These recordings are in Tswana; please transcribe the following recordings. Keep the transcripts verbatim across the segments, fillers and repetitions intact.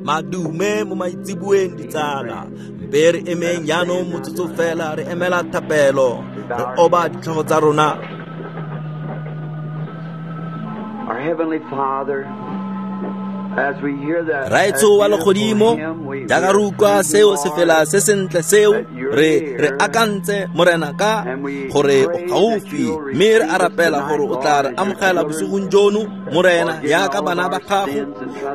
Madume mo maitseboeng ditsala. Mpe re emeng jaanong motsotso fela re emela thapelo. Re oba ditlhogo tsa rona. Our Heavenly Father, as we hear that Raetsho wa legodimo, jaaka re utlwa seo sefela se sentle seo, re re akantse Morena ka gore o gaufi, mme re a rapela gore o tla re amogela bosigong jono, Morena, jaaka bana ba gago,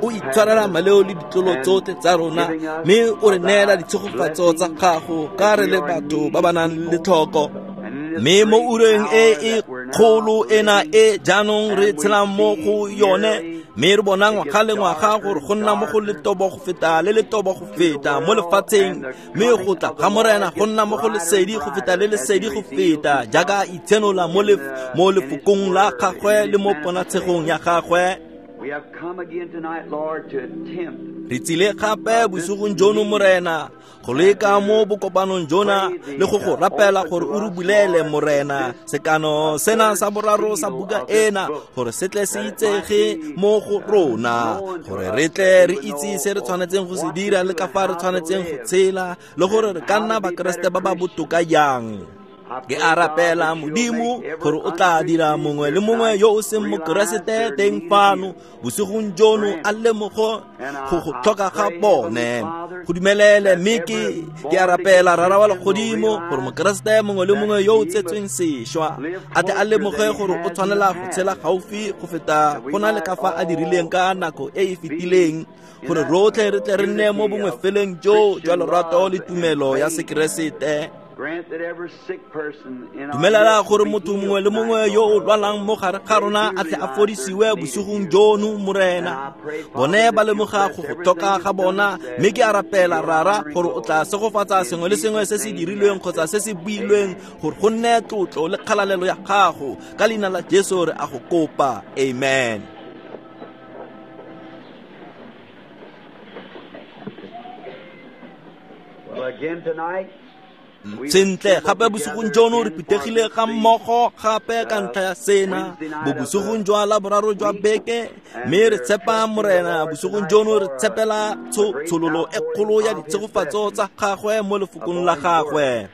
o itshwarela maleo le ditlolo tsotlhe tsa rona, mme o re neela ditshegofatso tsa gago ka re le batho ba ba nang le tlhoko. Mme mo ureng e e kgolo ena e jaanong re tshelang mo go yone, mme re bona ngwaga le ngwaga gore go nna mo go letobo go feta le letobo go feta mo lefatsheng, mme go tla ga Morena go nna mo go lesedi go feta le lesedi go feta, jaaka itshenola mo mo lefokong la gagwe le mo ponatshegong ya gagwe. Re tsile gape bosigong jono, Morena, go leka mo bokopanong jona le go go rapela gore o re bulele, Morena, sekano sena sa boraro sa buka ena, gore se tle se itsege mo go rona, gore re tle re itse se re tshwanetseng go se dira le ka fa re tshwanetseng go tshela, le gore re ka nna Bakeresete ba ba botoka jang. Ke a rapela Modimo gore o tla dira mongwe le mongwe yo o seng Mokeresete teng fano bosigong jono a lemogo go go tlhoka ga bone. Go dumelele, mme ke ke a rapela Rara wa legodimo gore Mokeresete mongwe le mongwe yo o tsetsweng sešwa a tle a lemoge gore o tshwanela go tshela gaufi go feta go na le ka fa a dirileng ka nako e e fetileng, gore rotlhe re tle re nne mo bongwefeleng jo jwa lorato le tumelo ya Sekeresete. Dumelela gore motho mongwe le mongwe yo o lwalang mo gare ga rona a tle a fodisiwe bosigong jono, Morena. Bone ba lemoga go go tlhoka ga bona, mme ke a rapela Rara gore o tla segofatsa sengwe le sengwe se se dirilweng kgotsa se se builweng, gore go nne tlotlo le kgalalelo ya gago. Ka leina la Jesu re a go kopa, amen. Well, again tonight, Sentle gape bosigong jono re phuthegile ga mmogo gape ka ntlha ya sena bo bosigong jwa laboraro jwa beke, mme re tshepa Morena bosigong jono re tshepela tshololo e kgolo ya ditshegofatso tsa gagwe mo lefokong la gagwe.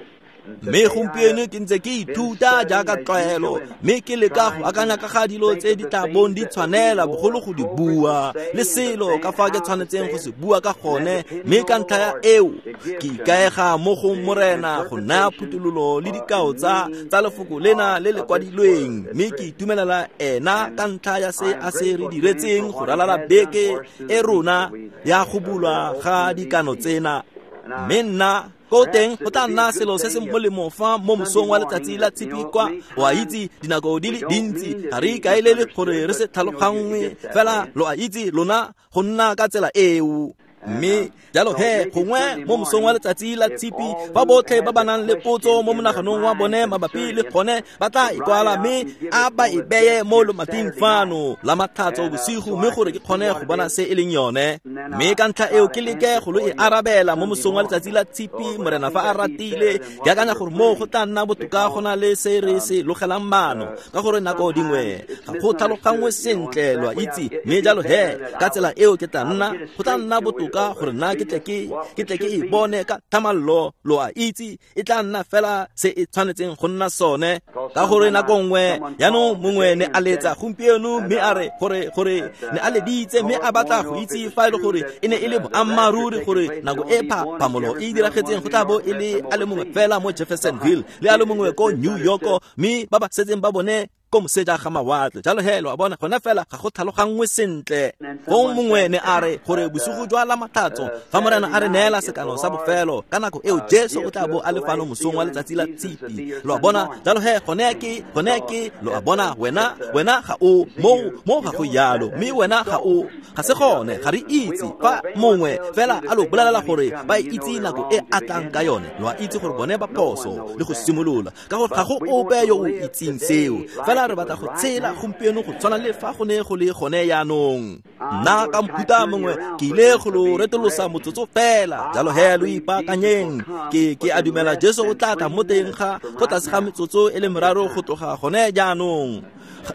Mme gompieno ke ntse ke ithuta jaaka tlwaelo, mme ke leka go akanya ka ga dilo tse di tla bong di tshwanela bogolo go di bua, le selo ka fa ke tshwanetseng go se bua ka gone. Mme ka ntlha ya eo ke ikaega mo go Morena go naya phuthololo le dikao tsa tsa lefoko lena le le kwadilweng, mme ke itumelela ena ka ntlha ya se a se re diretseng go ralala beke e rona ya go bulwa ga dikano tsena. Mme nna ko teng go tla nna selo se se molemo fa mo mosong wa letsatsi la tshipi kwa. O a itse dinako di le dintsi ga re ikaelele gore re se tlhaloganngwe, fela lo a itse lona go nna ka tsela eo. Mme jalo he gongwe mo mosong wa letsatsi la tshipi fa botlhe ba ba nang le potso mo monaganong wa bone mabapi le gone ba tla ikwala, mme a ba e beye mo lomating fano la Matlhatso bosigo, mme gore ke kgone go bona se e leng yone. Mme ka ntlha eo ke leke go lo e arabela mo mosong wa letsatsi la tshipi, Morena fa a ratile. Ke akanya gore moo go tla nna botoka go na le se re se logelang maano, ka gore nako dingwe ga go tlhaloganngwe sentle, lo a itse. Mme jalo he ka tsela eo ke tla nna go tla nna botoka gore nna ke tle ke ke tle ke e bone ka thamallo, lo a itse, e tla nna fela se e tshwanetseng go nna sone. Ka gore nako nngwe jaanong mongwe ne a letsa gompieno, mme a re gore gore ne a leditse, mme a batla go itse fa e le gore e ne e le boammaaruri gore nako e phamolo e diragetseng go tla bo e le a le mongwe fela mo Jeffersonville le a le mongwe ko New York, mme ba ba setseng ba bone ko moseja ga mawatle. Jalo he lo a bona gona fela ga go tlhaloganngwe sentle. Fong mongwe ne a re gore bosigo jwa la Matlhatso fa Morena a re neela sekano sa bofelo, ka nako eo Jesu o tla bo a le fano mosong wa letsatsi la tshipi, lo a bona. Jalo he gone ke gone ke lo a bona, wena wena ga o mo mo ga go yalo, mme wena ga o ga se gone, ga re itse. Fa mongwe fela a lo bolelela gore ba itse nako e a tlang ka yone, lo a itse gore bone ba phoso le go simolola, ka gore ga go ope yo o itseng seo. Fela re batla go tshela gompieno go tshwana le fa go ne go le gone jaanong. Nna ka mohuta mongwe ke ile go lo retolosa motsotso fela, jalo he lo ipaakanyeng. Ke ke a dumela Jesu o tla tla mo teng ga go tlase ga metsotso e le meraro go tloga gone jaanong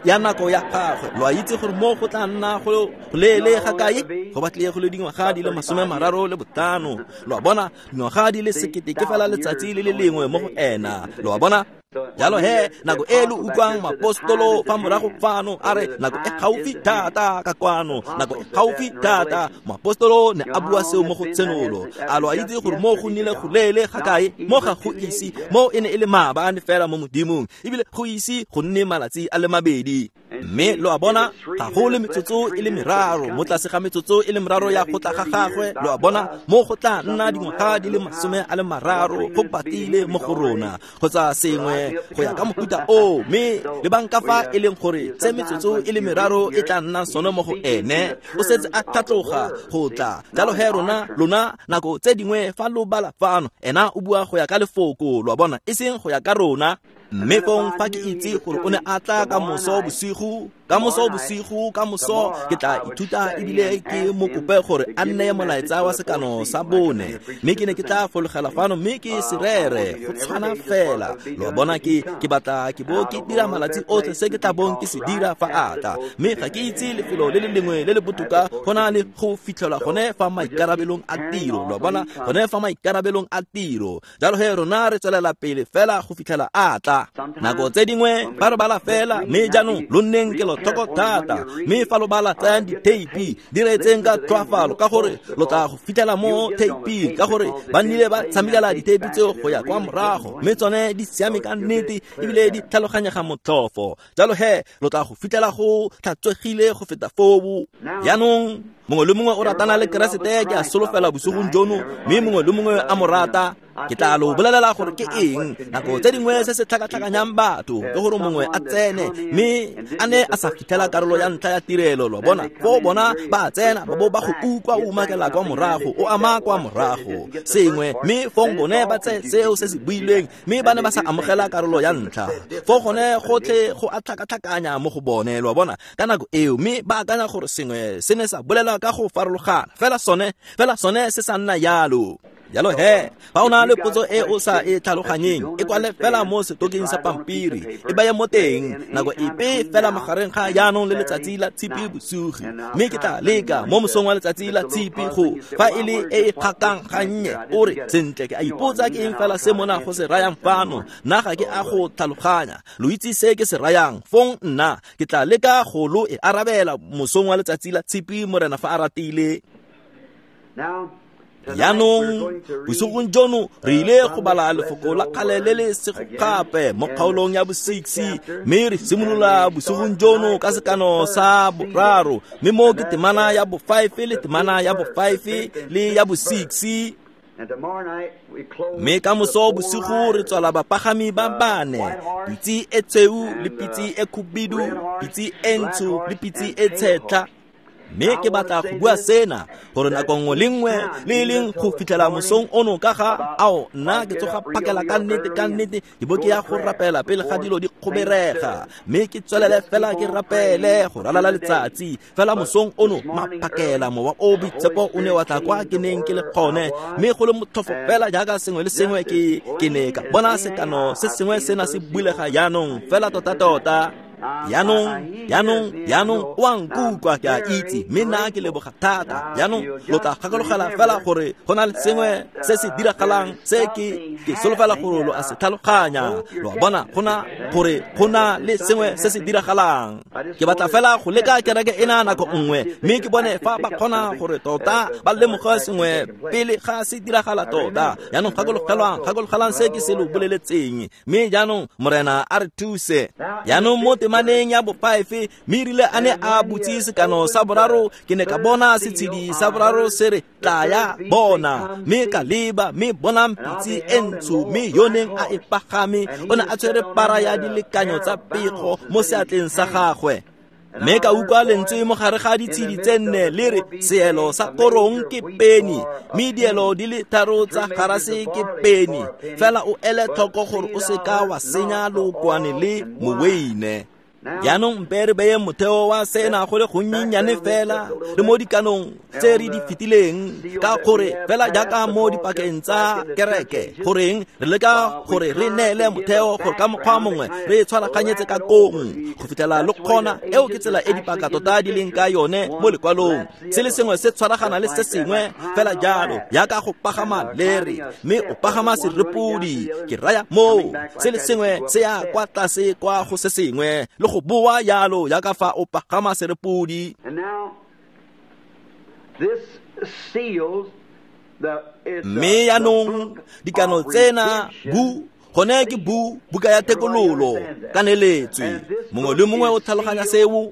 ya nako ya gagwe. Lo a itse gore mo go tla nna go leele ga kae? Go batlile go le dingwaga di le masome mararo le botlhano. Lo a bona, dingwaga di le sekete ke fela letsatsi le le lengwe mo go ena. Lo a bona? Jalo he, nako e lo utlwang maapostolo fa morago fano a re nako e gaufi thata ka kwano, nako e gaufi thata. Moapostolo ne a bua seo mo go Tshenolo. A lo a itse gore mo go nnile go leele ga kae? Mo ga go ise, mo e ne e le maabane fela mo Modimong, ebile go ise go nne malatsi a le mabedi. Mme lo a bona, ga go le metsotso e le meraro mo tlase ga metsotso e le meraro ya go tla ga gagwe. Lo a bona, mo go tla nna dingwaga di le masome a le mararo go patile mo go rona kgotsa sengwe go ya ka mohuta o. Mme lebang ka fa e leng gore se metsotso e le meraro e tla nna sone mo go ene, o setse a tlhatloga go tla. Jalo he rona lona nako tse dingwe fa lo bala fano, ena o bua go ya ka lefoko, lo a bona, e seng go ya ka rona. Mme fong fa ke itse gore o ne a tla ka moso bosigo, ka moso bosigo, ka moso ke tla ithuta ebile ke mo kope gore a nneye molaetsa wa sekano sa bone. Mme ke ne ke tla fologela fano mme ke se rere go tshwana fela. Lo a bona, ke ke batla ke bo ke dira malatsi otlhe se ke tla bong ke se dira fa a tla. Mme ga ke itse lefelo le le lengwe le le botoka go na le go fitlhelwa gone fa maikarabelong a tiro. Lo a bona, gone fa maikarabelong a tiro. Jalo he rona re tswelela pele fela go fitlhela a tla. Nako tse dingwe fa re bala fela, mme jaanong lo nneng kelotlhoko thata. Mme fa lo bala, tsayang ditheipi, di reetseng ka tlhoafalo, ka gore lo tla go fitlhela mo theiping, ka gore ba nnile ba tshamekela ditheipi tseo go ya kwa morago, mme tsone di siame ka nnete ebile di tlhaloganyega motlhofo. Jalo he lo tla go fitlhela go tlhatswegile go feta foo. Jaanong mongwe le mongwe o ratana le Keresete, ke a solofela bosigong jono, mme mongwe le mongwe a mo rata. Ke tla lo bolelela gore ke eng nako tse dingwe se se tlhakatlhakanyang batho ke gore mongwe a tsene mme a ne a sa fitlhela karolo ya ntlha ya tirelo. Lo bona, foo bona ba tsena ba bo ba go utlwa o umakela kwa morago, o ama kwa morago sengwe, mme fong bone ba tseye seo se se builweng, mme ba ne ba sa amogela karolo ya ntlha. Foo gone gotlhe go a tlhakatlhakanya mo go bone. Lo bona, ka nako eo, mme ba akanya gore sengwe se ne sa bolelwa ka go farologana, fela sone fela sone se sa nna yalo. Jalo he, fa o na le potso e o sa e tlhaloganyeng, e kwale fela mo setokeng sa pampiri, e baye mo teng nako epe fela magareng ga jaanong le letsatsi la Tshipi bosigo. Mme ke tla leka mo mosong wa letsatsi la Tshipi go fa e le e e kgakang gannye, o re sentle ke a ipotsa ke eng fela se mona go se rayang fano, nna ga ke a go tlhaloganya. Lo itse se ke se rayang, fong nna ke tla leka go lo e arabela mosong wa letsatsi la Tshipi, Morena fa a ratile. Jaanong bosigong jono re ile go bala lefoko la kgale le le sego gape mo kgaolong ya bo-six, mme re simolola bosigong jono ka sekano sa boraro, mme mo ke temana ya bo-five le temana ya bo-five le ya bo-six. Mme ka moso bosigo re tswala bapagami ba bane, pitse e tshweu le pitse e khubidu, pitse e ntsho le pitse e tshetlha. Mme ke batla go bua sena gore nako nngwe le nngwe le e leng go fitlhela mosong ono ka ga ao, nna ke tsoga phakela ka nnete ka nnete ke bo ke ya go rapela pele ga dilo di kgoberega, mme ke tswelele fela ke rapele go ralala letsatsi. Fela mosong ono maphakela mowa o boitshepo o ne wa tla kwa ke neng ke le gone, mme go le motlhofo fela jaaka sengwe le sengwe ke ke ne ka bona sekano se sengwe sena se bulega jaanong fela tota-tota. Jaanong, jaanong, jaanong o a nkutlwa, ke a itse, mme nna ke leboga thata. Jaanong lo tla gakologela fela gore go na le sengwe se se diragalang se ke ke solofela gore lo a se tlhaloganya. Lo a bona, go na gore go na le sengwe se se diragalang. Ke batla fela go leka kereke ena nako nngwe, mme ke bone fa ba kgona gore tota ba lemoge sengwe pele ga se diragala tota. Jaanong gakologelwang, gakologelang se ke se lo boleletseng, mme jaanong Morena a re thuse. Jaanong mo temaneng ya bo-five, mme erile a ne a butse sekano sa boraro, ke ne ka bona setshedi sa boraro se re tlaya bona, mme ka leba, mme bonang pitse e ntsho, mme yo neng a e pagame o ne a tshwere para ya dilekanyo tsa pego mo seatleng sa gagwe. Mme ka utlwa lentswe mo gare ga ditshedi tse nne le re seelo sa korong ke peni, mme dielo di le tharo tsa garase ke peni, fela o ele tlhoko gore o seka wa senya lookwane le moweine. Jaanong mpe re beye motheo wa sena go le gonnyenyane fela le mo dikanong tse re di fetileng, ka gore fela jaaka mo dipakeng tsa kereke, goreng re leka gore re neele motheo gore ka mokgwa mongwe re tshwaraganyetse ka kong go fitlhela lo kgona. Eo ke tsela e dipaka tota di leng ka yone mo lekwalong, se le sengwe se tshwaragana le se sengwe fela jalo, jaaka go pagama lere mme o pagama serepodi. Ke raya moo, se le sengwe se ya kwa tlase kwa go se sengwe le go boa jalo jaaka fa o pagama serepodi. Mme jaanong dikano tsena bu gone ke bu buka ya thekololo kaneletswe, mongwe le mongwe o tlhaloganya seo.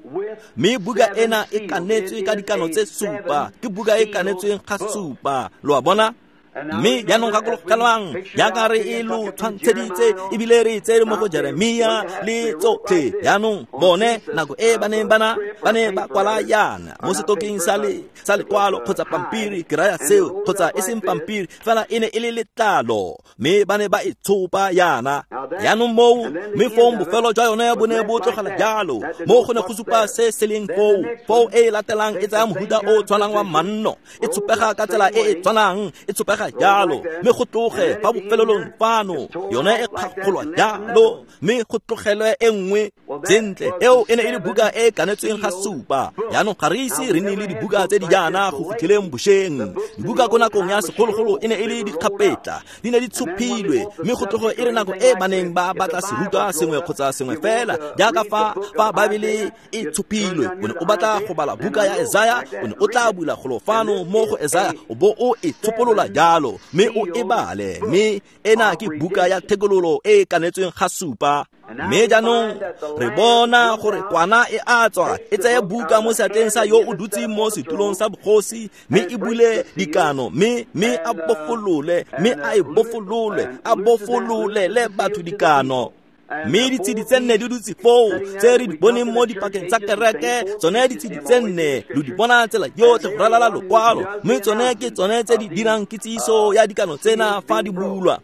Mme buka ena e kanetswe ka dikano tse supa, ke buka e kanetsweng ga supa, lo a bona. Mme jaanong gakologelwang jaaka re e lo tshwantsheditse ebile re e tsere mo go Jeremia le tsotlhe. Jaanong bone nako e ba neng bana ba ne ba kwala yana mo setokeng sa le sa lekwalo kgotsa pampiri, ke raya seo, kgotsa e seng pampiri fela e ne e le letlalo, mme ba ne ba e tshopa yana. Jaanong moo, mme fong bofelo jwa yone bo ne bo tlogela jalo, mo go ne go supa se se leng foo. Foo e e latelang e tsaya mohuta o tshwanang wa manno, e tshopega ka tsela e e tshwanang, e tshopega jalo, mme go tloge fa bofelelong fano yone e kgakgolwa jalo, mme go tlogelwe e nngwe. Sentle, eo e ne e le buka e e kanetsweng ga supa. Jaanong ga re ise re nne le dibuka tse di jaana go fitlheleng bošeng. Dibuka ko nakong ya segologolo e ne e le dikgapetla, di ne di tshophilwe, mme go tloge e re nako e ba neng ba batla serutwa sengwe kgotsa sengwe fela, jaaka fa fa Baebele e tshophilwe, o ne o batla go bala buka ya Esaya, o ne o tla bula golo fano mo go Esaya o bo o e tshopolola jalo, mme o e bale. Mme ena ke buka ya thekololo e e kanetsweng ga supa. Mme jaanong re bona gore kwana e a tswa e tseye buka mo seatleng sa yo o dutseng mo setulong sa bogosi, mme e bule dikano, mme mme a bofolole, mme a e bofolole, a bofololele batho dikano. Mme ditshedi tse nne di dutse foo tse re di boneng mo dipakeng tsa kereke, tsone ditshedi tse nne lo di bona tsela yotlhe go ralala lokwalo, mme tsone ke tsone tse di dirang kitsiso ya dikano tsena fa di bulwa.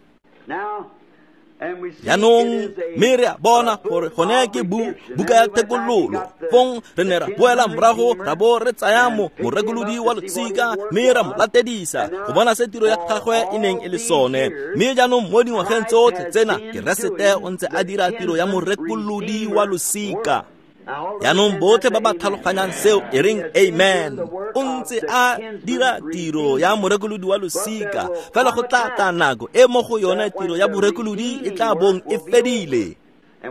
Jaanong mme re a bona gore gone ke bu buka ya thekololo. Fong re ne ra boela morago ra bo re tsaya mo morekolodi wa losika, mme ra mo latedisa go bona se tiro ya gagwe e neng e le sone. Mme jaanong mo dingwageng tsotlhe tsena Keresete o ntse a dira tiro ya morekolodi wa losika. Jaanong botlhe ba ba tlhaloganyang seo e reng amen. O ntse a dira tiro ya morekolodi wa losika, fela go tla tla nako e mo go yone tiro ya borekolodi e tla bong e fedile.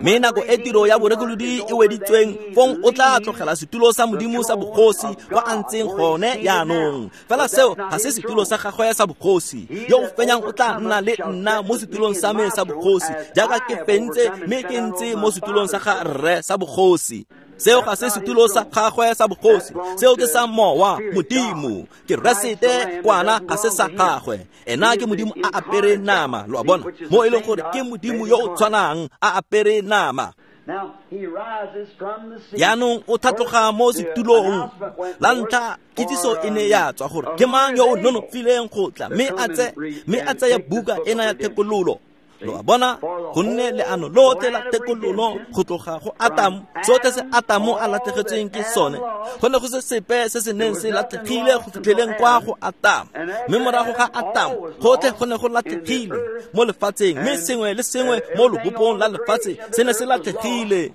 Mme nako e tiro ya borekolodi e weditsweng, fong o tla tlogela setulo sa Modimo sa bogosi kwa a ntseng gone jaanong. Fela seo ga se setulo sa gagwe sa bogosi. Yo o fenyang o tla nna le nna mo setulong sa me sa bogosi, jaaka ke fentse mme ke ntse mo setulong sa ga rre sa bogosi. Seo ga se setulo sa gagwe sa bogosi, seo ke sa mowa Modimo. Keresete kwana ga se sa gagwe, ena ke Modimo a apere nama, lo a bona, mo e leng gore ke Modimo yo o tshwanang a apere nama. Jaanong o tlhatloga mo setulong. La ntlha kitsiso e ne ya tswa gore ke mang yo o nonofileng go tla mme a tse mme a tseye buka ena ya thekololo. Lo a bona, gonne leano lotlhe la thekololo go tloga go Atamo, sotlhe se Atamo a latlhegetsweng ke sone, go ne go se sepe se se neng se latlhegile go fitlheleng kwa go Atamo. Mme morago ga Atamo gotlhe go ne go latlhegile mo lefatsheng, mme sengwe le sengwe mo lobopong la lefatshe se ne se latlhegile.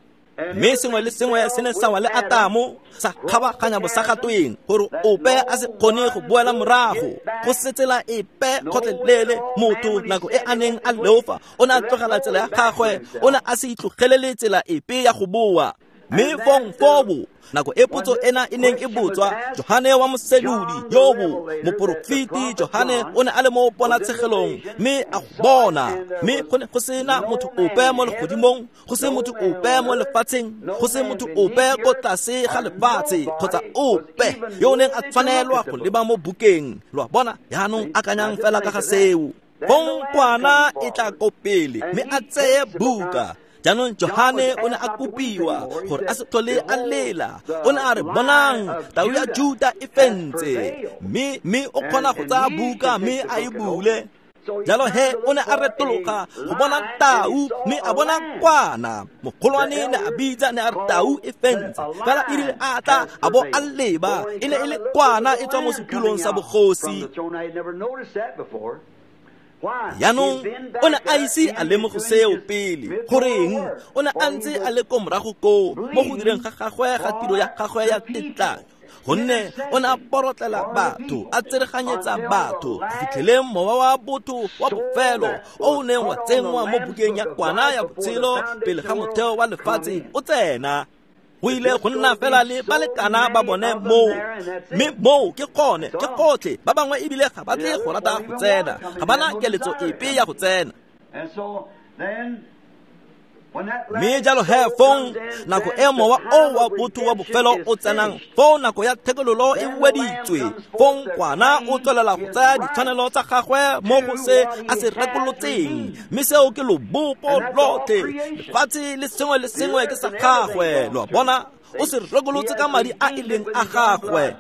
Mme sengwe le sengwe se ne sa wa le Atamo, sa kgabaganya bosagatweng gore ope a se kgone go boela morago. Go se tsela epe kgotlelele motho nako e a neng a leofa, o ne a tlogela tsela ya gagwe, o ne a se itlogelele tsela epe ya go boa. Mme fong fobo nako e potso ena e neng e botswa, Johane wa mosenodi yobo moporofeti Johane o ne a le mo ponatshegelong mme a go bona, mme go ne go sena motho ope mo legodimong, go se motho ope mo lefatsheng, go se motho ope ko tlase ga lefatshe kgotsa ope yo o neng a tshwanelwa go leba mo bukeng. Lo a bona, jaanong akanyang fela ka ga seo. Fong kwana e tla ko pele mme a tseye buka. Jaanong Johane o ne a kopiwa gore a se tlhole a lela. O ne a re, bonang, tau ya Juta e fentse, mme mme o kgona go tsaya buka mme a e bule. Jalo he o ne a retologa go bona tau mme a bona kwana. Mogolwane ne a bitsa ne a re tau e fentse. Fela e rile a tla a bo a leba e ne e le kwana e tswa mo setulong sa bogosi. Jaanong o ne a ise a lemoge seo pele. Goreng o ne a ntse a le ko morago koo mo go direng ga gagwe ga tiro ya gagwe ya tetlanyo, gonne o ne a porotlela batho, a tsereganyetsa batho go fitlheleng mowa wa botho wa bofelo o o neng wa tsenngwa mo bukeng ya kwana ya botshelo pele ga motheo wa lefatshe o tsena. Go ile go nna fela le balekana ba bone moo, mme moo ke gone ke gotlhe. Ba bangwe ebile ga ba tle go rata go tsena, ga bana keletso epe ya go tsena. Mme jalo he fong nako e mowa o wa botho wa bofelo o tsenang, foo nako ya thekololo e weditswe, fong kwana o tswelela go tsaya ditshwanelo tsa gagwe mo go se a se rekolotseng, mme seo ke lobopo lotlhe, lefatshe le sengwe le sengwe ke sa gagwe. Lo a bona, o se rekolotse ka madi a e leng a gagwe.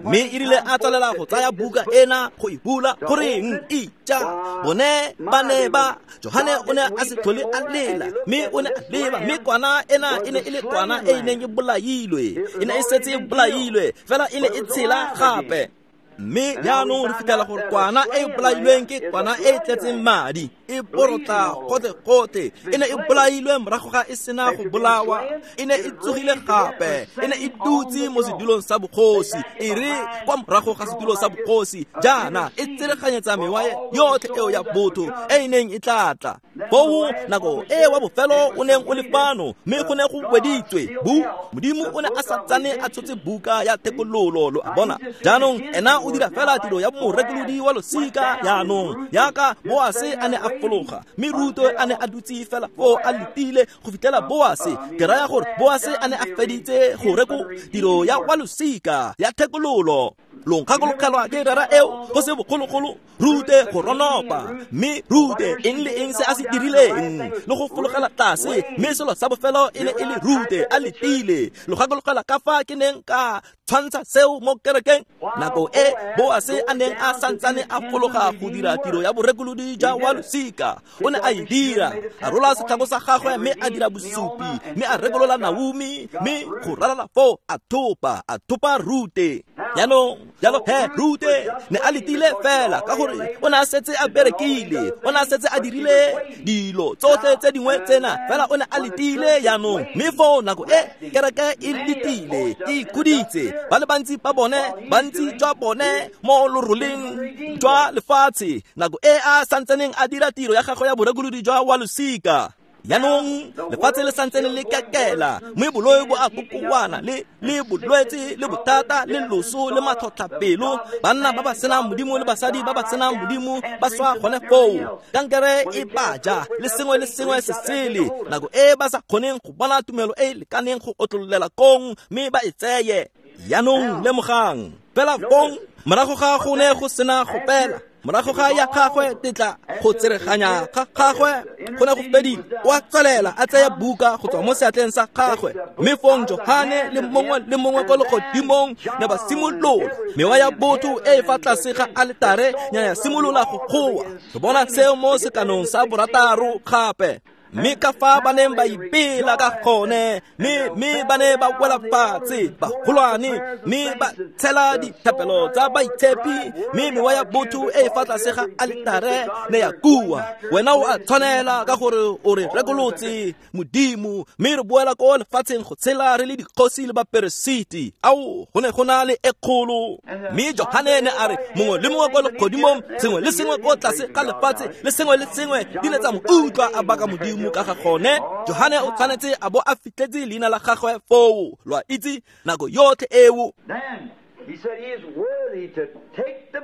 Mme e rile a tswelela go tsaya buka ena go e bula, goreng ija bone ba ne ba Johane o ne a se tlhole a lela, mme o ne a leba, mme kwana ena e ne e le kwana e e neng e bolailwe, e ne e setse e bolailwe, fela e ne e tshela gape. Mme jaanong re fitlhela gore kwana e e bolailweng ke kwana e e tletseng madi, e porotla gotlhe-gotlhe. E ne e bolailwe morago ga e sena go bolawa, e ne e tsogile gape, e ne e dutse mo sedulong sa bogosi. E re kwa morago ga sedulo sa bogosi jaana e tsereganyetsa mewa yotlhe eo ya botho e e neng e tla tla. Foo nako e wa bofelo o neng o le fano, mme go ne go weditswe bu Modimo o ne a sa tsane a tshotse buka ya thekololo. Lo a bona, jaanong ena o dira fela tiro ya morekolodi wa losika. Jaanong yaka Boase a ne a fologa, mme Rute a ne a dutse fela foo a letile go fitlhela Boase, ke raya gore Boase a ne a feditse go reko tiro ya wa losika ya thekololo. Lo nkgakologelwa ke rera eo go se bogologolo, Rute go ronopa, mme Rute eng le eng se a se dirileng le go fologela tlase, mme selo sa bofelo e ne e le Rute a letile. Lo gakologelwa ka fa ke neng ka tshwantsha seo mo kerekeng nako e Boase a neng a santsane a fologa go dira tiro ya borekolodi jwa wa losika. O ne a e dira, a rola setlhako sa gagwe mme a dira bosupi, mme a rekolola Naomi, mme go ralala foo a thopa, a thopa Rute. Jaanong jalo he Rute ne a letile fela ka gore o ne a setse a berekile, o ne a setse a dirile dilo tsotlhe tse dingwe tsena, fela o ne a letile jaanong. Mme foo nako e kereke e letile, e ikhuditse, ba le bantsi ba bone, bantsi jwa bone mo loroleng jwa lefatshe, nako e a santsaneng a dira tiro ya gagwe ya borekolodi jwa wa losika. Jaanong lefatshe le santsane le kekela, mme boloi bo a kokoana le le bolwetse le bothata le loso le matlhotlhapelo. Banna ba ba senang Modimo le basadi ba ba senang Modimo ba swa gone foo, kankere e baja le sengwe le sengwe se sele, nako e ba sa kgoneng go bona tumelo e e lekaneng go otlololela kong mme ba e tseye. Jaanong lemogang fela fong morago ga go ne go sena go pela, morago ga ya gagwe tetla go tsereganya ga gagwe go ne go fedile, o a tswelela a tsaya buka go tswa mo seatleng sa gagwe. Mme fong Johane le mongwe le mongwe ko legodimong ne ba simolola, mewa ya botho e e fa tlase ga aletare ya ya simolola go goa. Re bona seo mo sekanong sa borataro gape. Mme ka fa ba neng ba ipela ka gone, mme mme ba ne ba wela fatshe bagolwane, mme ba tshela dithapelo tsa baitshepi, mme mewa ya botho e e fa tlase ga aletare ne ya kua. Wena o a tshwanela ka gore o re rekolotse Modimo, mme re boela ko lefatsheng go tshela re le dikgosi le baperesiti. Ao, go ne go na le e kgolo. Mme Johane ne a re mongwe le mongwe ko legodimong, sengwe le sengwe ko tlase ga lefatshe le sengwe le sengwe di ne tsa mo utlwa a baka Modimo ka ga gone. Johane o tshwanetse a bo a fitlhetse leina la gagwe foo, lo a itse, nako yotlhe eo.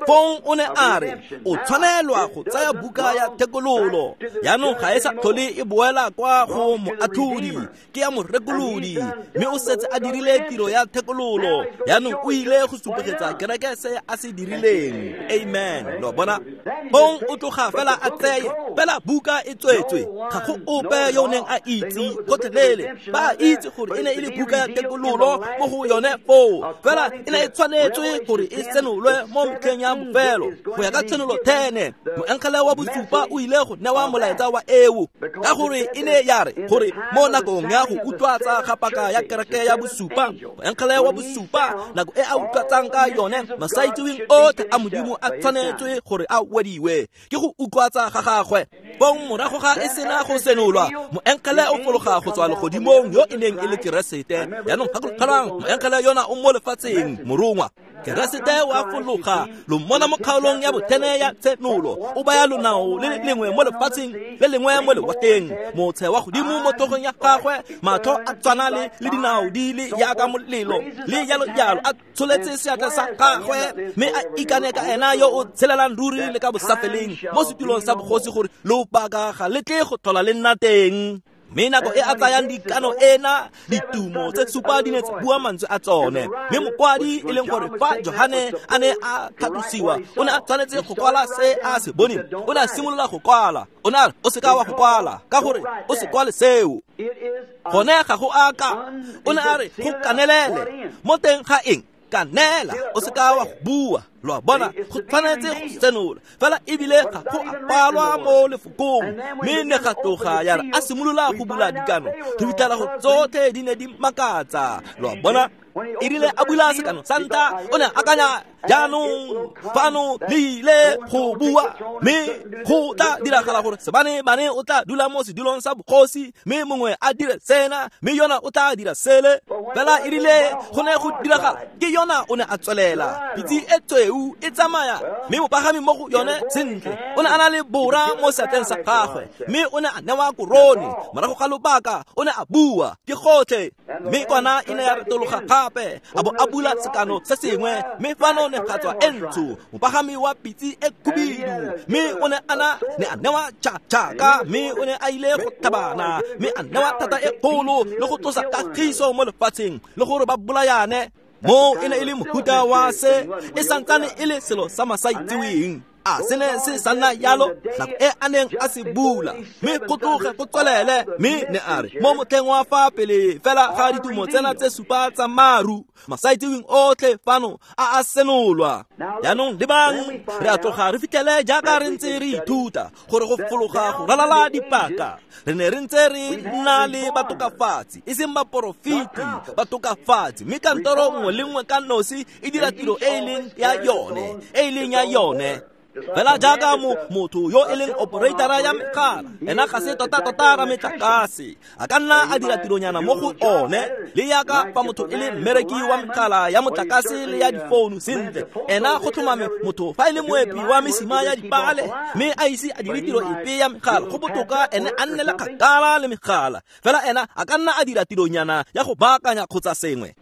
Fong o ne a re o tshwanelwa go tsaya buka ya thekololo. Jaanong ga e sa tlhole e boela kwa go moatlhodi, ke ya morekolodi, mme o setse a dirile tiro ya thekololo. Jaanong o ile go supegetsa kereke se a se dirileng. Amen. Lo bona, fong o tloga fela a tseye fela buka e tswetswe, ga go ope yo o neng a itse gotlhelele. Ba itse gore e ne e le buka ya thekololo mo go yone foo, fela e ne e tshwanetse tshwanetswe gore e senolwe mo metlheng ya bofelo go ya ka tshenolo ten moengele wa bosupa o ile go newa molaetsa wa eo ka gore e ne ya re gore mo nakong ya go utlwatsa ga paka ya kereke ya bosupa moengele wa bosupa nako e a utlwatsang ka yone masaitseweng otlhe a modimo a tshwanetswe gore a wediwe ke go utlwatsa ga gagwe bong morago ga e sena go senolwa moengele o fologa go tswa legodimong yo e neng e le Keresete jaanong gakologelwang moengele yona o mo lefatsheng morongwa Keresete wa fologa lo mmona mo kgaolong ya bothene ya tshenolo o baya lonao le lengwe mo lefatsheng le lengwe mo lewatleng motshe wa godimo mo tlhogong ya gagwe matlho a tshwana le le dinao di le yaka molelo le jalo jalo a tsholetse seatla sa gagwe mme a ikane ka ena yo o tshelelang ruri le ka bosafeleng mo setulong sa bogosi gore lobaka ga le tle go tlhola le nna teng mme nako e a tsayang dikano ena ditumo tse supa di ne tsa bua mantswe a tsone mme mokwadi e leng gore fa Johane a ne a tlhatlosiwa o ne a tshwanetse go kwala se a se boneng o ne a simolola go kwala o ne a re o seka wa go kwala ka gore o se kwale seo gone ga go aka o ne a re go kanelele mo teng ga eng kanela o seka wa go bua lo a bona go tshwanetse go senola fela ebile ga go a palwa mo lefokong mme ne ga tloga ya re a simolola go bula dikano re fitlhela go tsotlhe di ne di makatsa lo a bona e rile a bula sekano sa ntlha o ne akanya jaanong fano le ile go bua mme go tla diragala gore sebane-bane o tla dula mo sedulong sa bogosi mme mongwe a dire sena mme yona o tla dira sele fela e rile go ne go diragala ke yona o ne a tswelela pitse e tsweu e tsamaya mme mopagami mo go yone sentle o ne a na le bora mo seatleng sa gagwe mme o ne a newa korone morago ga lobaka o ne a bua ke gotlhe mme kwana e ne ya retologa gape a bo a bula sekano se sengwe mme fano ne ga tswa e ntsho mopagami wa pitse e khubidu mme o ne a na ne a newa tšhaka mme o ne a ile go tlhabana mme a newa thata e kgolo le go tlosa kagiso mo lefatsheng le gore ba bolayane mo e ne e le mohuta wa se e santsane e le selo sa masaitseweng a se ne se sa nna yalo nako e a neng a se bula mme go tloge go tswelele mme ne a re mo motlheng wa fa pele fela ga ditumo tsena tse supa tsa maru masaitseweng otlhe fano a a senolwa jaanong lebang re a tloga re fitlhele jaaka re ntse re ithuta gore go fologa go ralala dipaka re ne re ntse re nna le batokafatsi e seng baporofeti batokafatsi mme kantoro nngwe le nngwe ka nosi e dira tiro e e leng ya yone e e leng ya yone fela jaaka mo motho yo e leng operatora ya megala ena ga se tota-tota ra metlakase a ka nna a dira tironyana mo go one le yaka fa motho e le mmereki wa megala ya motlakase le ya difounu sentle ena go tlhomame motho fa e le moepi wa mesima ya dipale mme a ise a dire tiro epe ya megala go botoka ene a nne le kgakala le megala fela ena a ka nna a dira tironyana ya go baakanya kgotsa sengwe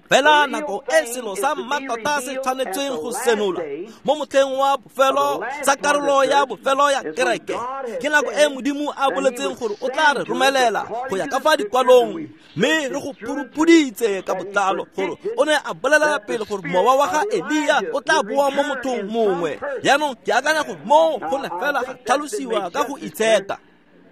fela nako e selo sa mmatota se tshwanetsweng go senola mo motlheng wa bofelo sa karolo ya bofelo ya kereke ke nako e modimo a boletseng gore o tla re romelela go ya ka fa dikwalong mme re go purupuditse ka botlalo gore o ne a bolelela pele gore mowa wa ga Elia o tla boa mo mothong mongwe jaanong ke akanya gore moo go ne fela ga tlhalosiwa ka go itsheka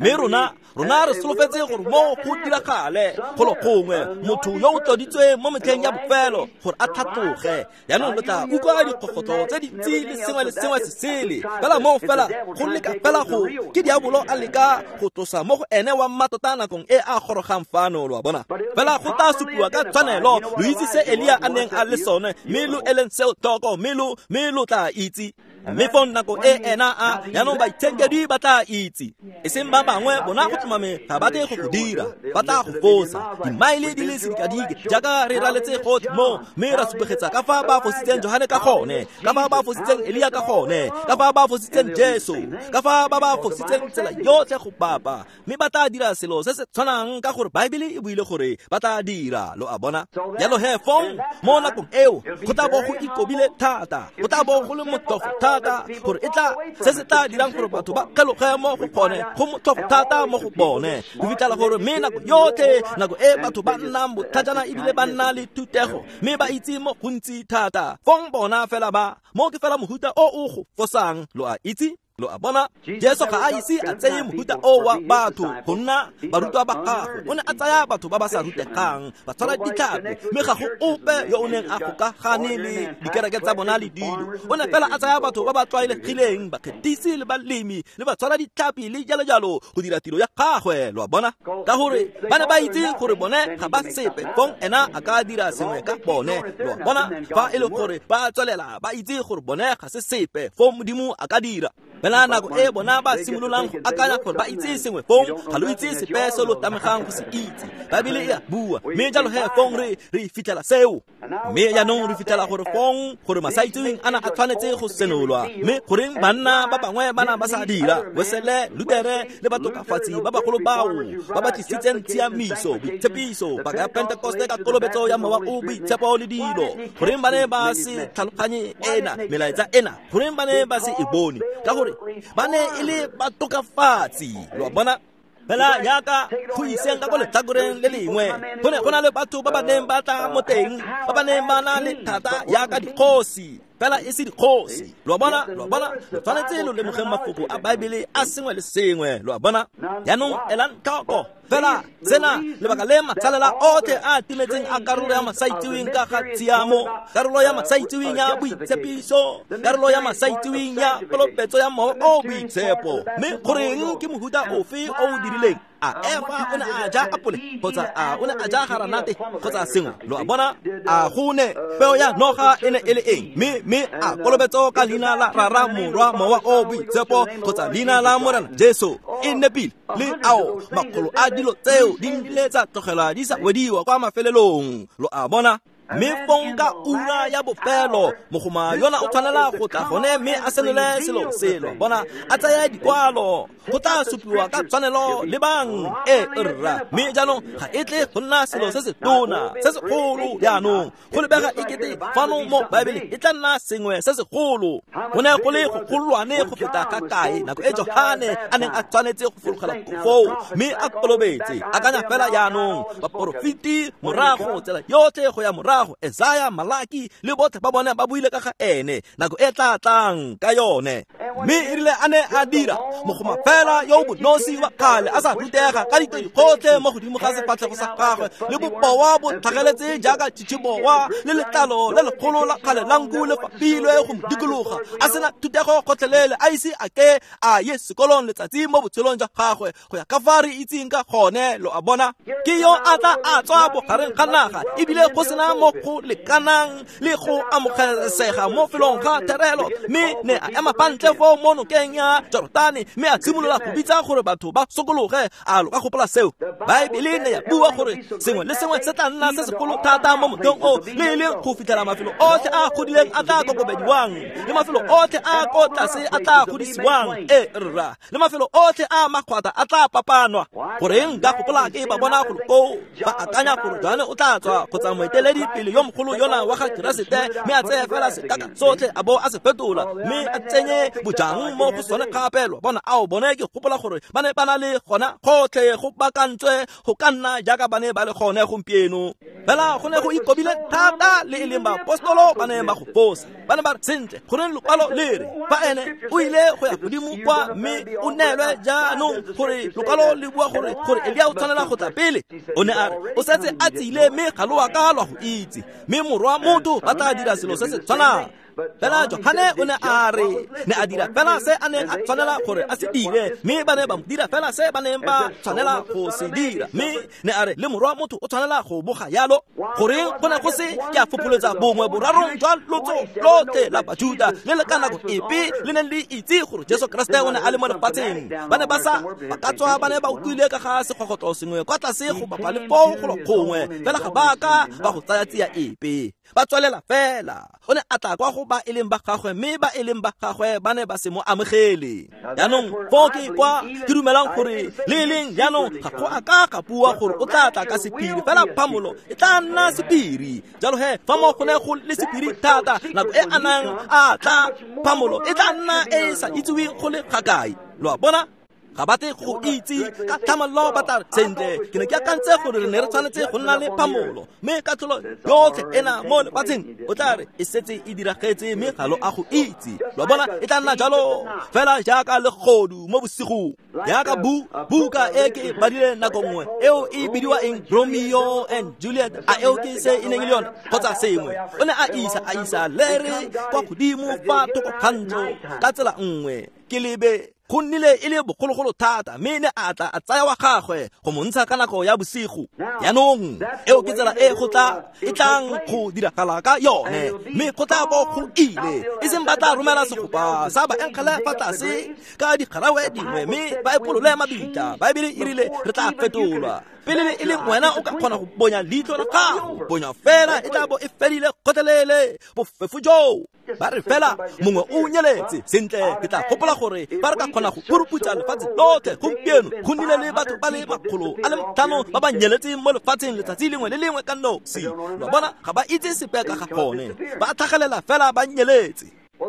mme rona rona re solofetse gore mo go diragale golo gongwe motho yo o tloditsweng mo metlheng ya bofelo gore a tlhatloge jaanong lo tla utlwa dikgogotlo tse dintsi le sengwe le sengwe se sele fela moo fela go leka fela go ke diabolo a leka go tlosa mo go ene wa mmatota nakong e a gorogang fano lo a bona fela go tla supiwa ka tshwanelo lo itse se Elia a neng a le sone mme lo eleng seo tlhoko mme lo mme lo tla itse mme fong nako e ena a jaanong baitshenkedwi ba tla itse e seng ba bangwe bona go tlhomame ga ba tle go go dira ba tla go fosa dimaele di le sedikadike jaaka re raletse gotlhe mo mme ra supegetsa ka fa ba fositseng Johane ka gone ka fa ba fositseng Elia ka gone ka fa ba fositseng Jesu ka fa ba ba fositseng tsela yotlhe go bapa mme ba tla dira selo se se tshwanang ka gore Baebele e buile gore ba tla dira lo a bona jalo he fong mo nakong eo go tla bo go ikobile thata go tla bo go le motlhofo thata gore e tla se se tla dirang gore batho ba kgeloge mo go gone go motlhofo thata mo go bone go fitlhela gore mme nako yotlhe nako e batho ba nnang botlhajana ebile ba nna le thutego mme ba itse mo gontsi thata fong bona fela ba mo ke fela mohuta o o go fosang lo a itse Lo a bona, Jesu ga a ise a tseye mohuta o wa batho go nna barutwa ba gagwe. O ne a tsaya batho ba ba sa rutegang, ba tshwara ditlhapi, mme ga go ope yo o neng a gokagane le dikereke tsa bona le dilo. O ne fela a tsaya batho ba ba tlwaelegileng, bakgethisi le balemi le ba tshwara ditlhapi le jalo jalo go dira tiro ya gagwe. Lo a bona, ka gore ba ne ba itse gore bone ga ba sepe, fong ena a ka dira sengwe ka bone. Lo a bona, fa e le gore ba tswelela ba itse gore bone ga se sepe, fong Modimo a ka dira. Fela nako e bona ba simololang go akanya gore ba itse sengwe, fong ga lo itse sepe se lo tamegang go se itse. Baebele e a bua, mme jalo he fong re re fitlhela seo. Mme jaanong re fitlhela gore fong gore masaitseweng ana a tshwanetse go senolwa, mme goreng banna ba bangwe ba na ba sa dira, Wesele, Lutere le batokafatsi ba bagolo bao ba ba tlisitseng tshiamiso, boitshepiso, paka ya Pentekoste ka kolobetso ya Mowa o Boitshepo le dilo, goreng ba ne ba se tlhaloganye ena melaetsa ena, goreng ba ne ba se e bone? Ka gore ba ne e le batokafatsi. Lo a bona, fela yaka go iseng ka ko letlhakoreng le lengwe, go ne go na le batho ba ba neng ba tla mo teng, ba ba neng ba na le thata yaka dikgosi, fela e se dikgosi. Lo a bona, lo a bona, lo tshwanetse lo lemogeng mafoko a Baebele a sengwe le sengwe. Lo a bona, jaanong elang tlhoko fela sena, lebaka le matsalela otlhe a timetseng a karolo ya masaitseweng ka ga tshiamo, karolo ya masaitseweng ya boitshepiso, karolo ya masaitseweng ya kolobetso ya Mowa o Boitshepo. Mme goreng ke mohuta ofe o o dirileng? A Efa o ne a ja apole kgotsa a o ne a ja garanate kgotsa sengwe? Lo a bona, a go ne peo ya noga e ne e le eng? Mme mme a kolobetso ka leina la Rara, Morwa, Mowa o Boitshepo kgotsa leina la Morena Jesu e nepile? Le ao makgolo a dilo tseo di nnile tsa tlogelwa di sa wediwa kwa mafelelong. Lo a bona, mme fong ka ura ya bofelo mogoma yona o tshwanela go tla gone mme a senole selo selo. Bona, a tsaya dikwalo go tla supiwa ka tshwanelo le bang e rra. Mme jaanong ga e tle go nna selo se se tona se segolo. Jaanong go lebega ekete fano mo Baebeleng e tla nna sengwe se segolo. Go ne go le go golwane go feta ka kae nako e Johane a neng a tshwanetse go fologela foo mme a kolobetse. Akanya fela jaanong baporofeti morago tsela yotlhe go ya morago, Esaya, Malaki le botlhe ba bone ba buile ka ga ene nako e tla tlang ka yone. Mme e rile a ne a dira mogoma fela yo o bonosi wa kgale a sa rutega ka ditoi gotlhe mo godimo ga sefatlhego sa gagwe le bobowa bo tlhageletse jaaka tšhitšhibowa le letlalo le legolo la kgale la nku le fapilwe go mo dikologa, a sena thutego gotlhelele, a ise a ke a ye sekolong letsatsi mo botshelong jwa gagwe go ya ka fa re itseng ka gone. Lo a bona, ke yo a tla a tswa bogareng ga naga ebile go sena mo go lekanang le go amogelesega mo felong ga therelo, mme ne a ema fa ntle foo mo nokeng ya Jorotane mme a simolola go bitsa gore batho ba sokologe. A lo ka gopola seo? Baebele ne ya bua gore sengwe le sengwe se tla nna se segolo thata mo mothong o, le e leng go fitlhela mafelo otlhe a godileng a tla kokobediwang, le mafelo otlhe a ko tlase a tla godisiwang, e rra, le mafelo otlhe a makgwata a tla papanwa. Goreng ka gopola ke ba bona golo koo ba akanya gore Johane o tla tswa kgotsa moeteledi pele yo mogolo yona wa ga Keresete, mme a tseye fela sekaka sotlhe a bo a se fetola mme a tsenye bojang mo go sone gape. Lo bona, ao bone ke gopola gore ba ne ba na le gona gotlhe go bakantswe go ka nna jaaka ba ne ba le gone gompieno. Fela go ne go ikobile thata le e leng baapostolo ba ne ba go fosa. Ba ne ba re, sentle, goreng lokwalo le re fa ene o ile go ya godimo kwa mme o neelwe jaanong gore lokwalo le bua gore gore Elia o tshwanela go tla pele? O ne a re o setse a tsile mme ga lo a ka lwa go itse, mme morwa motho ba tla dira selo se se tshwanang. Fela Johane o ne a re ne a dira fela se a neng a tshwanela gore a se dire, mme ba ne ba mo dira fela se ba neng ba tshwanela go se dira. Mme ne a re le morwa motho o tshwanela go boga yalo. Goreng go ne go se ke a fopholetsa bongwe borarong jwa lotso lotlhe la Bajuda le le ka nako epe le neng le itse gore Jesu Keresete o ne a le mo lefatsheng. Ba ne ba sa ba ka tswa ba ne ba utlwile ka ga segogotlo sengwe kwa tlase go bapa le foo golo gongwe, fela ga ba ka ba go tsaya tsia epe, ba tswelela fela. O ne a tla kwa go ba e leng ba gagwe, mme ba e leng ba gagwe ba ne ba se mo amogele. Jaanong foo ke kwa ke dumelang gore le e leng jaanong ga go a ka ga bua gore o tla tla ka sephiri, fela phamolo e tla nna sephiri. Jalo he fa mo go ne go le sephiri thata nako e a nang a tla, phamolo e tla nna e e sa itseweng go le ga kae. Lo a bona? Ga ba tle go itse ka tlhamallo ba tla sentle ke ne ke akantse gore re ne re tshwanetse go nna le phamolo mme katlholo yotlhe ena mo lefatsheng o tla re e setse e diragetse mme ga lo a go itse. Lo bona e tla nna jalo fela jaaka legodu mo bosigong jaaka bu buka e ke e badile nako nngwe eo e bidiwa eng Romeo and Juliet a eo ke se e neng e le yone kgotsa sengwe o ne a isa a isa lere kwa godimo fa thoko ga ntlo ka tsela nngwe ke lebe go nnile e le bogologolo thata mme ne a tla a tsaya wa gagwe go mo ntsha ka nako ya bosigo. Jaanong eo ke tsela e go tla e tlang go diragala ka yone mme go tla bo go ile e seng ba tla romela segopa sa baengele fa tlase ka digarawe dingwe mme ba epolole mabitla. Baebele e rile re tla fetolwa pele e le wena o ka kgona go bonya leitlho la gago bonya fela e tla bo e fedile kgotlelele bofefo joo. Ba re fela mongwe o nyeletse sentle ke tla gopola gore ba re ka kgona go puruputsa lefatshe lotlhe gompieno go nnile le batho ba le makgolo a le matlhano ba ba nyeletseng mo lefatsheng letsatsi lengwe le lengwe ka nosi. Lo bona ga ba itse sepe ka ga gone ba tlhagelela fela ba nyeletse.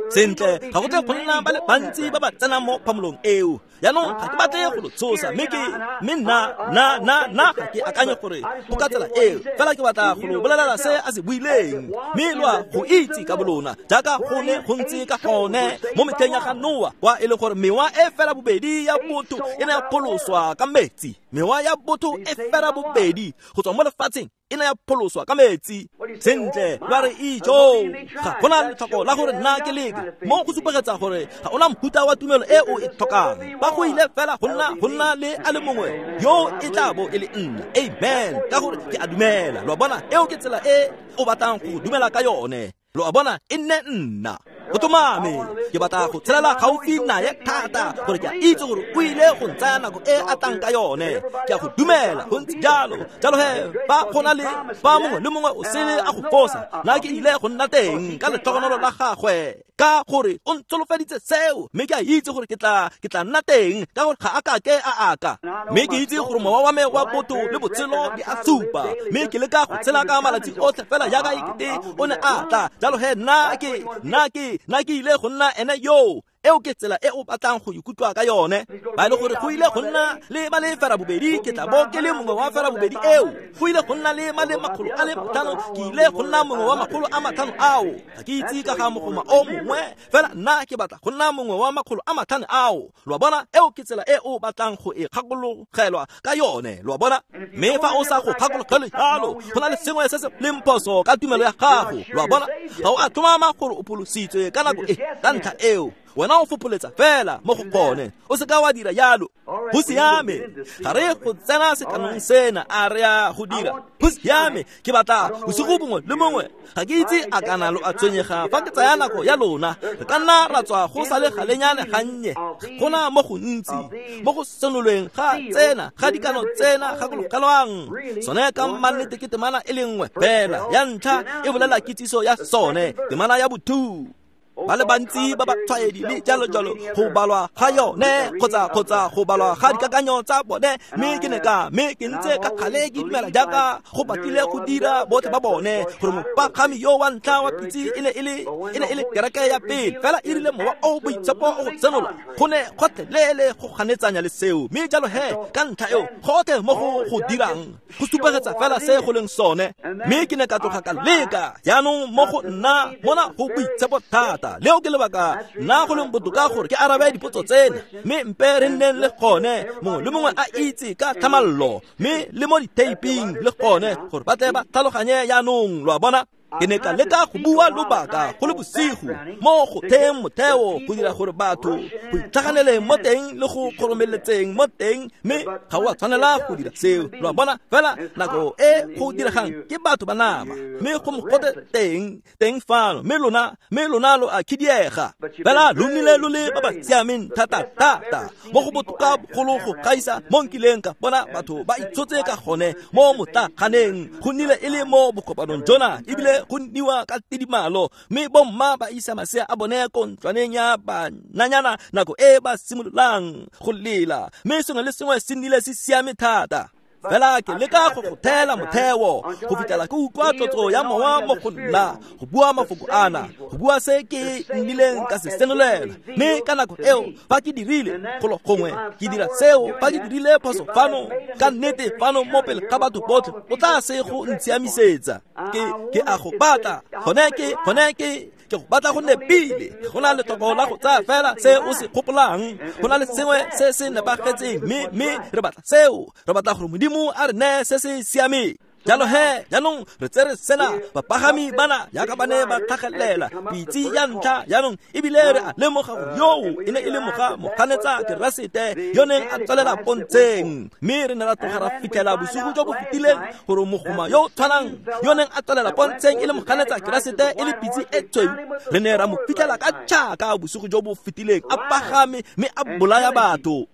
Sentle ga go tle go nna ba le bantsi ba ba tsenang mo phamolong eo. Jaanong ga ke batle go lo tshosa mme ke mme nna nna nna nna ga ke akanye gore go ka tsela eo fela ke batla go lo bolelela se a se buileng mme lo a go itse ka bolona jaaka go ne go ntse ka gone mo metlheng ya ga Noa kwa e le gore mewa e fela bobedi ya botho e ne ya pholoswa ka metsi. Mewa ya botho e fela bobedi go tswa mo lefatsheng e ne ya pholoswa ka metsi. Sentle ba re ijo ga gona letlhoko la gore nna ke leke mo go supegetsa gore ga ona mohuta wa tumelo e o e tlhokang ba go ile fela go nna go nna le a le mongwe yo e tla bo e le nna. Amen. Ka gore ke a dumela. Lo a bona eo ke tsela e o batlang go dumela ka yone. Lo a bona e nne nna go tlhomame ke batla go tshelela gaufi naye thata gore ke a itse gore o ile go ntsaya nako e a tlang ka yone. Ke a go dumela go ntse jalo jalo he ba gona le ba mongwe le mongwe o sele a go fosa nna ke ile go nna teng ka letlhogonolo la gagwe ka gore o ntsholofeditse seo mme ke a itse gore ke tla ke tla nna teng ka gore ga a ka ke a aka mme ke itse gore mowa wa me wa botho le botshelo di a supa mme ke leka go tshela ka malatsi otlhe fela jaaka ekete o ne a tla jalo he nna ke nna ke nna ke ile go nna ene yo. Eo ke tsela e o batlang go ikutlwa ka yone. Ba e le gore go ile go nna le ba le fera bobedi ke tla bo ke le mongwe wa fera bobedi eo. Go ile go nna le ma le makgolo a le matlhano ke ile go nna mongwe wa makgolo a matlhano ao. Ga ke itse ka ga mogoma o mongwe fela nna ke batla go nna mongwe wa makgolo a matlhano ao. Lo a bona eo ke tsela e o batlang go e kgakologelwa ka yone. Lo a bona mme fa o sa go kgakologelwe jalo go na le sengwe se se leng phoso ka tumelo ya gago. Lo a bona ga o a tlhomama gore o pholositswe ka nako e ka ntlha eo wena o fopoletsa fela mo go gone o se ka wa dira jalo. Go siame ga re go tsena sekanong sena a re a go dira. Go siame ke batla bosigo bongwe le mongwe ga ke itse a kana lo a tshwenyega fa ke tsaya nako ya lona re ka nna ra tswa go sa le galenyane gannye gona mo gontsi mo go senolweng ga tsena ga dikano tsena gakologelwang sone ka mannete ke temana e le nngwe fela ya ntlha e bolela kitsiso ya sone temana ya botho ba le bantsi ba ba tshwaedi le jalo jalo go balwa ga yone kgotsa kgotsa go balwa ga dikakanyo tsa bone mme ke ne ka mme ke ntse ka kgale ke dumela jaaka go batlile go dira botlhe ba bone gore mopagami yo wa ntlha wa pitse e ne e le e ne e le kereke ya pele fela e rile mowa o boitshepo o go tsenola go ne gotlhelele go ganetsanya le seo mme jalo he ka ntlha eo gotlhe mo go go dirang go supegetsa fela se go leng sone mme ke ne ka tloga ka leka jaanong mo go nna mona go boitshepo thata. Leo ke lebaka nna go leng botoka gore ke arabe dipotso tsena mme mpe re nneng le gone mongwe le mongwe a itse ka tlhamallo mme le mo diteiping le gone gore ba tle ba tlhaloganye jaanong. Lo a bona ke ne ka leka go bua lobaka go le bosigo mo go theng motheo go dira gore batho go itlhaganeleng mo teng le go kgoromeletseng mo teng mme ga o a tshwanela go dira seo. Lo a bona fela nako e go diregang ke batho ba nama mme go mogote teng teng fano mme lona mme lona lo a khidiega fela lo nnile lo le ba ba siameng thata thata mo go botoka bogolo go gaisa mo nkileng ka bona batho ba itshotse ka gone mo motlaganeng go nnile e le mo bokopanong jona ebile go nniwa ka tidimalo mme bomma ba isa masea a bone ko ntlwaneng ya bananyana nako e ba simololang go lela mme sengwe le sengwe se nnile se siame thata. Fela ke leka go go thela motheo go fitlhela ke utlwa tlotso ya mowa mo go nna go bua mafoko ana, go bua se ke nnileng ka se senolela. Mme ka nako eo fa ke dirile golo gongwe ke dira seo, fa ke dirile phoso fano ka nnete fano mo pele ga batho botlhe, o tla se go ntshiamisetsa. Ke ke a go batla gone ke gone ke ke go batla go nepile. Go na le tlhoko la go tsaya fela se o se gopolang, go na le sengwe se se nepagetseng, mme mme re batla seo, re batla gore Modimo a re neye se se siameng. Jalo he jaanong re tsere sena bapagami bana jaaka ba ne ba tlhagelela pitse ya ntlha jaanong, ebile re a lemoga gore yoo e ne e le moga moganetsa Keresete yo neng a tswelela pontsheng. Mme re ne ra tloga ra fitlhela bosigo jo bo fetileng gore mogoma yo o tshwanang yo neng a tswelela pontsheng e le moganetsa Keresete e le pitse e tshweu, re ne ra mo fitlhela ka tšhaka bosigo jo bo fetileng a pagame mme a bolaya batho.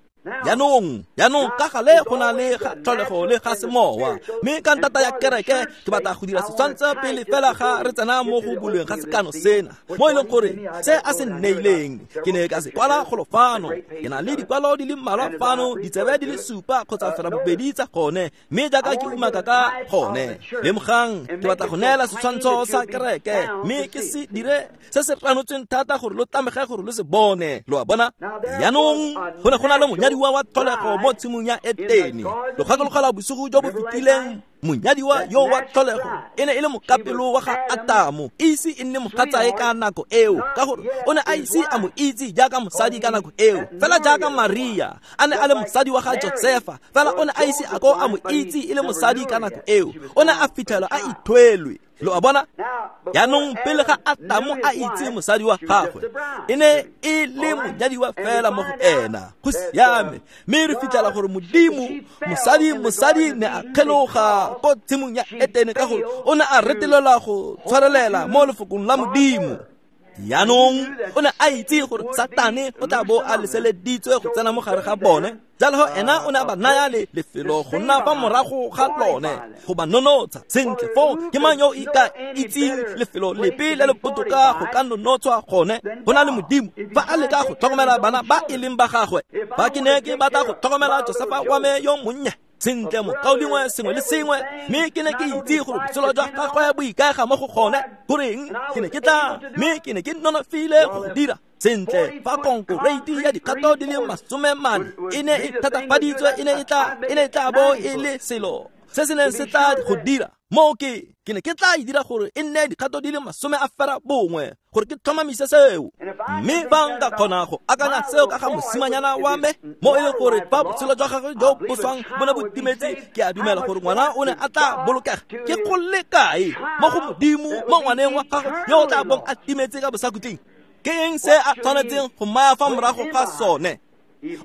Jaanong jaanong ka gale go na le ga tlholego le ga semowa, mme ka ntata ya kereke ke batla go dira setshwantsho pele fela ga re tsena mo go bulweng ga sekano sena, mo e leng gore se a se nneileng ke ne ka se kwala golo fano. Ke na le dikwalo di le mmalwa fano, ditsebe di le supa kgotsa fela bobedi tsa gone, mme jaaka ke umaka ka gone, lemogang ke batla go neela setshwantsho sa kereke, mme ke se dire se se ranotsweng thata gore lo tlamege gore lo se bone. Lo a bona? Jaanong go ne go na le monyadiwa wa tlholego mo tshimong ya Etene. Lo gakologelwa bosigo jo bo fetileng, monyadiwa yo wa tlholego e ne e le mokapelo wa ga Atamo, e ise e nne mogatsae ka nako eo, ka gore o ne a ise a mo itse jaaka mosadi ka nako eo, fela jaaka Maria a ne a le mosadi wa ga Josefa, fela o ne a ise a ko a mo itse e le mosadi ka nako eo, o ne a fitlhelwa a ithwelwe. Lo a bona? Jaanong pele ga Atamo a itse mosadi wa gagwe, e ne e le monyadiwa fela mo go ena. Go siame. Mme re fitlhela gore Modimo mosadi mosadi ne a kgeloga ko tshimong ya Etene ka gore o ne a retelelwa go tshwarelela mo lefokong la Modimo. Jaanong o ne a itse gore Satane o tla bo a leseleditswe go tsena mo gare ga bone, jalo ena o ne a ba naya le lefelo go nna fa morago ga lone go ba nonotsha. Sentle foo ke mang yo ka itseng lefelo lepe le le botoka go ka nonotshwa gone go na le Modimo fa a leka go tlhokomela bana ba e leng ba gagwe? Fa ke ne ke batla go tlhokomela Josefa wa me yo monnye, sentle mokaulengwe sengwe le sengwe, mme ke ne ke itse gore botshelo jwa gagwe bo ikaega mo go gone, goreng ke ne ke tla, mme ke ne ke nonofile go go dira. Sentle fa konkoreiti ya dikgato di le masome mane e ne e thatafaditswe, e ne e tla e ne e tla bo e le selo se se neng se tla go dira moo, ke ke ne ke tla e dira gore e nne dikgato di le masome a fera bongwe gore ke tlhomamise seo. Mme fa nka kgona go akanya seo ka ga mosimanyana wa me, mo e leng gore fa botshelo jwa gagwe jo bo swang bo ne bo timetse, ke a dumela gore ngwana o ne a tla bolokega. Ke go le kae mo go Modimo mo ngwaneng wa gagwe yo o tla bong a timetse ka bosakhutleng? Ke eng se a tshwanetseng go maya fa morago ga sone?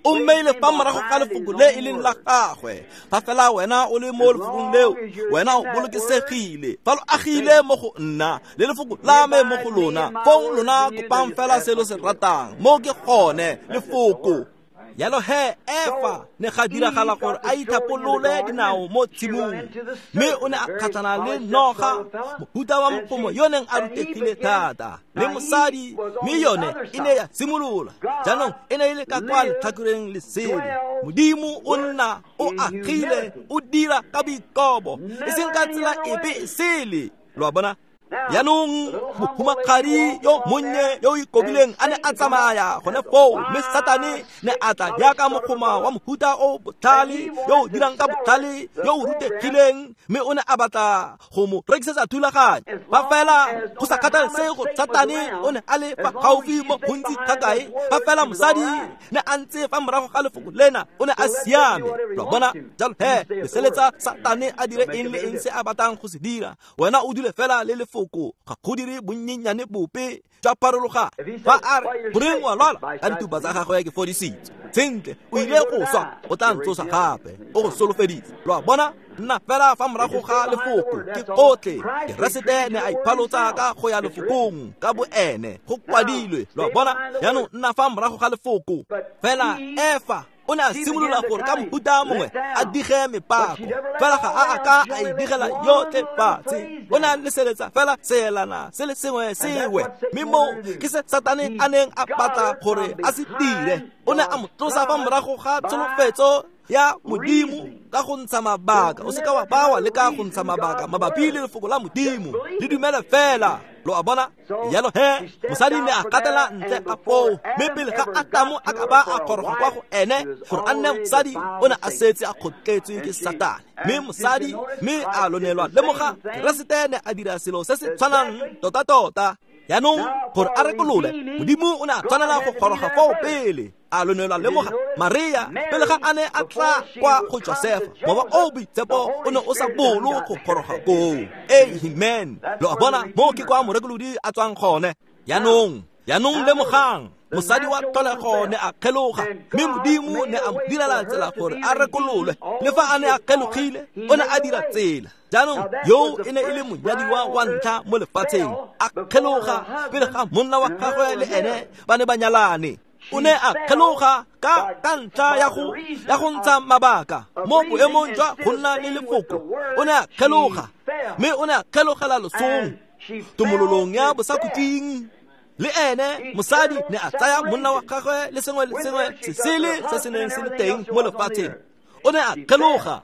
O mmeile fa morago ga lefoko le e leng la gagwe. Fa fela wena o le mo lefokong leo, wena o bolokesegile. Fa lo agile mo go nna le lefoko la me mo go lona, fong lona kopang fela se lo se ratang. Mo ke gone lefoko. Jalo he Efa ne ga diragala gore a ithapolole dinao mo tshimong, mme o ne a kgatlhana le noga, mohuta wa mogomo yo neng a rutegile thata, le mosadi, mme yone e ne ya simolola. Jaanong e ne e le ka kwa letlhakoreng lesele. Modimo o nna o agile, o dira ka boikobo, e seng ka tsela epe e sele. Lo a bona? Jaanong mohumagadi yo monnye yo o ikobileng a ne a tsamaya gone foo, mme Satane ne a tla jaaka mogoma wa mohuta o botlhale yo o dirang ka botlhale yo o rutegileng, mme o ne a batla go mo rekisetsa thulaganyo. Fa fela go sa kgathalesege gore Satane o ne a le fa gaufi mo gontsi ga kae, fa fela mosadi ne a ntse fa morago ga lefoko lena, o ne a siame. Lo a bona? Jalo he leseletsa Satane a dire eng le eng se a batlang go se dira, wena o dule fela le lefoko, ga go dire bonnyenyane bope jwa pharologano. Fa a re goreng wa lwala, ka ditupa tsa gagwe ke fodisitswe. Sentle o ile go swa, o tla ntsosa gape, o go solofeditse. Lo a bona? Nna fela fa morago ga lefoko ke gotlhe. Keresete ne a iphalotsa ka go ya lefokong ka boene, go kwadilwe. Lo a bona? Jaanong nna fa morago ga lefoko. Fela Efa o ne a simolola gore ka mohuta mongwe a dige mepako, fela ga a a ka a e digela yotlhe fatshe. O ne a leseletsa fela seelana se le sengwe sewe, mme moo ke se Satane a neng a batla gore a se dire. O ne a mo tlosa fa morago ga tsholofetso ya Modimo ka go ntsha mabaka. O se ka wa bawa le ka go ntsha mabaka mabapi le lefoko la Modimo, le dumele fela. Lo a bona? Jalo he, mosadi ne a katela ntle ka foo, mme pele ga Atamo a ka ba a goroga kwa go ene gore a nne mosadi, o ne a setse a kgotletswe ke Satane. Mme mosadi, mme a lonelwa. Lemoga, Keresete ne a dira selo se se tshwanang tota-tota. Jaanong gore a rekolole, Modimo o ne a tshwanela go goroga foo pele. A lonelwa. Lemoga, Maria pele ga a ne a tla kwa go Josefa, mowa o boitshepo o ne o sa bolo go goroga koo. Amen. Lo a bona, mo ke kwa morekolodi a tswang gone. Jaanong, jaanong lemogang, mosadi wa tlholego ne a kgeloga, mme Modimo ne a mo direla tsela gore a rekololwe. Le fa a ne a kgelogile, o ne a dira tsela. Jaanong yo e ne e le monyadiwa wa ntlha mo lefatsheng, a kgeloga pele ga monna wa gagwe le ene ba ne ba nyalane. O ne a kgeloga ka ka ntlha ya go ya go ntsha mabaka mo boemong jwa go nna le lefoko. O ne a kgeloga, mme o ne a kgelogela losong, tumololong ya bosakhutleng. Le ene mosadi ne a tsaya monna wa gagwe le sengwe le sengwe se sele se se neng se le teng mo lefatsheng. O ne a kgeloga.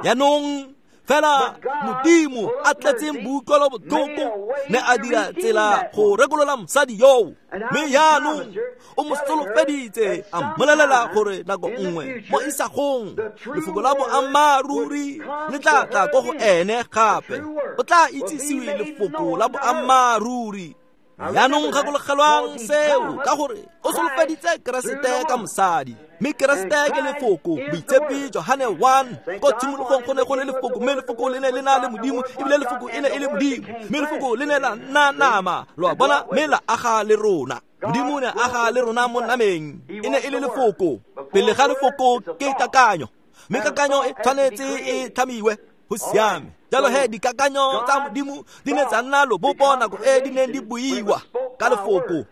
Jaanong fela Modimo a tletseng boutlwelo botlhoko ne a dira tsela go rekolola mosadi yoo. Mme jaanong o mo solofeditse, a mmolelela gore nako nngwe mo isagong lefoko la boammaaruri le tla tla ko go ene gape. O tla itsisiwe lefoko la boammaaruri. Jaanong gakologelwang seo, ka gore o solofeditse Keresete ka mosadi, mme Keresete ke lefoko. Boitshepi Johane one, ko tshimologong go ne go le lefoko, mme lefoko le ne le na le Modimo, ebile lefoko e ne e le Modimo, mme lefoko le ne la nna nama. Lo a bona, mme la aga le rona. Modimo ne aga le rona mo nameng, e ne e le lefoko. Pele ga lefoko ke kakanyo, mme kakanyo e tshwanetse e tlhamiwe. Go siame. Jalo he, dikakanyo tsa Modimo di ne tsa nna lobopo nako e di neng di buiwa ka lefoko.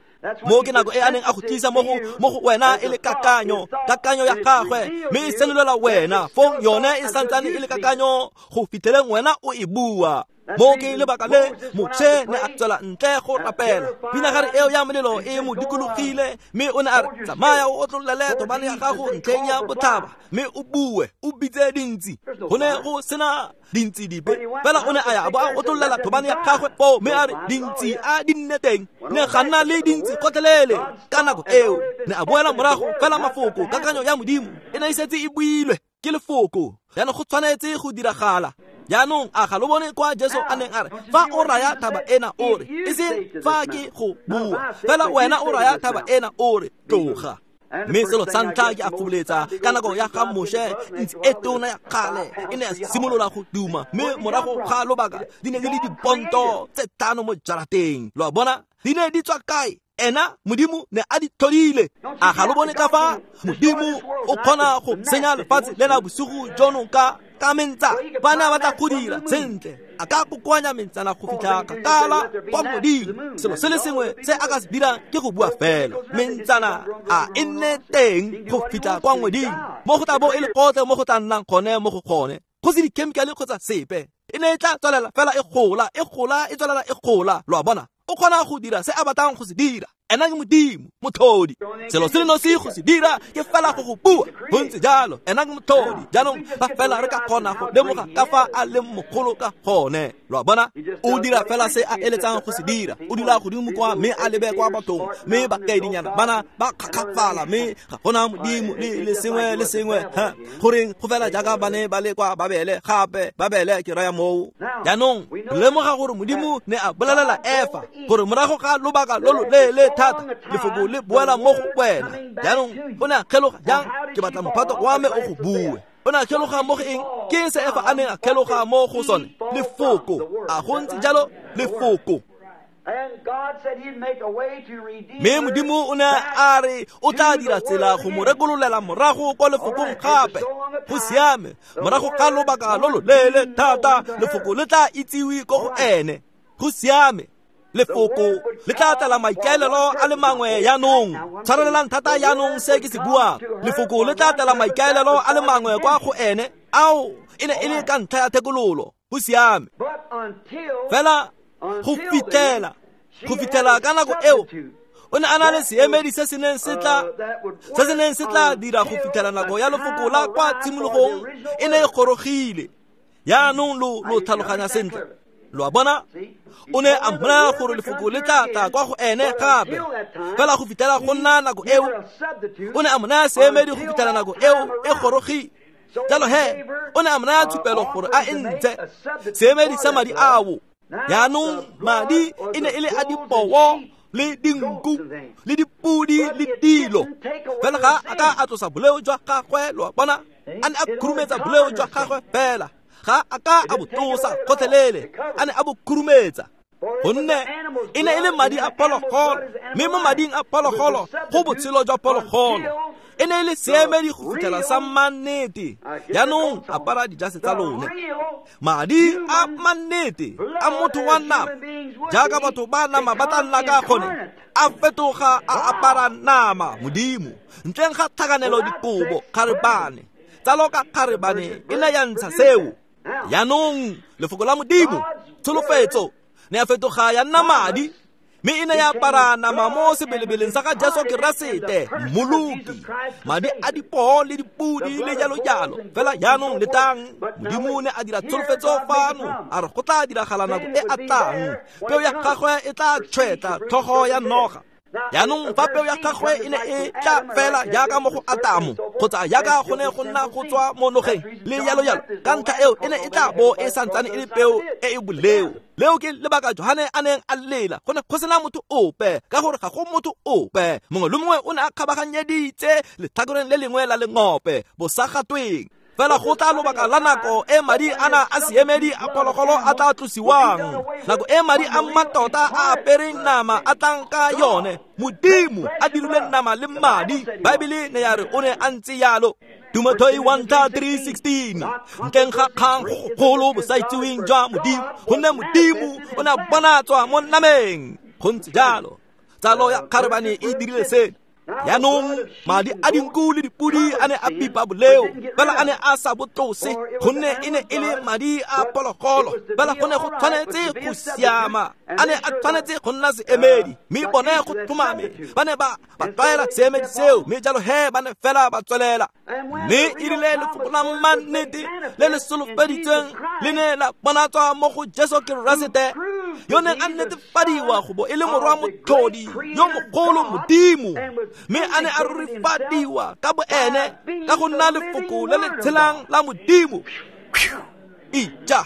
Mo ke nako e a neng a go tlisa mo go mo go wena e le kakanyo, kakanyo ya gagwe, mme e senolela wena. Fong yone e santsane e le kakanyo go fitlheleng wena o e bua. Mo ke lebaka le Moshe ne a tswela ntle go rapela. Pinagare eo ya molelo e mo dikologile, mme o ne a re, tsamaya o otlolele thobane ya gago ntlheng ya botlhaba, mme o bue, o bitse dintsi. Go ne go sena dintsi dipe, fela o ne a ya bo a otlololela thobane ya gagwe foo, mme a re dintsi a di nne teng. Ne ga nna le dintsi gotlhelele ka nako eo. Ne a boela morago fela mafoko, kakanyo ya Modimo e ne e setse e builwe ke lefoko. Jaanong go tshwanetse go diragala. Jaanong a ga lo bone kwa Jesu a neng a re, fa o raya thaba ena o re, e seng fa ke go bua, fela wena o raya thaba ena o re, tloga. Mme selo sa ntlha ke a foboletsa ka nako ya ga Moshe, ntsi e tona ya kgale e ne ya simolola go duma, mme morago ga lobaka di ne di le diponto tse tlhano mo jarateng. Lo a bona, di ne di tswa kae? Ena Modimo ne a di tlhodile. A ga lo bone ka fa Modimo o kgona go senya lefatshe lena bosigo jono ka ka mentsa? Bana ba tla go dira sentle, a ka kokoanya mentsana go fitlha kgakala kwa godimo. Selo se le sengwe se a ka se dirang ke go bua fela, mentsana a e nne teng go fitlha kwa ngweding, mo go tla bo e le gotlhe mo go tla nnang gone mo go gone, go se dikhemikale kgotsa sepe. E ne e tla tswelela fela e gola, e gola, e tswelela e gola. Lo a bona, o kgona go dira se a batlang go se dira. Ena ke Modimo, motlhodi. Selo se le nosi go se dira ke fela go go bua. Go ntse jalo, ena ke motlhodi. Jaanong fa fela re ka kgona go lemoga ka fa a leng mogolo ka gone. Lo a bona, o dira fela se a eletsang go se dira. O dula godimo kwa mme a lebe kwa bathong, mme bakaedinyana bana ba kgakgafala, mme ga gona Modimo le le sengwe le sengwe. Ha goreng go fela jaaka ba ne ba le kwa Babele gape, Babele ke raya moo. Jaanong lemoga gore Modimo ne a bolelela Efa gore morago ga lobaka lo lo leele thata lefoko le boela mo go wena. Jaanong o ne a kgeloga jang? Ke batla mophato wa me o go bue. O ne a kgeloga mo go eng? Ke se Efa a neng a kgeloga mo go sone? Lefoko. A go ntse jalo? Lefoko. Mme Modimo o ne a re o tla dira tsela go mo rekololela morago kwa lefokong gape. Go siame, morago ga lobaka lo lo leele thata lefoko le tla itsiwe ko go ene. Go siame, lefoko le tla tla maikaelelo a le mangwe jaanong. Tshwarelelang thata jaanong se ke se buang. Lefoko le tla tla maikaelelo a le mangwe kwa go ene, ao e ne e le ka ntlha ya thekololo. Go siame, fela go fitlhela go fitlhela ka nako eo O ne a na le seemedi se se neng se tla se se neng se tla dira go fitlhela nako ya lefoko la kwa tshimologong e ne e gorogile. Jaanong lo lo tlhaloganya sentle. Lo a bona? O ne a mmolaya gore lefoko le tla tla kwa go ene gape. Fela go fitlhela go nna nako eo, o ne a mo naya seemedi go fitlhela nako eo e gorogile. Jalo he, o ne a mo naya tshupelo gore a e ntshe seemedi sa madi ao. Jaanong madi e ne e le a dipoo le dinku le dipudi le dilo. Fela ga a ka a tlosa boleo jwa gagwe, lo a bona? A ne a khurumetsa boleo jwa gagwe fela. Ga a ka a bo tlosa gotlhelele, a ne a bo khurumetsa. Gonne e ne e le madi a phologolo, mme mo mading a phologolo go botshelo jwa phologolo. E ne e le seemedi go fitlhela sa mannete. Jaanong apara dijase tsa lone. Madi a mannete a motho wa nama, jaaka batho ba nama ba tla nna ka gone, a fetoga a apara nama Modimo ntleng ga tlhakanelo dikobo kgarebane. Tsalo ka kgarebane e ne ya ntsha seo. Jaanong lefoko la Modimo, tsholofetso, ne ya fetoga ya nna madi, mme e ne ya apara nama mo sebelebeleng sa ga Jesu Keresete Mmoloki. Madi a dipoo le dipudi le jalo jalo. Fela jaanong letang, Modimo ne a dira tsholofetso fano, a re go tla diragala nako e a tlang, peo ya gagwe e tla tšhwetla tlhogo ya noga. Jaanong fa peo ya gagwe e ne e tla fela jaaka mo go Atamo, kgotsa jaaka go ne go nna go tswa mo nogeng le jalo jalo, ka ntlha eo e ne e tla bo e santsane e le peo e e boleo. Leo ke lebaka Johane a neng a lela, go ne go sena motho ope, ka gore ga go motho ope. Mongwe le mongwe o ne a kgabaganyeditse letlhakoreng le lengwe la lengope bosagatweng. Fela go tla lobaka la nako e madi ana a seemedi a phologolo a tla tlosiwang, nako e madi a mmatota a apereng nama a tlang ka yone. Modimo a dirile nama le madi. Baebele ne ya re o ne a ntse yalo. Timotheo one three sixteen. Ntleng ga kgang go gogolo bosaitseweng jwa Modimo, gonne Modimo o ne a bonatswa mo nameng. Go ntse jalo. Tsalo ya kgarebane e dirile seno. Jaanong madi a dinku le dipudi a ne a pipa boleo, fela a ne a sa bo tlose, gonne e ne e le madi a phologolo. Fela go ne go tshwanetse go siama, a ne a tshwanetse go nna seemedi, mme bone go tlhomame ba ne ba ba tlwaela seemedi seo, mme jalo he ba ne fela ba tswelela. Mme e rile lefoko la mannete le le solofeditsweng le ne la bonatswa mo go Jesu Keresete, yo neng a netefadiwa go bo e le morwa motlhodi yo mogolo Modimo, mme a ne a rurifadiwa ka bo ene ka go nna lefoko le le tshelang la Modimo. Ija,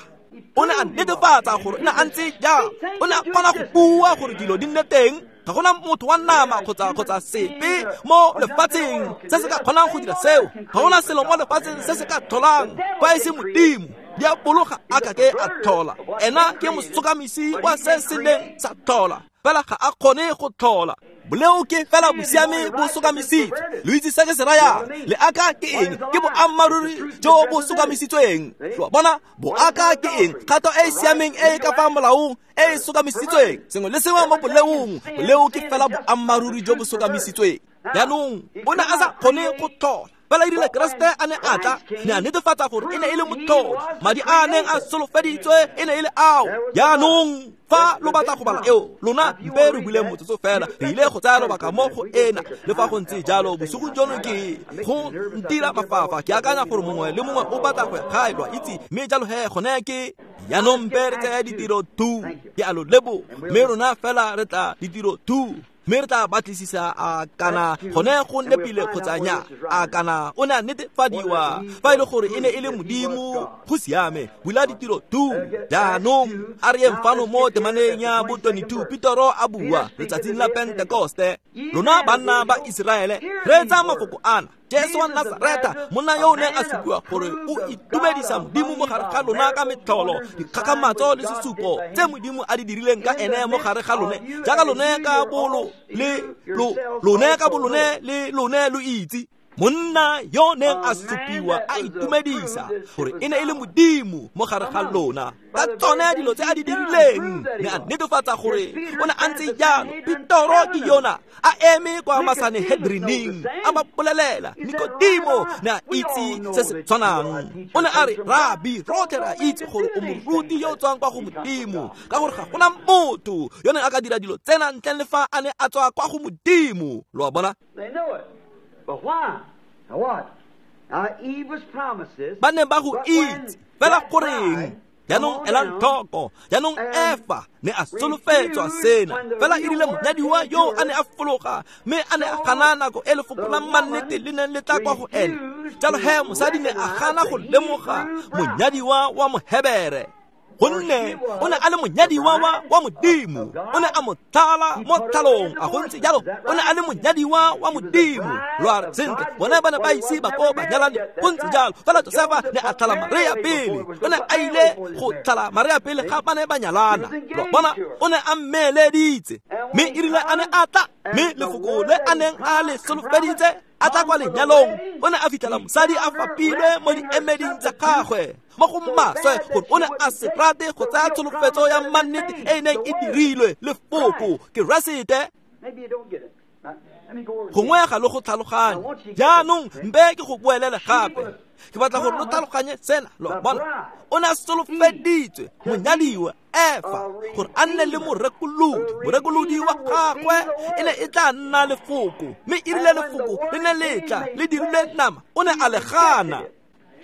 o ne a netefatsa gore o ne a ntse jang. O ne a kgona go bua gore dilo di nne teng. Ga gona motho wa nama kgotsa kgotsa sepe mo lefatsheng se se ka kgonang go dira seo. Ga gona selo mo lefatsheng se se ka tlholang fa e se Modimo. Diabolo ga a ka ke a tlhola. Ena ke mosokamisi wa se se neng sa tlhola, fela ga a kgone go tlhola. Boleo ke fela bosiame bo sokamisitswe. Lo itse se ke se rayang. Leaka ke eng? Ke boammaaruri jo bo sokamisitsweng. Lo a bona? Boaka ke eng? Kgato e e siameng e e ka fa molaong e e sokamisitsweng. Sengwe le sengwe mo boleong, boleo ke fela boammaaruri jo bo sokamisitsweng. Jaanong o ne a sa kgone go tlhola. Fela e rile Keresete a ne a tla, ne a netefatsa gore e ne e le motlhodi. Madi a a neng a solofeditswe e ne e le ao. Jaanong fa lo batla go bala eo, lona mpe re buleng motsotso fela, re ile go tsaya lobaka mo go ena. Le fa go ntse jalo, bosigo jono ke go ntira mafafa. Ke akanya gore mongwe le mongwe o batla go ya gae, lo a itse, mme jalo he gone ke jaanong mpe re tsaya ditiro two. Ke a lo leboga, mme rona fela re tla ditiro two. Mme re tla batlisisa a kana gone go nepile kgotsa nya, a kana o ne a netefadiwa fa e le gore e ne e le Modimo. Go siame, bula ditiro two. Jaanong a re yeng fano mo temaneng ya bo twenty-two. Petero a bua letsatsing la Pentekoste, lona banna ba Iseraele, reetsa mafoko ana. Jesu wa Nazareta, monna yo o neng a supiwa gore o itumedisa Modimo mo gare ga lona ka metlholo, dikgakgamatso le sesupo tse Modimo a di dirileng ka ene mo gare ga lone, jaaka lone ka bolo le lo lone ka bolone le lone lo itse. Monna yo neng a supiwa a itumedisa gore e ne e le Modimo mo gare ga lona ka tsone dilo tse a di dirileng, ne a netefatsa gore o ne a ntse jalo. Petoro ke yona a eme kwa Masanehedrining a ba bolelela. Nikodimo ne a itse se se tshwanang. O ne a re, Rabi, rotlhe re a itse gore o moruti yo o tswang kwa go Modimo, ka gore ga gona motho yo neng a ka dira dilo tsena ntleng le fa a ne a tswa kwa go Modimo. Lo a bona? They know it. But why? Now what? Now Eve was promised this. Ba ne ba go itse fela goreng? Jaanong elang tlhoko, jaanong Efa ne a solofetswa sena, fela e rile monyadiwa yo a ne a fologa mme a ne a gana nako e lefoko la mannete le neng le tla kwa go ene. Jalo he mosadi ne a gana go lemoga monyadiwa wa Mohebere, gonne o ne a le monyadiwa wa wa Modimo. O ne a mo tlhala mo tlhalong, a go ntse jalo. O ne a le monyadiwa wa Modimo. Lo a re, sentle, bone ba ne ba ise ba ko ba nyalane, go ntse jalo. Fela Josefa ne a tlhala Maria pele. O ne a ile go tlhala Maria pele ga ba ne ba nyalana. Lo a bona, o ne a mmeeleditse. Mme e rile a ne a tla, mme lefoko le a neng a le solofeditse a tla kwa lenyalong, o ne a fitlhela mosadi a fapilwe mo diemeding tsa gagwe mo go maswe, gore o ne a se rate go tsaya tsholofetso ya mannete e e neng e dirilwe lefoko Keresete. Maybe you don't get it. Now, let me go over Gongwe ga le go tlhaloganye. Jaanong mpe ke go boelele gape. Ke batla gore lo tlhaloganye sena. Lo bona, o ne a solofeditswe monyadiwa Efa gore a nne le morekolodi. Morekolodi wa gagwe e ne e tla nna lefoko, mme e rile lefoko le ne le tla le dirile nama, o ne a le gana.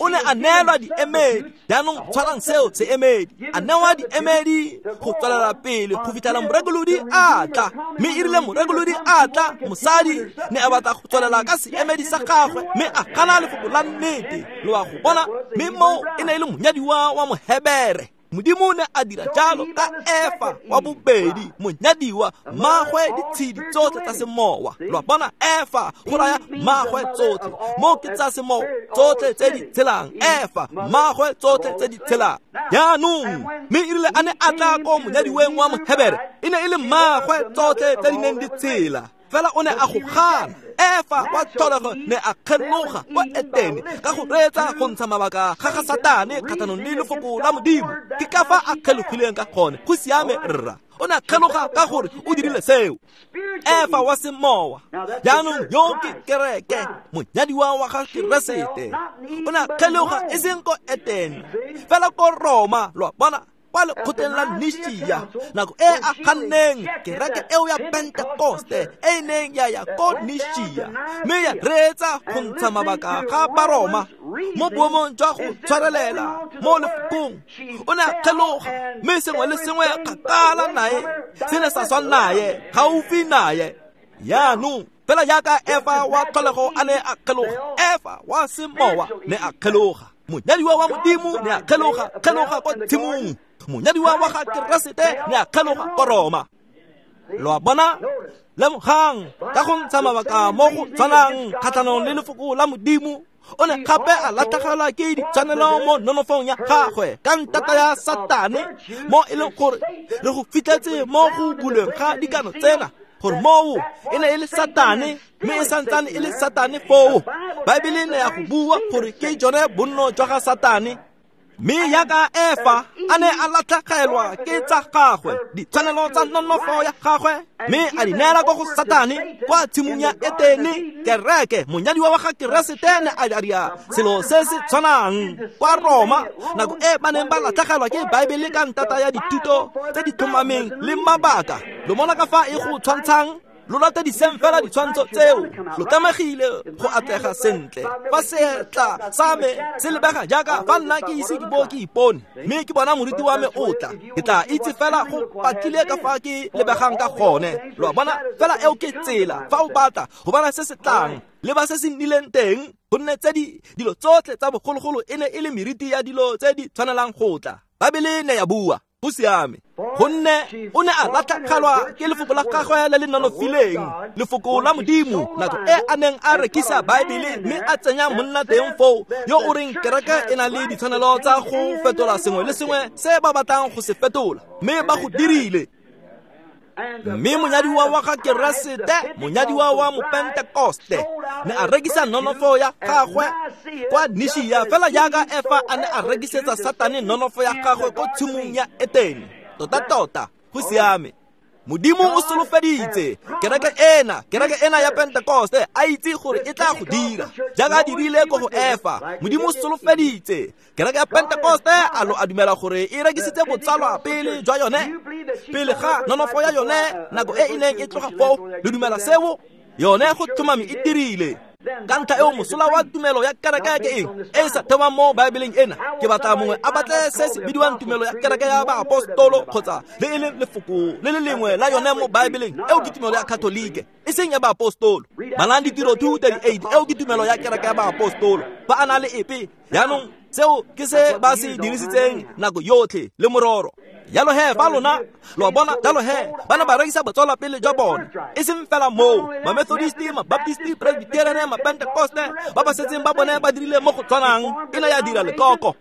O ne a neelwa diemedi. Jaanong tshwarang seo seemedi. A newa diemedi go tswelela pele go fitlhela morekolodi a tla. Mme e rile morekolodi a tla, mosadi ne a batla go tswelela ka seemedi sa gagwe, mme a gana lefoko la nnete. Lo a go bona? Mme moo e ne e le monyadiwa wa Mohebere. Modimo ne a dira jalo ka Efa wa bobedi, monyadiwa mmagwe ditshedi tsotlhe tsa semowa. Lo a bona? Efa go raya mmagwe tsotlhe, mo ke tsa semowa tsotlhe tse di tshelang. Efa mmagwe tsotlhe tse di tshelang. Jaanong mme e rile a ne a tla ko monyadiweng wa Mohebere, e ne e le mmagwe tsotlhe tse di neng di tshela, fela o ne a go gana. Efa wa tlholego ne a kgeloga kwa Etene ka go reetsa go ntsha mabaka ga ga Satane kgatlhanong le lefoko la Modimo. Ke ka fa a kgelogileng ka gone. Go siame, rra. O ne a kgeloga ka gore o dirile seo. Efa wa semowa, jaanong yo ke kereke, monyadiwa wa ga Keresete, o ne a kgeloga e seng ko Etene, fela ko Roma. Lo a bona? Kwa lekgotleng la Nishia, nako e a ganneng kereke eo ya Pentekoste e e neng ya ya ko Nishia, mme ya reetsa go ntsha mabaka ga Baroma mo boemong jwa go tshwarelela mo lefokong. O ne a kgeloga, mme sengwe le sengwe kgakala nae se ne sa swa nae, gaufi nae. Jaanong fela jaaka Efa wa tlholego a ne a kgeloga, Efa wa semowa ne a kgeloga. Monyadiwa wa Modimo ne a kgeloga, kgeloga kwa tshimong. Monyadiwa wa ga Keresete ne a kgeloga ko Roma. Lo a bona? Lemogang ka go ntsha mabaka mo go tshwanang kgatlhanong le lefoko la Modimo, o ne gape a latlhegelwa ke ditshwanelo mo nonofong ya gagwe ka ntata ya Satane, mo e leng gore re go fitlhetse mo go bulweng ga dikano tsena gore moo e ne e le Satane, mme e santsane e le Satane foo. Baebele ne ya go bua gore ke jone bonno jwa ga Satane. Mme jaaka Efa a ne a latlhegelwa ke tsa gagwe ditshwanelo tsa nonofo ya gagwe, mme a di neela ko go Satane kwa tshimong ya Etene, kereke monyadiwa wa ga Keresete ne a dira selo se se tshwanang kwa Roma nako e ba neng ba latlhegelwa ke Baebele ka ntata ya dithuto tse di tlhomameng le mabaka. Lo mona ka fa e go tshwantshang? Lo latediseng fela ditshwantsho tseo. Lo tlamegile go atlega sentle. Fa seatla sa me se lebega jaaka fa nna ke ise ke bo ke ipone, mme ke bona moriti wa me o tla, ke tla itse fela go patlile ka fa ke lebegang ka gone. Lo a bona? Fela eo ke tsela. Fa o batla go bona se se tlang, leba se se nnileng teng, gonne tse di dilo tsotlhe tsa bogologolo e ne e le meriti ya dilo tse di tshwanelang go tla. Baebele ne ya bua. Go siame, gonne o ne a latlhegelwa ke lefoko la gagwe le le nonofileng, lefoko la Modimo, nako e a neng a rekisa Baebele mme a tsenya monna teng foo yo o reng kereke e na le ditshwanelo tsa go fetola sengwe le sengwe se ba batlang go se fetola, mme ba go dirile. Mme monyadiwa wa ga Keresete, monyadiwa wa Mopentekoste, ne a rekisa nonofo ya gagwe kwa Nishia, fela jaaka Efa a ne a rekisetsa Satane nonofo ya gagwe ko tshimong ya Etene. Tota-tota, go siame. Modimo o solofeditse kereke ena, kereke ena ya Pentekoste, a itse gore e tla go dira jaaka a dirile ko go Efa. Modimo o solofeditse kereke ya Pentekoste, a lo a dumela gore e rekisitse botsalwa pele jwa yone, pele ga nonofo ya yone nako e e neng e tloga foo. Le dumela seo? Yone go tlhomame e dirile. Ka ntlha eo mosola wa tumelo ya kereke ke eng e e sa thewang mo Baebeleng ena? Ke batla mongwe a batle se se bidiwang tumelo ya kereke ya baapostolo kgotsa le e leng lefoko le le lengwe la yone mo Baebeleng. Eo ke tumelo ya Katolike, e seng ya baapostolo. Balang Ditiro two thirty-eight, eo ke tumelo ya kereke ya baapostolo. Ba a na le epe? Jaanong seo ke se ba se dirisitseng nako yotlhe le mororo. Jalo he ba lona lo bona, jalo he ba ne ba rekisa botswala pele jwa bone. E seng fela moo, ma-Methodisti, ma-Baptisti, Presbyterian, ma-Pentecoste ba ba setseng ba bone ba dirile mo go tshwanang. E ne ya dira lekoko.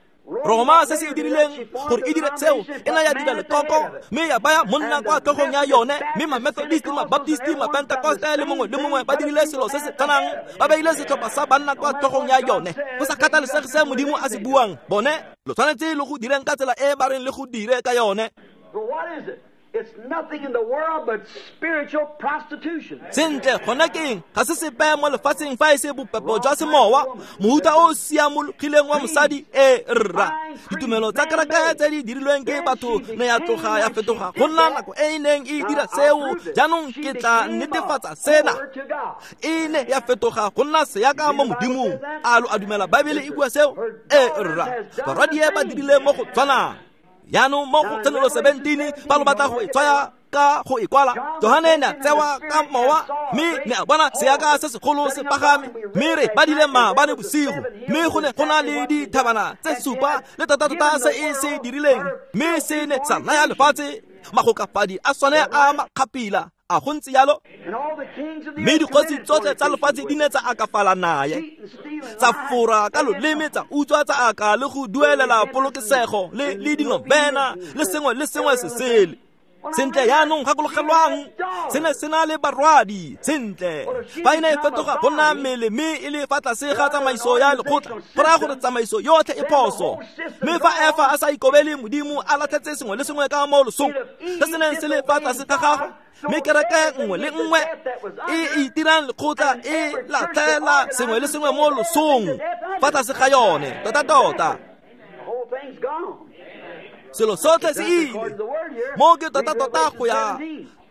Roma se se dirileng gore e dire seo, e ne ya dira lekoko mme ya baya monna kwa tlhogong ya yone. Mme ma-Methodisti, ma-Baptisti, ma-Pentecoste le mongwe le mongwe ba dirile selo se se tshwanang, ba beile setlhopha sa banna kwa tlhogong ya yone. Go sa kgathalesege se Modimo a se buang, bone lo tshwanetse le go direng ka tsela e ba reng le go dire ka yone. It's nothing in the world but spiritual prostitution. Sentle, gona ke eng? Ga se sepe mo lefatsheng fa e se bopepo jwa semowa, mohuta o o siamologileng wa mosadi e rra. Ditumelo tsa kereke tse di dirilweng ke batho ne ya tloga ya fetoga go nna nako e e neng e dira seo. Jaanong ke tla netefatsa sena. E ne ya fetoga go nna seaka mo Modimong. A lo a dumela Baebele e bua seo? E rra. Barwadie ba dirile mo go tshwanang. Jaanong mo go Tshenolo seventeen, ba lo batla go e tswaya ka go e kwala, Johane ne a tsewa ka mowa mme ne a bona seaka se segolo se pagame, mme re badile maabane bosigo, mme go ne go na le dithabana tse supa le tota-tota se e se dirileng, mme se ne sa naya lefatshe magokafadi a sone a makgapila. A go ntse jalo? Mme dikgosi tsotlhe tsa lefatshe di ne tsa akafala naye, tsa fora ka loleme, tsa utswa, tsa aka le go duelela polokesego le le dinovena le sengwe le sengwe se sele. Sentle, jaanong gakologelwang, se ne se na le barwadi. Sentle, fa e ne e fetoga go nna mmele mme e le fa tlase ga tsamaiso ya lekgotla, go raya gore tsamaiso yotlhe e phoso. Mme fa Efa a sa ikobele Modimo, a latlhetse sengwe le sengwe ka mo losong se se neng se le fa tlase ga gagwe, mme kereke nngwe le nngwe e itirang lekgotla e latlhela sengwe le sengwe mo losong fa tlase ga yone. Tota-tota selo sotlhe se ile mo ke tota-tota go ya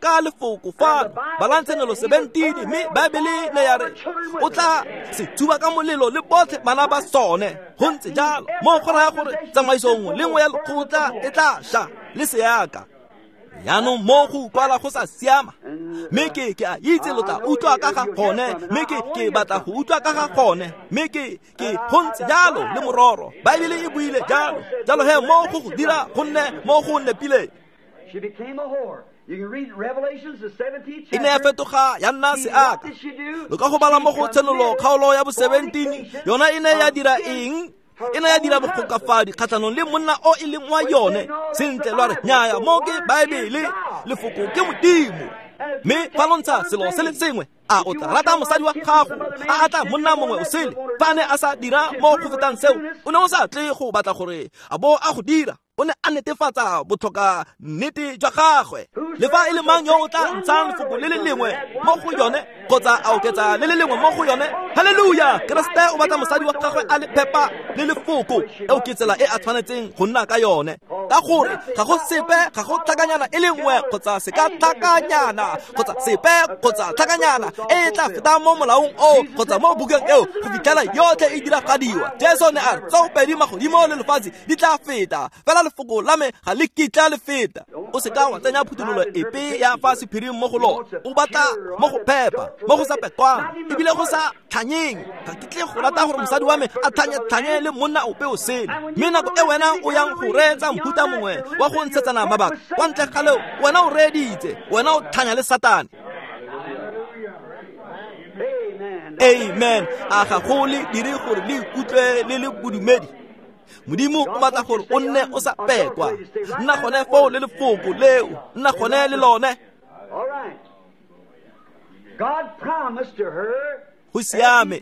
ka lefoko fano. Balang Tshenolo seventeen, mme Baebele ne ya re o tla se tsuba ka molelo le botlhe bana ba sone. Go ntse jalo, mo go raya gore tsamaiso nngwe le nngwe ya lekgotla e tla ša le seaka. Jaanong mo go utlwala go sa siama, mme ke ke a itse lo tla utlwa ka ga gone, mme ke ke batla go utlwa ka ga gone, mme ke ke go ntse jalo le mororo. Baebele e buile jalo. Jalo he mo go go dira go nne mo go nepileng. E ne ya fetoga ya nna seaka. Lo ka go bala mo go Tshenolo kgaolo ya bo seventeen, yona e ne ya dira eng? E ne ya dira bogokafadi kgatlhanong le monna o e leng wa yone. Sentle, lwa re nnyaya, mo ke Baebele, lefoko ke Modimo. Mme fa lo ntsha selo se le sengwe, a o tla rata mosadi wa gago a atla monna mongwe o sele? Fa a ne a sa dira mo go fetang seo, o ne o sa tle go batla gore a bo a go dira. O ne a netefatsa botlhoka nnete jwa gagwe. Le fa e le mang yo o tla ntshang lefoko le le lengwe mo go yone kgotsa a oketsa le le lengwe mo go yone, halleluja! Keresete o batla mosadi wa gagwe a le phepa le lefoko. Eo ke tsela e a tshwanetseng go nna ka yone, ka gore ga go sepe, ga go tlhakanyana e le nngwe kgotsa se ka tlhakanyana kgotsa sepe kgotsa tlhakanyana e e tla fetang mo molaong oo kgotsa mo bukeng eo go fitlhela yotlhe e diragadiwa. Jesu ne a re tsoopedi magodimo le lefatshe di tla feta, fela lefoko la me ga le kitla le feta. O se ka wa tsenya phuthololo epe ya fa sephiring mo go lona. O batla mo go phepa, mo go sa pekwang, ebile go sa tlhanyeng. Ga ke tle go rata gore mosadi wa me a tlhanye-tlhanye le monna ope o sele. Mme nako e wena o yang go reetsa mohuta mongwe wa go ntshetsana mabaka kwa ntle ga leo, wena o reeditse, wena o tlhanya le Satane. Amen. A ga go le dire gore le ikutlwe le le bodumedi? Modimo o batla gore o nne o sa pekwa. Nna gone foo le lefoko leo, nna gone le lone. All right. God promised to her Go siame.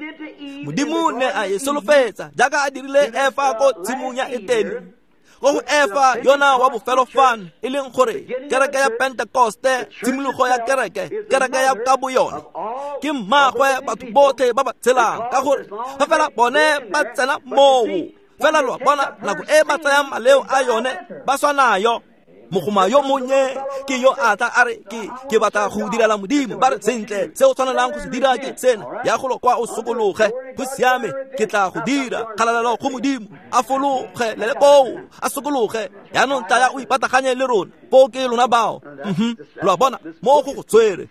Modimo ne a e solofetsa jaaka a dirile Efa ko tshimong ya Etene. Go go Efa yona wa bofelo fano, e leng gore kereke ya Pentekoste, tshimologo ya kereke, kereke ya ka boyone, ke mmaagwe batho botlhe ba ba tshelang, ka gore fa fela bone ba tsena moo, fela lo a bona nako e ba tsayang maleo a yone ba swa nayo. Mogoma yo monnye ke yo a tla a re ke ke batla go direla Modimo, ba re sentle se o tshwanelang go se dira ke sena, ya golo kwa o sokologe, go siame ke tla go dira, kgalalelo go Modimo, a fologe le le koo, a sokologe, yaanong tlaya o ipataganye le rona, foo ke lona bao. Mhm, lo a bona mo go go tshwere,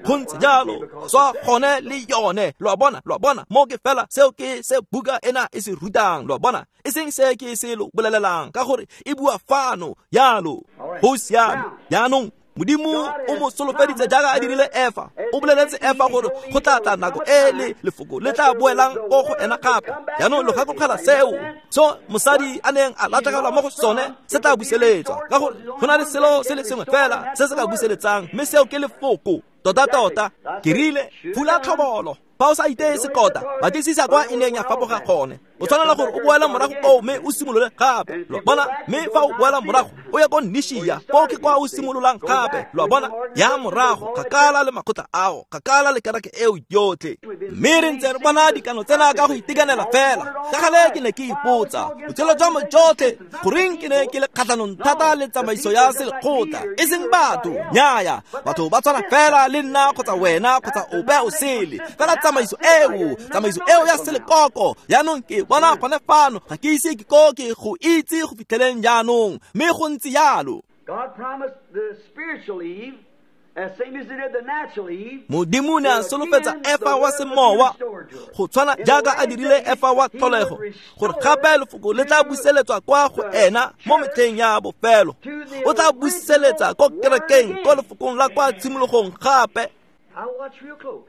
go ntse jalo, swa gone le yone, lo a bona, lo a bona, mo ke fela seo ke se buka ena e se rutang, lo a bona, e seng se ke se lo bolelelang, ka gore e bua fano yalo. Go siame. Jaanong Modimo o mo solofeditse jaaka a dirile Efa. O boleletse Efa gore go tla tla nako e le lefoko le tla boelang ko go ena gape. Jaanong lo gakologelwa seo so mosadi a neng a latlhegelwa mo go sone se tla buseletswa, ka gore go na le selo se le sengwe fela se se ka buseletsang, mme seo ke lefoko. Tota-tota ke rile fula tlhobolo, fa o sa iteye sekota, batlisisa kwa e neng ya fapoga gone. O tshwanela gore o boele morago koo mme o simolole gape, lo a bona. Mme fa o boela morago o ye ko Nishia, koo ke kwa o simololang gape, lo a bona. Ya morago kgakala le makgotla ao, kgakala le kereke eo yotlhe. Mme re ntse re bona dikano tsena ka go itekanela fela. Ka gale ke ne ke ipotsa botshelo jwa me jotlhe goreng ke ne ke le kgatlhanong thata le tsamaiso ya selekgotla, e seng batho, nnyaya, batho ba tshwana fela le nna kgotsa wena kgotsa ope o sele, fela tsamaiso eo, tsamaiso eo ya selekoko. Jaanong ke bona gone fano, ga ke ise ke ko ke go itse go fitlheleng jaanong, mme go ntse jalo. God promised the spiritual Eve, as same as he did the natural Eve. Modimo ne a solofetsa Efa wa semowa go tshwana jaaka a dirile Efa wa tlholego, gore gape lefoko le tla buseletswa kwa go ena mo metlheng ya bofelo. O tla buseletsa ko kerekeng, ko lefokong la kwa tshimologong gape. I watch real close.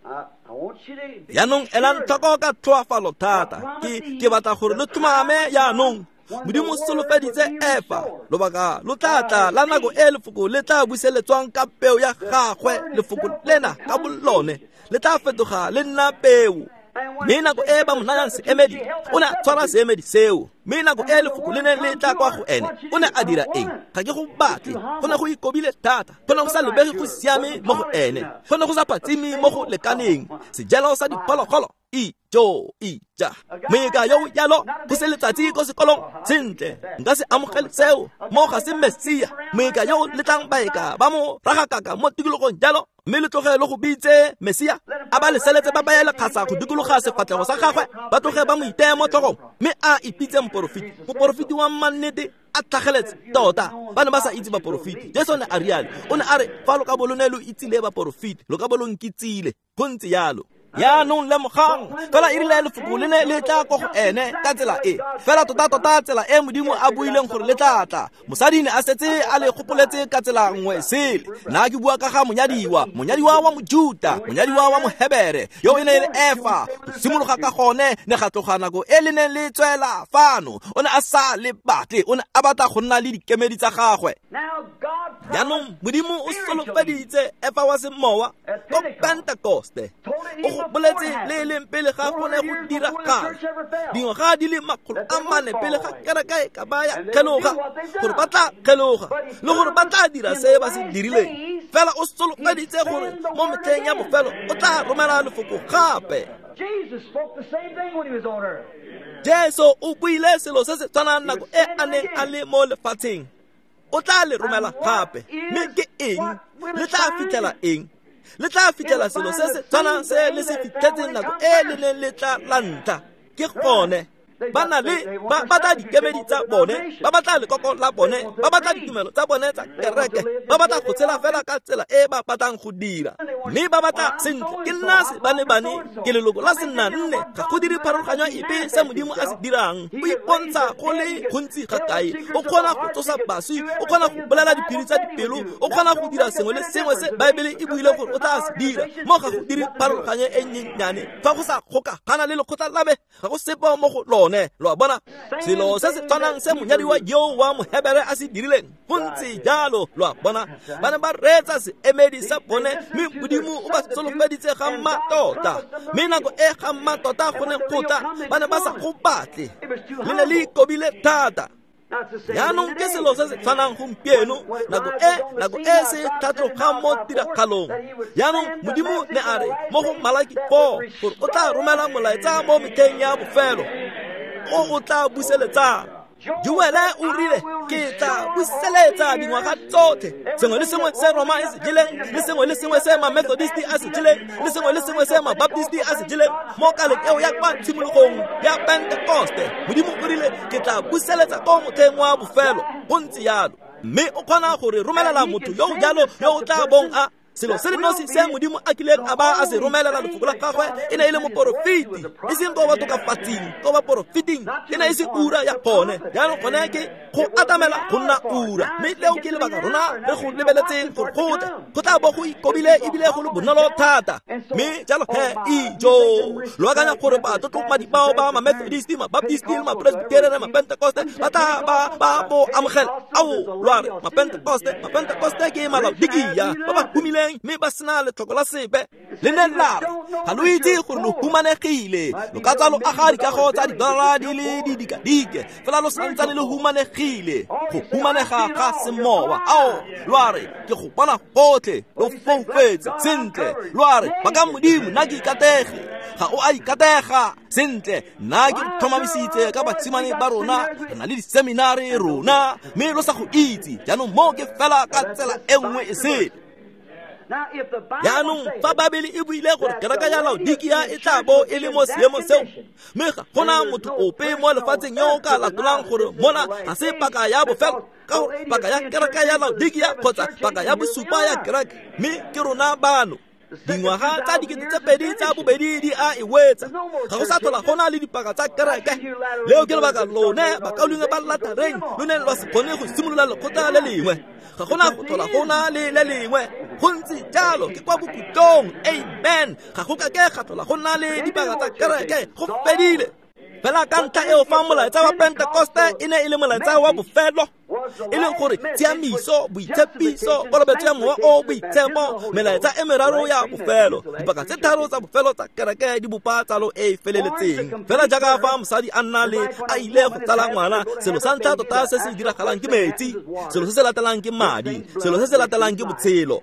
I, I want you to be Jaanong elang sure. tlhoko ka tlhoafalo thata. Ke ke batla gore lo tlhomame jaanong. Modimo o solofeditse Efa lobaka lo tla tla la nako e lefoko le tla buseletswang ka peo ya gagwe, lefoko lena ka bolone le tla fetoga le nna peo. Mme nako e ba mo nayang seemedi, o ne a tshwara seemedi seo. Mme nako e lefoko le neng le tla kwa go ene, o ne a dira eng? Ga ke go batle. Go ne go ikobile thata, go ne go sa lebege go siame mo go ene, go ne go sa phatsime mo go lekaneng. Sejelo sa diphologolo, ijo ija, moeka yo yalo go se letsatsi ko sekolong, sentle nka se amogele seo, mo ga se Mesia. Moeka yo letlang baeka ba mo ragakaka mo tikologong jalo, mme le tloge le go bitse Mesia, a ba leseletse ba baye lekgasa go dikologa sefatlhego sa gagwe, ba tloge ba mo iteye mo tlhogong, mme a ipitse moporofeti. Moporofeti wa mannete a tlhageletse tota. Ba ne ba sa itse baporofeti. Jesu ne a rialo, o ne a re fa lo ka bo lo ne lo itsile baporofeti, lo ka bo lo nkitsile. Go ntse jalo. Jaanong lemogang, fela e rile lefoko le ne le tla ko go ene ka tsela e, fela tota-tota tsela e Modimo a buileng gore le tla tla. Mosadi ne a setse a le gopoletse ka tsela nngwe sele. Nna ke bua ka ga monyadiwa, monyadiwa wa Mojuta, monyadiwa wa Mohebere, yo e ne e le Efa. Go simologa ka gone ne ga tloga nako e le neng le tswela fano. O ne a sa le batle, o ne a batla go nna le dikemedi tsa gagwe. Now God Jaanong Modimo o solofeditse Efa wa semowa ko Pentekoste. O go boletse le e leng pele ga go ne go diragala, dingwaga di le makgolo a mane pele ga kereke e ka ba ya kgeloga, gore ba tla kgeloga le gore ba tla dira se ba se dirileng. Fela o solofeditse gore mo metlheng ya bofelo o tla romela lefoko gape. Jesus spoke the same thing when he was on earth. Jesu o buile selo se se tshwanang nako e a neng a le mo lefatsheng. O tla le romela gape. Mme ke eng? Le tla fitlhela eng? Le tla fitlhela selo se se tshwanang se le se fitlhetseng nako e le neng le tla la ntlha. Ke gone. Ba na le ba batla dikemedi tsa bone, ba batla lekoko la bone, ba batla ditumelo tsa bone tsa kereke, ba batla go tshela fela ka tsela e ba batlang go dira. Mme ba batla sentle, ke nna se ba ne bane, ke leloko la senna nne, ga go dire pharologanyo epe se Modimo a se dirang. O ipontsha go le gontsi ga kae, o kgona go tsosa baswi, o kgona go bolela diphiri tsa dipelo, o kgona go dira sengwe le sengwe se Baebele e buile gore o tla se dira. Mo ga go dire pharologanyo e nnyenyane, fa go sa gokagana le lekgotla la me, ga go sepe mo go lone. gone, lo a bona? Selo se se tshwanang se monyadiwa yo wa Mohebere a se dirileng, go ntse jalo, lo a bona? Ba ne ba reetsa seemedi sa bone, mme Modimo o ba solofeditse ga mmatota. Mme nako e ga mmatota go ne go tla, ba ne ba sa go batle. Le ne le ikobile thata. Jaanong ke selo se se tshwanang gompieno, nako e nako e se tlhatlogang mo tiragalong. Jaanong Modimo ne a re mo go Malaki four gore o tla romela molaetsa mo metlheng ya bofelo o o tla buseletsang. Joele o rile, ke tla buseletsa dingwaga tsotlhe, sengwe le sengwe se Roma e se jeleng, le sengwe le sengwe se ma-Methodisti a se jeleng, le sengwe le sengwe se ma-Baptisti a se jeleng mo kaleng eo ya kwa tshimologong ya Pentekoste. Modimo o rile, ke tla buseletsa ko motlheng wa bofelo. Go ntse jalo. Mme o kgona gore romelela motho yo o jalo yo o tla bong a selo se le nosi se Modimo a kileng a ba a se romelela lefoko la gagwe e ne e le moporofeti, e seng ko batokafatsing, ko baporofeting, e ne e se ura ya gone. Jaanong gone ke go atamela go nna ura, mme leo ke lebaka rona re go lebeletseng gore go tle, go tla bo go ikobile ebile go le bonolo thata. Mme jalo he, ijo lo akanya gore batlotlomadi bao ba ma-Methodisti, ma-Baptisti, ma-Presbyterian, ma-Pentecoste ba tla ba ba bo amogela? Ao, lo a re ma-Pentecoste, ma-Pentecoste ke Malaodikia ba ba humileng mme ba sena letlhoko la sepe. Le ne la re, ga lo itse gore lo humanegile, lo ka tswa lo aga dikago tsa didolara di le didikadike, fela lo santsane lo humanegile. Go humanega ga semowa. Ao, lo a re, ke go bona gotlhe, lo foufetse. Sentle, lo a re, baka Modimo, nna ke ikatege. Ga o a ikatega. Sentle, nna ke tlhomamisitse ka basimane ba rona, re na le diseminari rona, mme lo sa go itse. Jaanong mo ke fela ka tsela e nngwe e sele. Jaanong fa Babele e buile gore kereke ya Laodikia e tla bo e le mo seemong seo, mme ga gona motho ope mo lefatsheng yo o ka latolang gore mona ga se paka ya bofelo, ka gore paka ya kereke ya Laodikia kgotsa paka ya bosupa ya kereke, mme ke rona bano. Dingwaga tsa dikete tse pedi tsa bobedi di a e wetsa, ga go sa tlhola go na le dipaka tsa kereke. Leo ke lebaka lone bakaulengwe ba Latareng lo ne lwa se kgone go simolola lekgotla le lengwe. Ga gona go tlhola go na le le lengwe. Go ntse jalo, ke kwa bokhutlong. Amen. Ga go ka ke ga tlhola go na le dipaka tsa kereke, go fedile. Fela ka ntlha eo fa molaetsa wa Pentekoste e ne e le molaetsa wa bofelo, e leng gore tshiamiso, boitshepiso, kolobetso ya Mowa o Boitshepo, melaetsa e meraro ya bofelo, dipaka tse tharo tsa bofelo tsa kereke di bopa tsalo e e feleletseng. Fela jaaka fa mosadi a nna le a ile go tsala ngwana, selo sa ntlha tota se se diragalang ke metsi, selo se se latelang ke madi, selo se se latelang ke botshelo.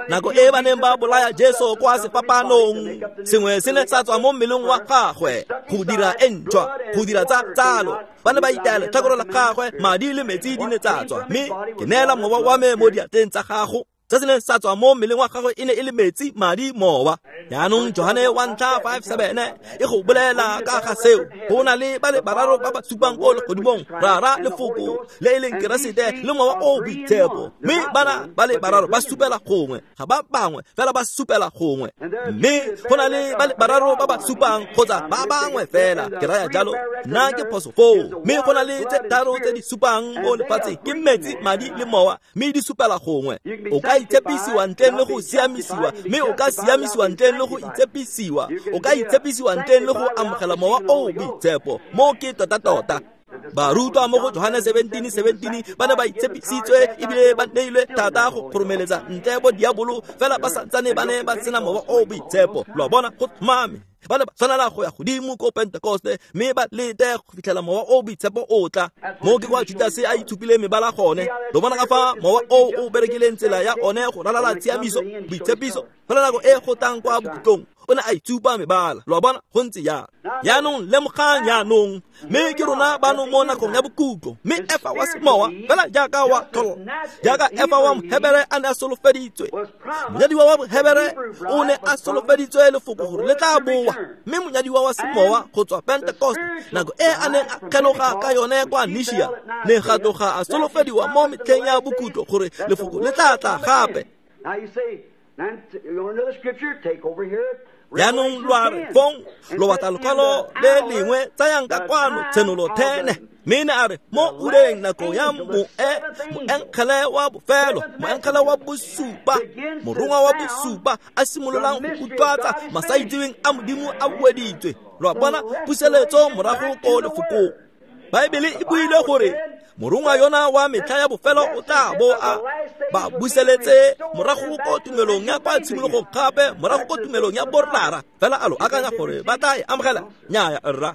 Nako e ba neng ba bolaya Jesu kwa sefapanong, sengwe se ne sa tswa mo mmeleng wa gagwe go dira e ntšhwa, go dira tsa tsalo. Ba ne ba itaya letlhakore la gagwe, madi le metsi di ne tsa tswa, mme ke neela mowa wa me mo diatleng tsa gago. Se se neng sa tswa mo mmeleng wa gagwe e ne e le metsi, madi, mowa. Jaanong Johane wa ntlha five seven e go bolela ka ga seo. Go na le ba le bararo ba ba supang ko legodimong, Rara, Lefoko le e leng Keresete le Mowa o Boitshepo. Mme bana ba le bararo ba supela gongwe, ga ba bangwe fela ba supela gongwe. Mme go na le ba le bararo ba ba supang kgotsa ba bangwe fela, ke raya jalo, nna ke phoso foo. Mme go na le tse tharo tse di supang mo lefatsheng, ke metsi, madi le mowa, mme di supela gongwe. O ka itshepisiwa ntleng le go siamisiwa, mme o ka siamisiwa ntleng le go itshepisiwa, o ka itshepisiwa ntleng le go amogela Mowa o Boitshepo. Mo ke tota-tota. Barutwa mo go Johane seventeen seventeen ba ne ba itshepisitswe ebile ba neilwe thata go kgoromeletsa ntle bo diabolo, fela ba santsane ba ne ba sena Mowa o Boitshepo. Lo a bona, go tlhomame. Ba ne ba tshwanela go ya godimo ko Pentekoste mme ba lete go fitlhela Mowa o Boitshepo o tla. Mo ke kwa Judase a itshupile mebala gone. Lo bona ka fa Mowa o o berekileng tsela ya one go ralala tshiamiso, boitshepiso, fela nako e go tlang kwa bokhutlong o ne a itsupa mebala. Lo a bona, go ntse jalo. Jaanong lemogang jaanong, mme ke rona bano mo nakong ya bokhutlo. Mme Efa wa semowa, fela jaaka wa tlholo, jaaka Efa wa Mohebere a ne a solofeditswe, monyadiwa wa Mohebere o ne a solofeditswe lefoko gore le tla boa. Mme monyadiwa wa semowa go tswa Pentekoste, nako e a neng a kgeloga ka yone kwa Nishia, ne ga tloga a solofediwa mo metlheng ya bokhutlo gore lefoko le tla tla gape. Now you say, now you want another scripture? Take over here. Jaanong lo a re fong lo batla lekwalo le lengwe, tsayang ka kwano Tshenolo thene. Mme ne a re mo ureng nako ya moe moengele wa bofelo, moengele wa bosupa, morongwa wa bosupa a simololang go utlwatsa masaitseweng a Modimo a bueditswe. Lo a bona puseletso morago ko lefokong. Baebele e buile gore morongwa yona wa metlha ya bofelo o tla bo a ba buseletse morago ko tumelong ya kwa tshimologong gape, morago ko tumelong ya borrara. Fela a lo akanya gore ba tla e amogela? Nnyaya rra.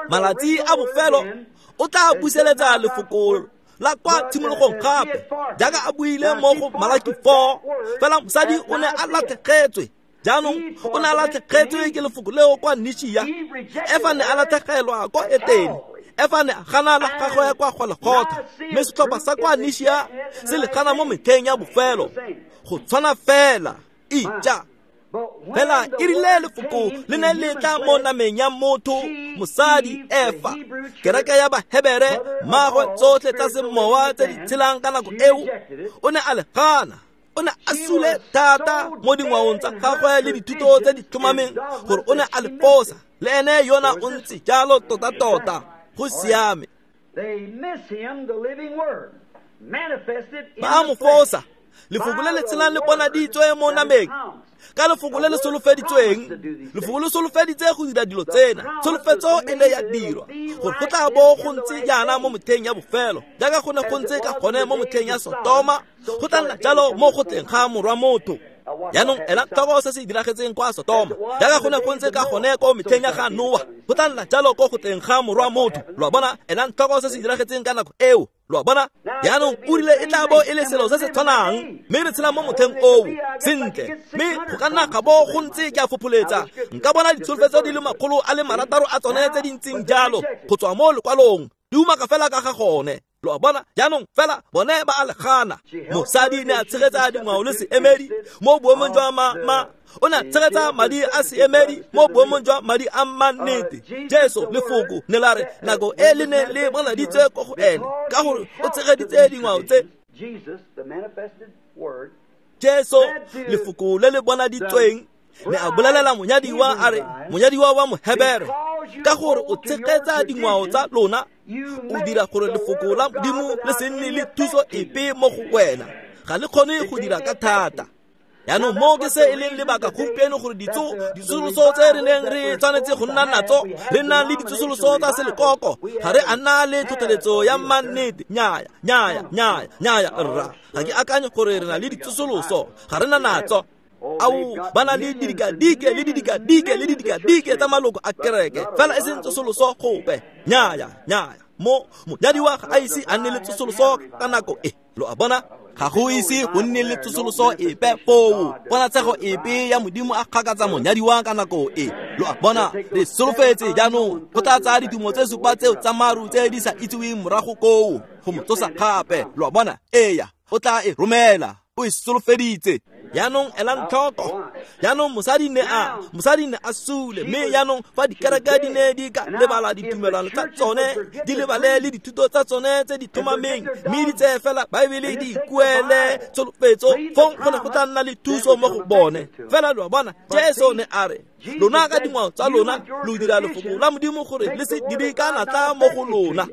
Malatsi a bofelo o tla buseletsa lefoko la kwa tshimologong gape, jaaka a buile mo go Malaki four. Fela mosadi o ne a latlhegetswe. Jaanong o ne a latlhegetswe ke lefoko leo kwa Nishia. Efa ne a latlhegelwa kwa Etene. Efa ne a gana la gagwe ya kwa Golgotha. Mme setlhopha sa kwa Nishia se le gana mo metlheng ya bofelo. Go tshwana fela. Ija. Fela e rile lefoko le ne le tla mo nameng ya motho, mosadi Efa, kereke ya Bahebere, mmaagwe tsotlhe tsa semowa tse di tshelang ka nako eo, o ne a le gana. O ne a sule thata mo dingwaong tsa gagwe le dithuto tse di tlhomameng gore o ne a le fosa. Le ene yona o ntse jalo tota-tota. Go siame. Ba a mo fosa. Lefoko le le tshelang le bonaditswe mo nameng ka lefoko le le solofeditsweng. Lefoko le solofeditse go dira dilo tsena. Tsholofetso e ne ya dirwa gore go tla bo go ntse jaana mo motlheng ya bofelo, jaaka go ne go ntse ka gone mo motlheng ya Sotoma, go tla nna jalo mo go tleng ga morwa motho. Jaanong ela tlhoko se se diragetseng kwa Sotoma, jaaka go ne go ntse ka gone ko metlheng ya ga Noa, go tla nna jalo ko go tleng ga morwa motho. Lo a bona? Ela tlhoko se se diragetseng ka nako eo. Lo a bona? Jaanong o rile e tla bo e le selo se se tshwanang, mme re tshela mo motlheng oo. Sentle, mme go ka nna ga bo go ntse ke a fopholetsa. Nka bona ditsholofetso di le makgolo a le marataro a tsone tse di ntseng jalo go tswa mo lekwalong, di umaka fela ka ga gone. Lo a bona? Jaanong fela bone ba a le gana. Mosadi ne a tshegetsa dingwao le seemedi mo boemong jwa ma ma o ne a tshegetsa madi a seemedi mo boemong jwa madi a mannete. Jesu lefoko ne la re nako e le ne le bonaditswe ko go ene, ka gore o tshegeditse dingwao tse. Jesu lefoko le le bonaditsweng ne a bolelela monyadiwa a re, monyadiwa wa Mohebere, ka gore o tshegetsa dingwao tsa lona, o dira gore lefoko la Modimo le se nne le thuso epe mo go wena. Ga le kgone go dira ka thata. Jaanong mo ke se e leng lebaka gompieno gore ditso ditsosoloso tse re neng re tshwanetse go nna natso, re nna le ditsosoloso tsa selekoko, ga re a nna le tlhotlheletso ya mannete. Nnyaya, nnyaya, nnyaya, nnyaya rra. Ga ke akanye gore re na le ditsosoloso, ga re na natso. Ao, ba na le didikadike le didikadike le didikadike tsa maloko a kereke, fela e seng tsosoloso gope. Nnyaya, nnyaya. Mo monyadiwa ga a ise a nne le tsosoloso ka nako e. Lo a bona? Ga go ise go nne le tsosoloso epe foo. Ponatshego epe ya Modimo a kgakatsa monyadiwa ka nako e. Lo a bona? Re solofetse jaanong go tla tsaya ditumo tse supa tseo tsa maru tse di sa itseweng morago koo go mo tsosa gape. Lo a bona? Eya, o tla e romela. O e solofeditse. Jaanong elang tlhoko. Jaanong mosadi ne a mosadi ne a sule, mme jaanong fa dikereke di ne di ka lebala ditumelano tsa tsone, di lebale le dithuto tsa tsone tse di tlhomameng, mme di tseye fela Baebele di ikuele tsholofetso, fong go ne go tla nna le thuso mo go bone. Fela lo a bona, Jesu ne a re, lona ka dingwao tsa lona lo dira lefoko la Modimo gore le se dire ka natla mo go lona.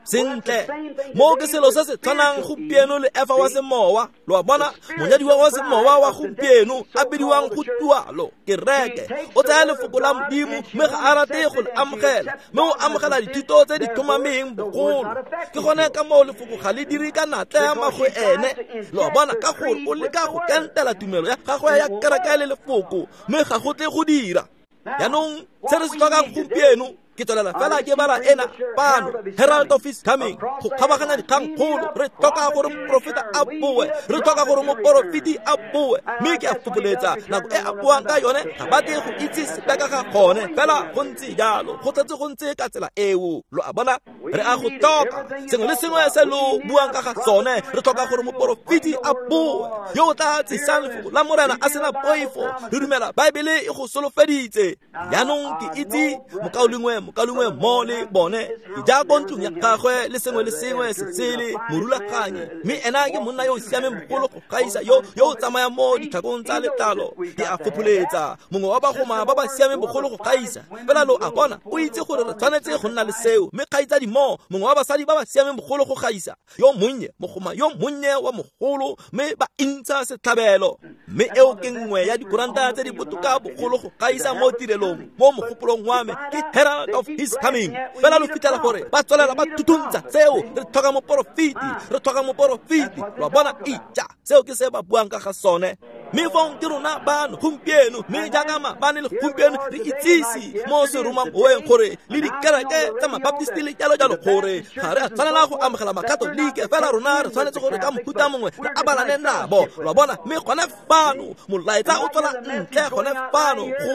Sentle, mo ke selo se se tshwanang gompieno le Efa wa semowa. Lo a bona? Monyadiwa wa semowa wa gompieno a bidiwang go tualo kereke, o tsaya lefoko la Modimo mme ga a rate go le amogela, mme o amogela dithuto tse di tlhomameng bogolo. Ke gone ka moo lefoko ga le dire ka natla mo go ene. Lo a bona? Ka gore o leka go kentela tumelo ya gagwe ya kereke le lefoko, mme ga go tle go dira. Jaanong se re se tlhokang gompieno, ke tswelela fela ke bala ena pano, Herald of His Coming, go kgabaganya dikgangkgolo. Re tlhoka gore moprofeta a boe, re tlhoka gore moporofeti a boe, mme ke a fopholetsa nako e a boang ka yone ga ba tle go itse sepe ka ga gone. Fela go ntse jalo, go tletse go ntse ka tsela eo. Lo a bona? Re a go tlhoka sengwe le sengwe se lo buang ka ga sone. Re tlhoka gore moporofeti a boe, yo o tla tsisang lefoko la Morena a sena poifo. Re dumela Baebele e go solofeditse. Jaanong ke itse mokaulengwe mokalungwe mo le bone ke ja ko ntlong ya gagwe le sengwe le sengwe se sele morulaganyi mme ena ke monna yo o siameng bogolo go gaisa yo yo o tsamayang mo ditlhakong tsa letlalo ke a fopholetsa mongwe wa bagoma ba ba siameng bogolo go gaisa fela lo a bona o itse gore re tshwanetse go nna le seo mme kgaitsadi mo mongwe wa basadi ba ba siameng bogolo go gaisa yo monnye mogoma yo monnye wa mogolo mme ba intsha setlhabelo mme eo ke nngwe ya dikuranta tse di botoka bogolo go gaisa mo tirelong mo mogopolong wa me ke Herald of His Coming fela lo fitlhela gore ba tswelela ba thuthuntsha seo re tlhoka moporofeti re tlhoka moporofeti lo bona itja seo ke se ba buang ka ga sone mme fong ke rona bano gompieno mme jaaka maabane le gompieno re itsise mo seromamoweng gore le dikereke tsa mabaptisti le jalo jalo gore ga re a tshwanela go amogela makatolike fela rona re tshwanetse gore ka mohuta mongwe re abalane nabo lo bona mme gone fano molaetsa o tswela ntle gone fano go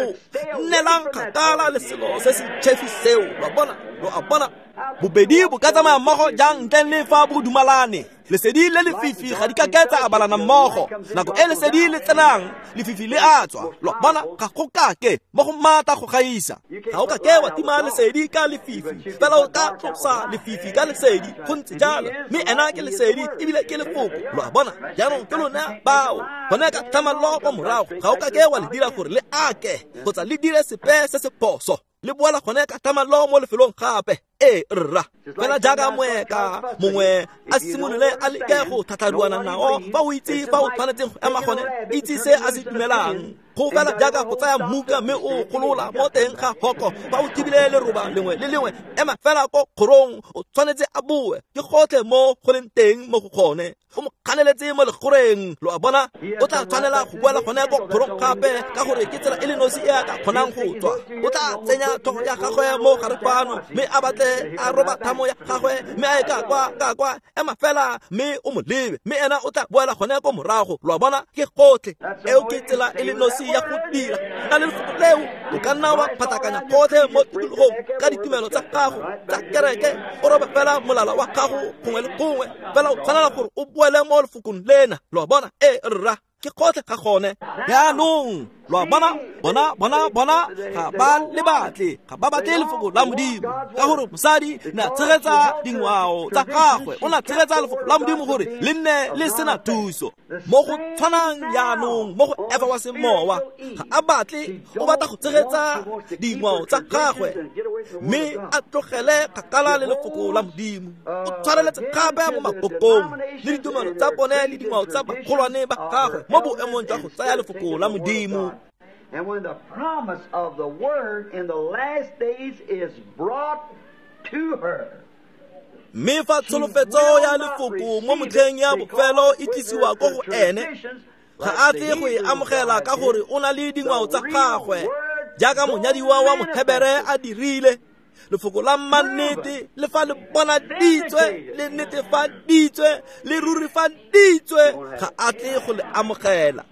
nnelang kgakala le selo se se tšhefi seo lo bona lo a bona bobedi bo ka tsamaya mmogo jang ntleng le fa bo dumalane lesedi le lefifi ga di ka ke tsa abalana mmogo nako e lesedi le tsenang lefifi le a tswa lo bona ga go kake mo go maatla go gaisa ga o ka ke wa tima lesedi ka lefifi fela o ka tlosa lefifi ka lesedi go ntse jalo mme ena ke lesedi ebile ke lefoko lo a bona jaanong ke lona bao gone ka tlhamallo kwa morago ga o ka ke wa le dira gore le ake kgotsa le dire sepe se se phoso le boela gone ka tlhamallo mo lefelong gape e rra fela jaaka moeka mongwe a simolole a leke go tlhatlharuana nao fa o itse fa o tshwanetseng go ema gone itse se a se dumelang go fela jaaka go tsaya mmuka mme o golola mo teng ga hoko fa o thibile leroba lengwe le lengwe ema fela ko kgorong o tshwanetse a boe ke gotlhe mo go leng teng mo go gone o mo kganeletse mo legoreng lo a bona o tla tshwanela go boela gone ko kgorong gape ka gore ke tsela e le nosi e a ka kgonang go tswa o tla tsenya tlhogo ya gagwe mo gare fano mme a batle a roba thamo ya gagwe mme a e ka kwa ka kwa ema fela mme o mo lebe mme ena o tla boela gone ko morago lo a bona ke gotlhe eo ke tsela e le nosi ya go dira ka lefoko leo o ka nna wa phatakanya gotlhe mo tikologong ka ditumelo tsa gago tsa kereke o robe fela molala wa gago gongwe le gongwe fela o tshwanela gore o boele mo lefokong lena lo a bona e rra ke gotlhe ga gone jaanong lo a bona bona bona bona ga ba le batle ga ba batle lefoko la modimo ka gore mosadi ne a tshegetsa dingwao tsa gagwe o ne a tshegetsa lefoko la modimo gore le nne le sena thuso mo go tshwanang jaanong mo go Efa wa semowa ga a batle o batla go tshegetsa dingwao tsa gagwe mme a tlogele kgakala le lefoko la modimo o tshwareletse gape mo makokong le ditumelo tsa bone le dingwao tsa bagolwane ba gagwe mo boemong jwa go tsaya lefoko la modimo. And when the promise of the word in the last days is brought to her, mme fa tsholofetso ya lefoko mo motlheng ya bofelo e tlisiwa ko go ene ga a tle go e amogela ka gore o na le dingwao tsa gagwe jaaka monyadiwa wa Mohebere a dirile lefoko la mannete le fa le bonaditswe le netefaditswe le rurifaditswe ga a tle go le amogela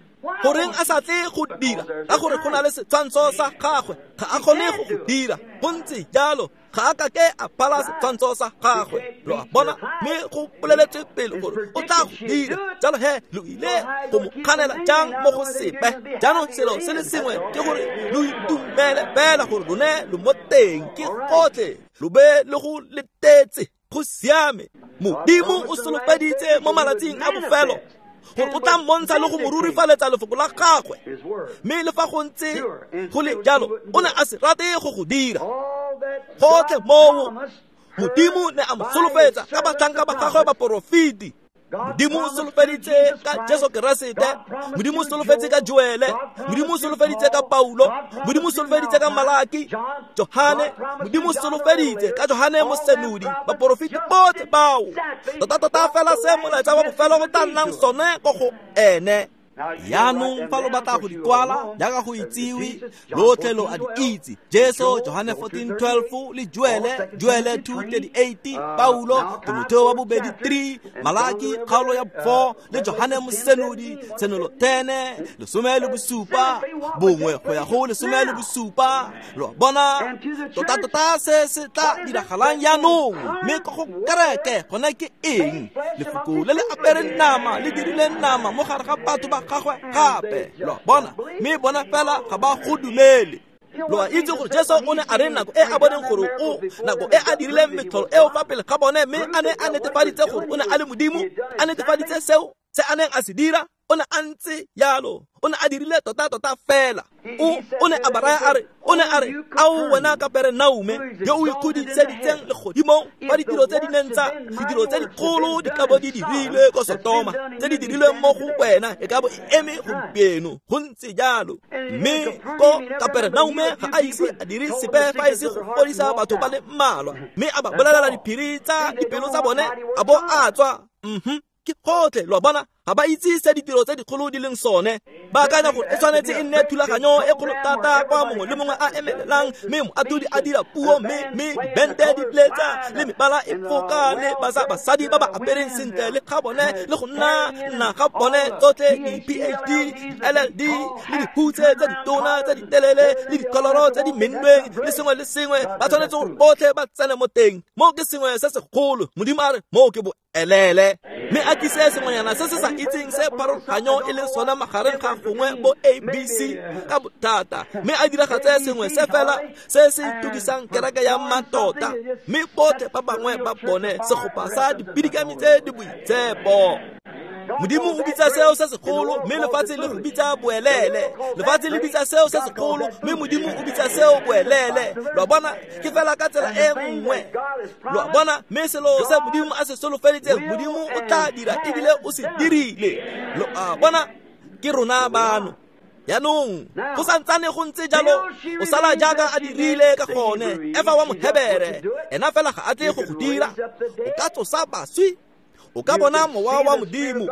goreng a sa tle go dira ka gore go na le setshwantsho sa gagwe ga a kgone go go dira go ntse jalo ga a ka ke a phala setshwantsho sa gagwe lo a bona mme go boleletswe pele gore o tla go dira jalo he lo ile go mo kganela jang mo go sepe jaanong selo se le sengwe ke gore lo itumele fela gore lone lo mo teng ke gotlhe lo be le go letetse go siame modimo o solofeditse mo malatsing a bofelo gore o tla mmontsha le go mo rurifaletsa lefoko la gagwe mme le fa go ntse go le jalo o ne a se rate go go dira gotlhe moo modimo ne a mo solofetsa ka batlhanka ba gagwe baporofeti modimo o solofeditse ka Jesu Keresete modimo o solofetse ka Joele modimo o solofeditse ka Paulo modimo o solofeditse ka Malaki Johane modimo o solofeditse ka Johane Mosenodi baporofeti botlhe bao tota-tota fela se molaetsa wa bofelo go tla nnang sone ko go ene Jaanong fa lo batla go di kwala jaaka go itsiwe lotlhe lo a di itse Jesu Johane fourteen twelve le Joele Joele two thirty-eight Paulo Timotheo wa bobedi three Malaki kgaolo ya four le Johane Mosenodi tshenolo ten lesome le bosupa bongwe go ya go lesome le bosupa lo bona tota-tota se se tla diragalang jaanong mme ko go kereke gone ke eng lefoko le le apereng nama le dirileng nama mo gare ga batho ba gagwe gape lo bona mme bona fela ga ba go dumele. Lo a itse gore Jesu o ne a re nako e a boneng gore o nako e a dirileng metlholo eo fa pele ga bone, mme a ne a netefaditse gore o ne a le Modimo, a netefaditse seo se a neng a se dira, o ne a ntse yalo, o ne a dirile tota-tota fela. O o ne a ba raya a re, o ne a re, ao wena Kaperenaume yo o ikgodiseditseng legodimong, fa ditiro tse di neng tsa ditiro tse dikgolo di ka bo di dirilwe ko Sotoma, tse di dirilweng mo go wena e ka bo e eme gompieno. Go ntse jalo. Mme ko Kaperenaume ga a ise a dire sepe fa e se go fodisa batho ba le mmalwa, mme a ba bolelela diphiri tsa dipelo tsa bone, a bo a tswa. Mhm. Ke gotlhe, lo a bona, ga ba itse se ditiro tse dikgolo di leng sone. Ba akanya gore e tshwanetse e nne thulaganyo e kgolo thata kwa mongwe le mongwe a emelelang, mme moatlhodi a dira puo, mme mme dibente di letsa le mebala e foka le basadi ba ba apereng sentle le ga bone le go nna nna ga bone tsotlhe di-P H D, L L D le dihutse tse ditona tse ditelele le dikoloro tse di mennweng le sengwe le sengwe, ba tshwanetse gore botlhe ba tsene mo teng. Mo ke sengwe se segolo. Modimo a re mo ke boelele, mme a tlise sengwenyana se se sa itseng se pharologanyo e leng sona magareng ga gongwe bo A B C ka bothata, mme a diragatse sengwe se fela se se tukisang kereke ya mmatota, mme botlhe ba bangwe ba bone segopa sa dipidikami tse di boitshepo. Modimo o bitsa seo se segolo, mme lefatshe le go bitsa boelele. Lefatshe le bitsa seo se segolo, mme Modimo o bitsa seo boelele. Lo a bona, ke fela ka tsela e nngwe. Lo a bona, mme selo se Modimo a se solofeditseng, Modimo o tla dira ebile o se dirile. Lo a bona, ke rona bano. Yaanong go santsane go ntse jalo, o sala jaaka a dirile ka gone. Efa wa Mohebere, ena fela ga a tle go go dira. O ka tsosa baswi, o ka bona mowa wa Modimo.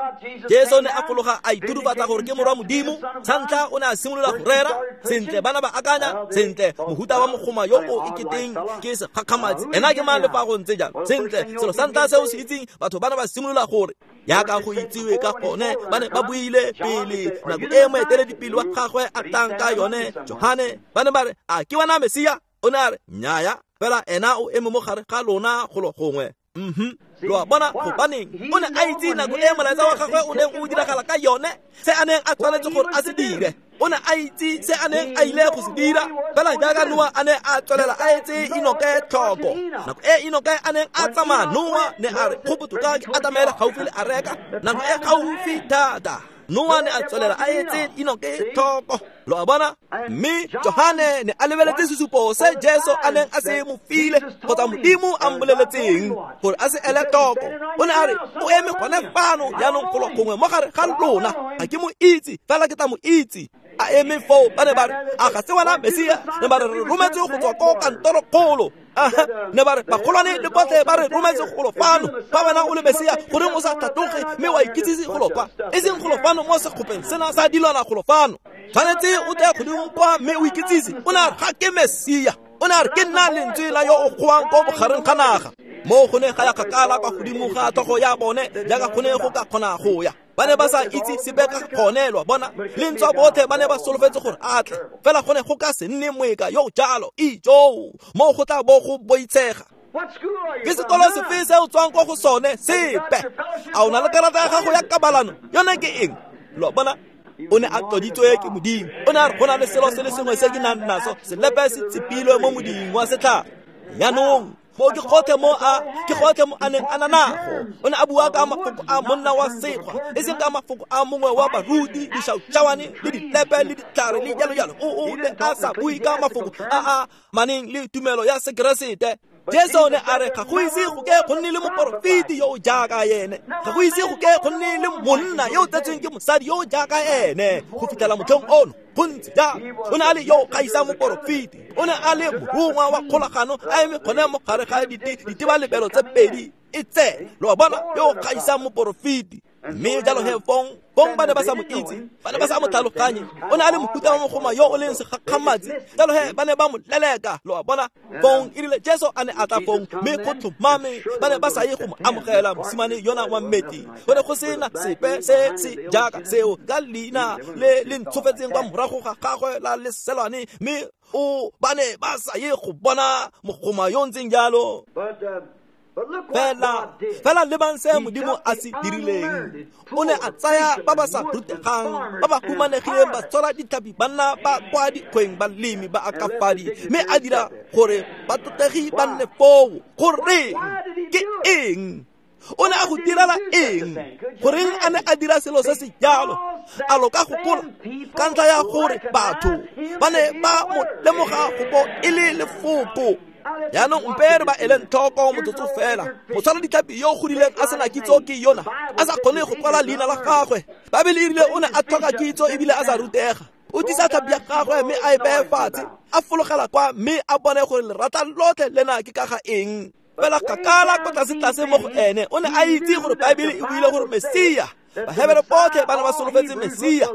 Jesu ne a fologa a iturufatsa gore ke morwa Modimo. Sa ntlha o ne a simolola go rera sentle, bana ba akanya sentle, mohuta wa mogoma yo o iketeng ke segakgamatsi, ena ke mang le fa go ntse jalo. Sentle, selo sa ntlha se o se itseng, batho bana ba simolola gore yaka go itsiwe ka gone, ba ne ba buile pele nako e moeteledipele wa gagwe a tlang ka yone, Johane. Ba ne ba re, a ke wena Mesia? O ne a re, nnyaya, fela ena o eme mo gare ga lona golo gongwe. Mhm. Lo a bona, gobaneng o ne a itse nako e molaetsa wa gagwe o neng o diragala ka yone, se a neng a tshwanetse gore a se dire. O ne a itse se a neng a ile go se dira, fela jaaka Noa a ne a tswelela a etse Enoke tlhoko. Nako e Enoke a neng a tsamaya, Noa ne a re, go botoka ke atamela gaufi le areka. Nako e gaufi thata, Noa ne a tswelela a etse Enoke tlhoko. Lo a bona, mme Johane ne a lebeletse sesupo se Jesu a neng a se mo file, kgotsa Modimo a mmoleletseng gore a se ele tlhoko. O ne a re, o eme gone fano jaanong golo gongwe mo gare ga lona, ga ke mo itse, fela ke tla mo itse. A eme foo, ba ne ba re, a ga se wena Mesia? Ne ba re, re rometse go tswa ko kantorokgolo. Aha, ne ba re, bagolwane le botlhe ba re rometse golo fano. Fa wena o le Mesia, goreng o sa tlhatloge mme wa ikitsise golo kwa? E seng golo fano mo sekgopeng sena sa dilwana golo fano. Tshwanetse o tle godimo kwa mme o ikitsise. O ne a re, ga ke Mesia. O ne a re, ke nna lentswe la yo o goang ko bogareng ga naga. Mo go ne ga ya kgakala kwa godimo ga tlhogo ya bone, jaaka go ne go ka kgona go ya. Ba ne ba sa itse sepe ka gone, lo a bona. Le ntswa botlhe ba ne ba solofetse gore a tle, fela go ne go ka se nne moeka yo jalo. Ijoo, mo go tla bo go boitshega. Ke sekolo sefe se o tswang kwa go sone? Sepe. A o na le karata ya gago ya kabalano? Yone ke eng? Lo a bona, o ne a tloditswe ke Modimo. O ne a re, go na le selo se le sengwe se ke nang naso, selepe se tsepilwe mo moding wa setlhare. Yaanong mo ke gotlhe mo a ke gotlhe mo a neng a na nago. O ne a bua ka mafoko a monna wa sekgwa, e seng ka mafoko a mongwe wa baruti, dišautšawane le dilepe le ditlhare le jalo jalo. O o ne a sa bue ka mafoko a a maneng le tumelo ya Sekeresete. Jesu ne a re, ga go ise go ke go nne le moporofeti yo o jaaka ene, ga go ise go ke go nne le monna yo o tsetsweng ke mosadi yo o jaaka ene go fitlhela motlhong ono. Go ntse jalo. O ne a le yo o gaisang moporofeti, o ne a le morongwa wa kgolagano, a eme gone mo gare ga ditebalebelo tse pedi e tse. Lo a bona, yo o gaisang moporofeti. Mme jalo he fong, fong ba ne ba sa mo itse, ba ne ba sa mo tlhaloganye. O ne a le mohuta wa mogoma yo o leng segakgamatsi, jalo he ba ne ba mo leleka. Lo a bona, fong e rile Jesu a ne a tla fong, mme go tlhomame ba ne ba sa ye go mo amogela mosimane yona wa mmeti. Go ne go sena sepe se se jaaka seo ka leina le le ntshofetseng kwa morago ga gagwe la leselwane, mme o ba ne ba sa ye go bona mogoma yo ntseng jalo. But uh, Fela fela lebang se Modimo a se dirileng. O ne a tsaya ba ba sa rutegang, ba ba humanegileng, ba tshwara ditlhapi, banna ba kwa dikgweng, balemi ba akafadi, mme a dira gore batlotlegi ba nne foo. Goreng? Ke eng? O ne a go direla eng? Goreng a ne a dira selo se se jalo? A lo ka gopola? Ka ntlha ya gore batho ba ne ba mo lemoga go bo e le lefoko. Jaanong mpe re ba eleng tlhoko motsotso fela. Motshwara ditlhapi yo o godileng a sena kitso ke yona, a sa kgone go kwala leina la gagwe. Baebele e rile o ne a tlhoka kitso ebile a sa rutega. O tisa tlhapi ya gagwe mme a e beye fatshe, a fologela kwa mme a bone gore lerata lotlhe lena ke ka ga eng. Fela kgakala ko tlase-tlase mo go ene o ne a itse gore Baebele e buile gore Mesia, Bahebere botlhe ba ne ba solofetse Mesia,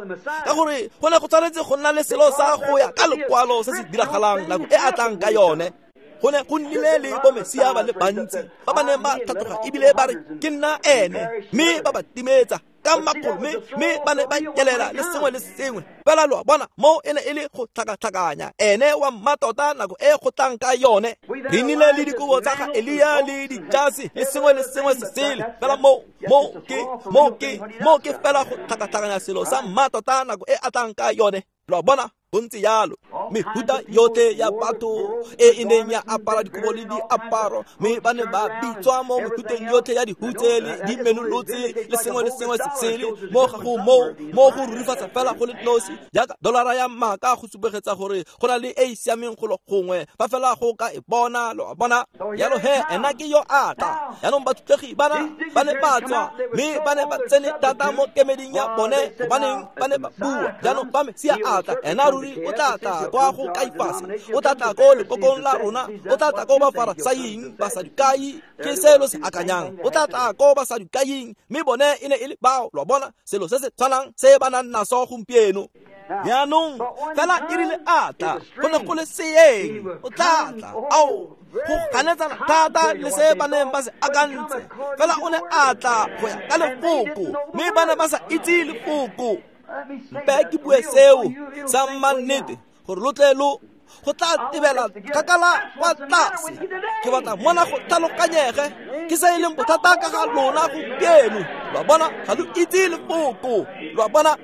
ka gore go ne go tshwanetse go nna le selo sa go ya ka lekwalo se se diragalang nako e a tlang ka yone. Go ne go nnile le bo Mesia ba le bantsi ba ba neng ba tlhatloga ebile ba re ke nna ene, mme ba ba timetsa ka makgolo, mme mme ba ne ba nyelela le sengwe le sengwe. Fela lo a bona, mo e ne e le go tlhakatlhakanya ene wa mmatota nako e go tlang ka yone. Re nnile le dikobo tsa ga Elia le dijase le sengwe le sengwe se sele. Fela mo mo ke mo ke mo ke fela go tlhakatlhakanya selo sa mmatota nako e a tlang ka yone. Lo a bona, go ntse jalo. Mehuta yotlhe ya batho e e neng ya apara dikobo le diaparo, mme ba ne ba bitswa mo mehuteng yotlhe ya dihutse le dimenolotse le sengwe le sengwe se sele. Mo ga go moo mo go rurifatsa fela go le nosi jaaka dolara ya maaka go supegetsa gore go na le e e siameng golo gongwe, fa fela go ka e bona. Lo a bona? Jalo he ena ke yo a tla. Jaanong bathutlegi bana ba ne ba tswa, mme ba ne ba tsene thata mo kemeding ya bone, gobaneng ba ne ba bua. Jaanong fa Mesia a tla, ena ruri o tla tla kwa go Kaifase, o tla tla ko lekokong la rona, o tla tla ko Bafarasaing, Basadukai, ke se lo se akanyang, o tla tla ko Basadukaing, mme bone e ne e le bao. Lo a bona, selo se se tshwanang se ba nang naso gompieno. Jaanong fela e rile a tla, go ne go le seeng, o tla tla. Ao, go ganetsana thata le se ba neng ba se akantse. Fela o ne a tla go ya ka lefoko, mme ba ne ba sa itse lefoko. Mpe ke bue seo sa mannete gore lo tle lo go tla tebela kgakala kwa tlase. Ke batla mona go tlhaloganyege ke se e leng bothata ka ga lona gompieno. Lo a bona, ga lo itse lefoko. Lo a bona,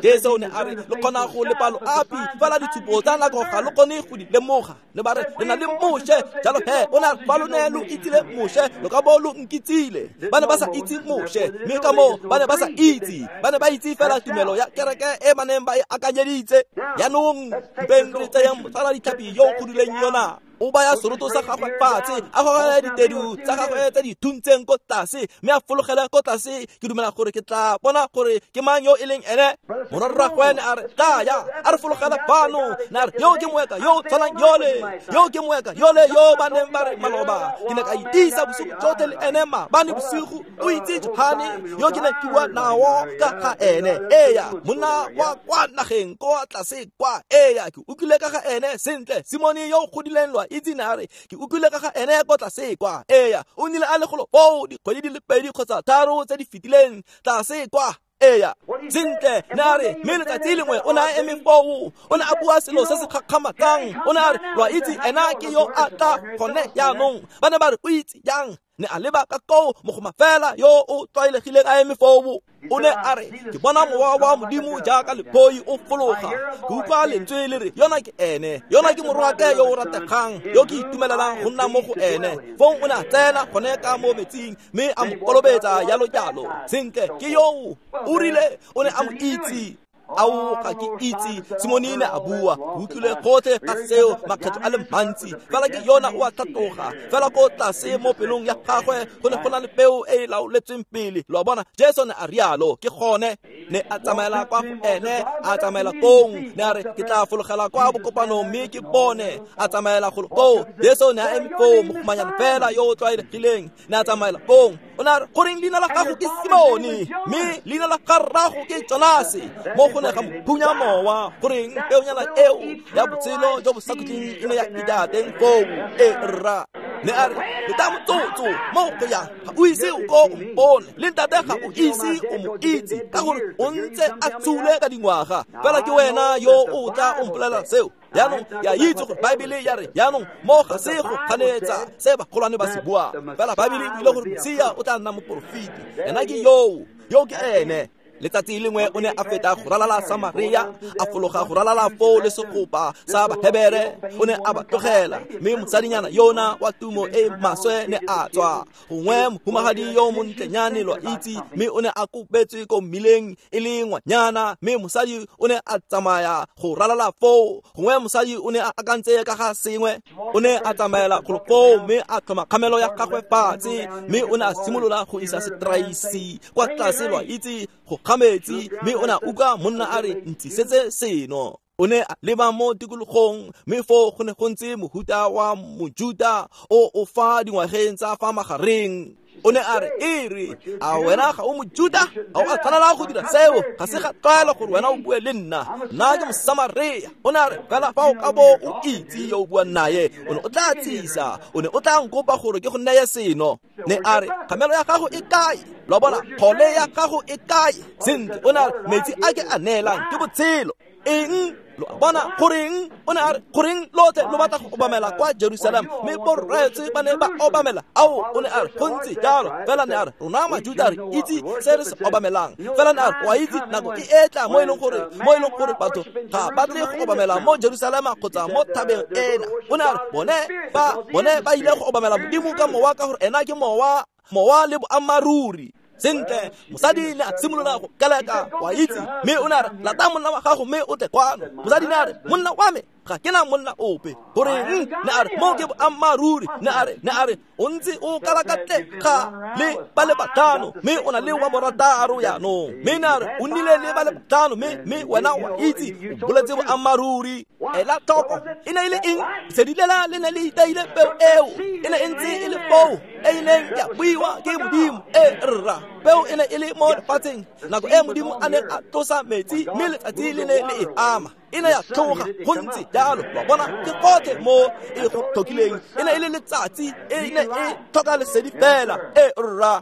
Jesu o ne a re lo kgona go lepa loapi, fela ditshupo tsa nako ga lo kgone go di lemoga. Le ba re le na le Moshe, jalo he o ne a re fa lo ne lo itsile Moshe, lo ka bo lo nkitsile. Ba ne ba sa itse Moshe, mme ka moo ba ne ba sa itse, ba ne ba itse fela tumelo ya kereke e ba neng ba e akanyeditse. Jaanong mpeng re tseyang motshwara ditlhapi yo o godileng yona, o baya seroto sa gagwe fatshe, a gogela ditedu tsa gagwe tse di thuntseng ko tlase, mme a fologela ko tlase. Ke dumela gore ke tla bona gore ke mang yo e leng ene. Morwarragwe ne a re tlaya, a re fologela fano. Ne a re yo ke moeka yo o tshwanang yole, yo ke moeka yole yo ba neng ba re maloba. Ke ne ka itisa bosigo jotlhe le ene maabane bosigo. O itse Johane yo ke ne ke bua nao ka ga ene. Eya, monna wa kwa nageng kwa tlase kwa. Eya, ke utlwile ka ga ene sentle. Simone yo o godileng lo a itse ne a re ke utlwile ka ga ene ko tlase kwa. Eya, o nnile a le golo foo dikgwedi di le pedi kgotsa tharo tse di fetileng tlase kwa. Eya, sentle ne a re mme letsatsi lengwe o ne a eme foo, o ne a bua selo se se gakgamatsang. O ne a re lo a itse ena ke yo a tla gone jaanong. Ba ne ba re o itse jang? Ne a leba ka koo mogoma fela yo o tlwaelegileng a eme foo. O ne a re ke bona mowa wa Modimo jaaka lephoi o fologa, ke utlwa lentswe le re yona ke ene, yona ke morwake yo o rategang, yo ke itumelelang go nna mo go ene. Fong o ne a tsena gone ka mo metsing mme a mo kolobetsa jalo jalo. Sentle ke yoo, o rile o ne a mo itse. Ao, ga ke itse, Simone ne a bua. Ke utlwile gotlhe ga seo makgetlo a le mantsi. Fela ke yona o a tlhatloga. Fela ko tlase mo pelong ya gagwe go ne go na le peo e e laoletsweng pele. Lo a bona, Jesu ne a rialo. Ke gone ne a tsamaela kwa go ene, a tsamaela kong. Ne a re ke tla fologela kwa bokopanong mme ke bone. A tsamaela golo koo. Jesu ne a eme foo, mogomanyana fela yo o tlwaelegileng. Ne a tsamaela kong. O ne a re goreng leina la gago ke Simone, mme leina la ga rrago ke Jonase. Mo go ne ga mo phunya mowa, goreng peonyana eo ya botshelo jo bo sa khutleng e ne ya ida teng foo. E rra ne a re leta motsotso mo go yang, ga o ise o ko o mpone, le ntate ga o ise o mo itse, ka gore o ntse a tsule ka dingwaga. Fela ke wena yo o tla o mpolelela seo. Jaanong ke a itse gore Baebele ya re jaanong mo ga se go ganetsa se bagolwane ba se buang. Fela Baebele e buile gore Mesia o tla nna moporofeti. Ena ke yoo, yo ke ene. Letsatsi lengwe o ne a feta go ralala Samaria, a fologa go ralala foo le segopa sa Bahebere, o ne a ba tlogela. Mme mosadinyana yona wa tumo e maswe ne a tswa. Gongwe mohumagadi yo montlenyane lo a itse, mme o ne a kopetswe ko mmileng e le ngwanyana, mme mosadi o ne a tsamaya go ralala foo. Gongwe mosadi o ne a akantse ka ga sengwe, o ne a tsamaela golo foo mme a tlhoma kgamelo ya gagwe fatshe, mme o ne a simolola go isa setraisi kwa tlase lo a itse go ga metsi, mme o ne a utlwa monna a re ntlisetse seno. O ne a leba mo tikologong, mme foo go ne go ntse mohuta wa Mojuta o o fa dingwageng tsa fa magareng. O ne a re, e re, a wena ga o Mojuta? Ga o a tshwanela go dira seo, ga se ga tlwaelo gore wena o bue le nna. Nna ke Mosamaria. O ne a re, fela fa o ka bo o itse yo o buang naye, o ne o tla tsisa, o ne o tla nkopa gore ke go neye seno. Ne a re, kgamelo ya gago e kae? Lo bona, kgole ya gago e kae? Sentle, o ne a re, metsi a ke a neelang ke botshelo. Eng? Lo a bona goreng? O ne a re, goreng lotlhe lo batla go obamela kwa Jerusalem, mme borraetsho ba ne ba obamela. Ao, o ne a re, go ntse jalo. Fela ne a re, rona Majuta re itse se re se obamelang. Fela ne a re, wa itse nako e etla mo e leng gore mo e leng gore batho ga ba tle go obamela mo Jerusalema kgotsa mo thabeng ena. O ne a re, bone ba bone ba ile go obamela Modimo ka mowa, ka gore ena ke mowa, mowa le boammaaruri. Sentle, mosadi ne a simolola go keleka, wa itse, mme o ne a re, lata monna wa gago mme o tle kwano. Mosadi ne a re, monna wa me, ga ke na monna ope. Goreng? Ne a re, mo ke boammaaruri. Ne a re, ne a re, o ntse o kalakatle ga le ba le batlhano, mme o na le wa borataro jaanong. Mme ne a re, o nnile le ba le batlhano, mme mme wena wa itse, o boletse boammaaruri. Ela tlhoko, e ne e le eng? Lesedi lela le ne le iteile peo eo, e ne e ntse e le foo, e e neng ya buiwa ke Modimo. E rra, peo e ne e le mo lefatsheng nako e Modimo a neng a tlosa metsi, mme letsatsi le ne le e ama. E ne ya tloga go ntse jalo. Wa bona, ke gotlhe mo e go tlhokileng. E ne e le letsatsi, e ne e tlhoka lesedi fela. E rra.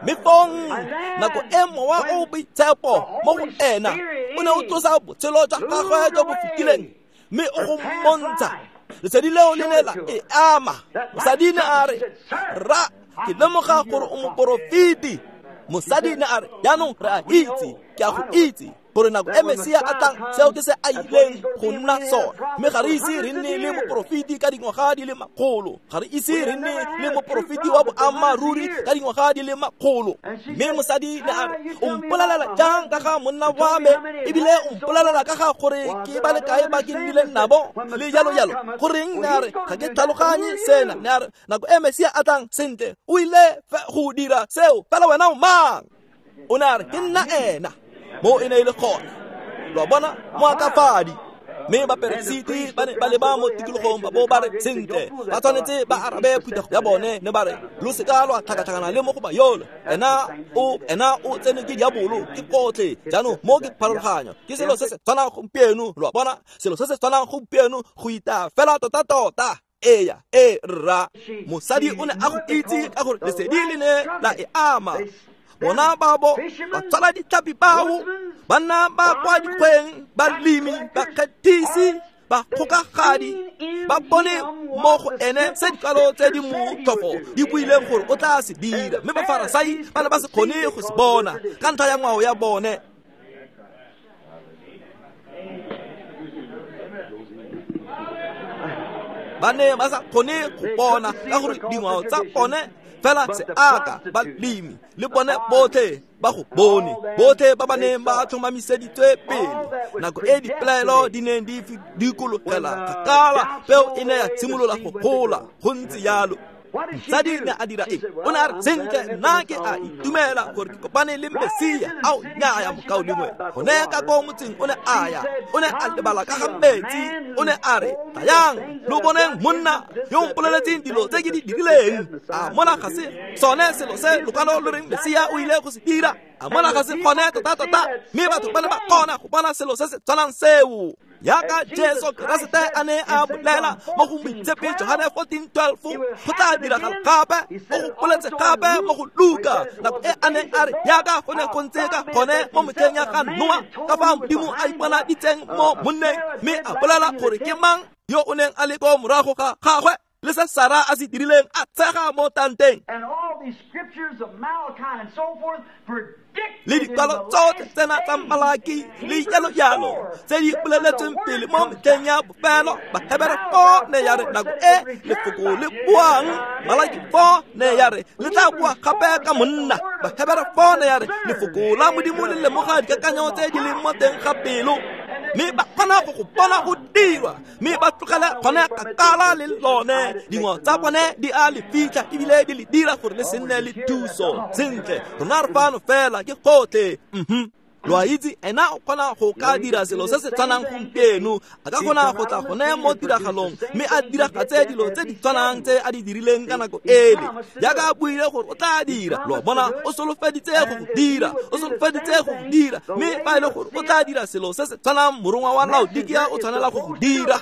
Mme fong nako e mowa o boitshepo mo go ena o ne o tlosa botshelo jwa gagwe jo bo fetileng, mme o go mmontsha lesedi leo le ne la e ama. Mosadi ne a re, rra, ke lemoga gore o moporofeti. Mosadi ne a re, jaanong re a itse, ke a go itse gore nako e Mesia a tlang, seo ke se a ileng go nna sona. Mme ga re ise re nne le moporofeti ka dingwaga di le makgolo. Ga re ise re nne le moporofeti wa boammaaruri ka dingwaga di le makgolo. Mme mosadi ne a re, o mpolelela jang ka ga monna wa me, ebile o mpolelela ka ga gore ke ba le kae ba ke nnileng nabo, le jalo jalo. Goreng? Ne a re, ga ke tlhaloganye sena. Ne a re, nako e Mesia a tlang, sentle, o ile go dira seo, fela wena o mang? O ne a re, ke nna ena. Mo e ne e le gona. Lo a bona, moakafadi. Mme baperesiti ba ne ba leba mo tikologong ba bo ba re, sentle, ba tshwanetse ba arabe phuthego ya bone, ne ba re, lo seka lwa tlhakatlhakana le mo go ba yolo. Ena o ena o tsene ke diabolo, ke gotlhe. Jaanong mo ke pharologanyo, ke selo se se tshwanang gompieno. Lo a bona, selo se se tshwanang gompieno, go ita fela tota-tota. Eya, e rra. Mosadi o ne a go itse ka gore lesedi le ne la e ama. Bona babo ba tshwara ditlhapi bao, banna ba kwa dikgweng, balemi, bakgethisi, bakgokagadi, ba bone mo go ene se dikwalo tse di motlhofo di buileng gore o tla se dira. Mme Bafarasai ba ne ba se kgone go se bona ka ntlha ya ngwao ya bone. Ba ne ba sa kgone go bona ka gore dingwao tsa bone fela seaka, balemi le bone botlhe ba go bone, botlhe ba ba neng ba tlhomamiseditswe pele. Nako e dipelaelo di neng di dikologela kgakala, peo e ne ya simolola go gola. Go ntse jalo. Mosadi ne a dira eng? O ne a re, sentle, nna ke a itumela gore ke kopane le Mesia. Ao, nnyaya mokaulengwe. Gone ka ko motseng o ne a ya, o ne a lebala ka ga metsi. O ne a re, tlayang lo boneng monna yo o mpoleletseng dilo tse ke di dirileng. A mona ga se sone selo se lokwalo lo reng Mesia o ile go se dira? A mona ga se gone tota-tota? Mme batho ba ne ba kgona go bona selo se se tshwanang seo. Yaka Jesu Keresete a ne a bolela mo go Moitshepi Johane fourteen twelve, go tla diragala gape. O go boletse gape mo go Luka nako e a neng a re jaaka go ne go ntse ka gone mo metlheng ya ga Noa, ka fa Modimo a iponaditseng mo monneng mme a bolela gore ke mang yo o neng a le ko morago ga gagwe, le se Sara a se dirileng a tshega mo tanteng. Le dikwalo tsotlhe tsena tsa Malaki le jalo jalo tse di boleletsweng pele mo metlheng ya bofelo. Bahebere four ne ya re nako e lefoko le buang, Malaki four ne ya re le tla bua gape ka monna. Bahebere four ne ya re lefoko la Modimo le lemoga dikakanyo tse di leng mo teng ga pelo, mme ba kgona go go bona go dirwa, mme ba tlogele gone kgakala le lone. Dingwe tsa bone di a le fitlha ebile di le dira gore le se nne le thuso. Sentle, rona re fano fela ke gotlhe. Mhm. Lo a itse, ena o kgona go ka dira selo se se tshwanang gompieno. A ka kgona go tla gone mo tiragalong mme a diragatse dilo tse di tshwanang tse a di dirileng ka nako ele, jaaka a buile gore o tla dira. Lo a bona, o solofeditse go go dira, o solofeditse go go dira, mme fa e le gore o tla dira selo se se tshwanang, morongwa wa Laodikia o tshwanela go go dira.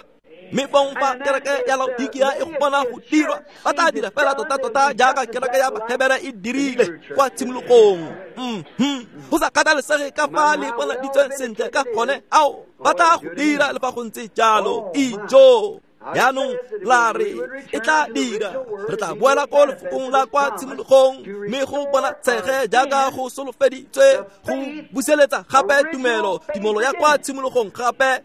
Mme fong fa kereke ya Laodikia e go bona go dirwa, ba tla dira fela tota-tota jaaka kereke ya Bahebere e dirile kwa tshimologong. Mhm. Go sa kgathalesege ka fa le bonaditsweng sentle ka gone, ao ba tla go dira le fa go ntse jalo. Ijo jaanong la re e tla dira, re tla boela ko lefokong la kwa tshimologong mme go bona tshege jaaka go solofeditswe go buseletsa gape tumelo, tumelo ya kwa tshimologong gape.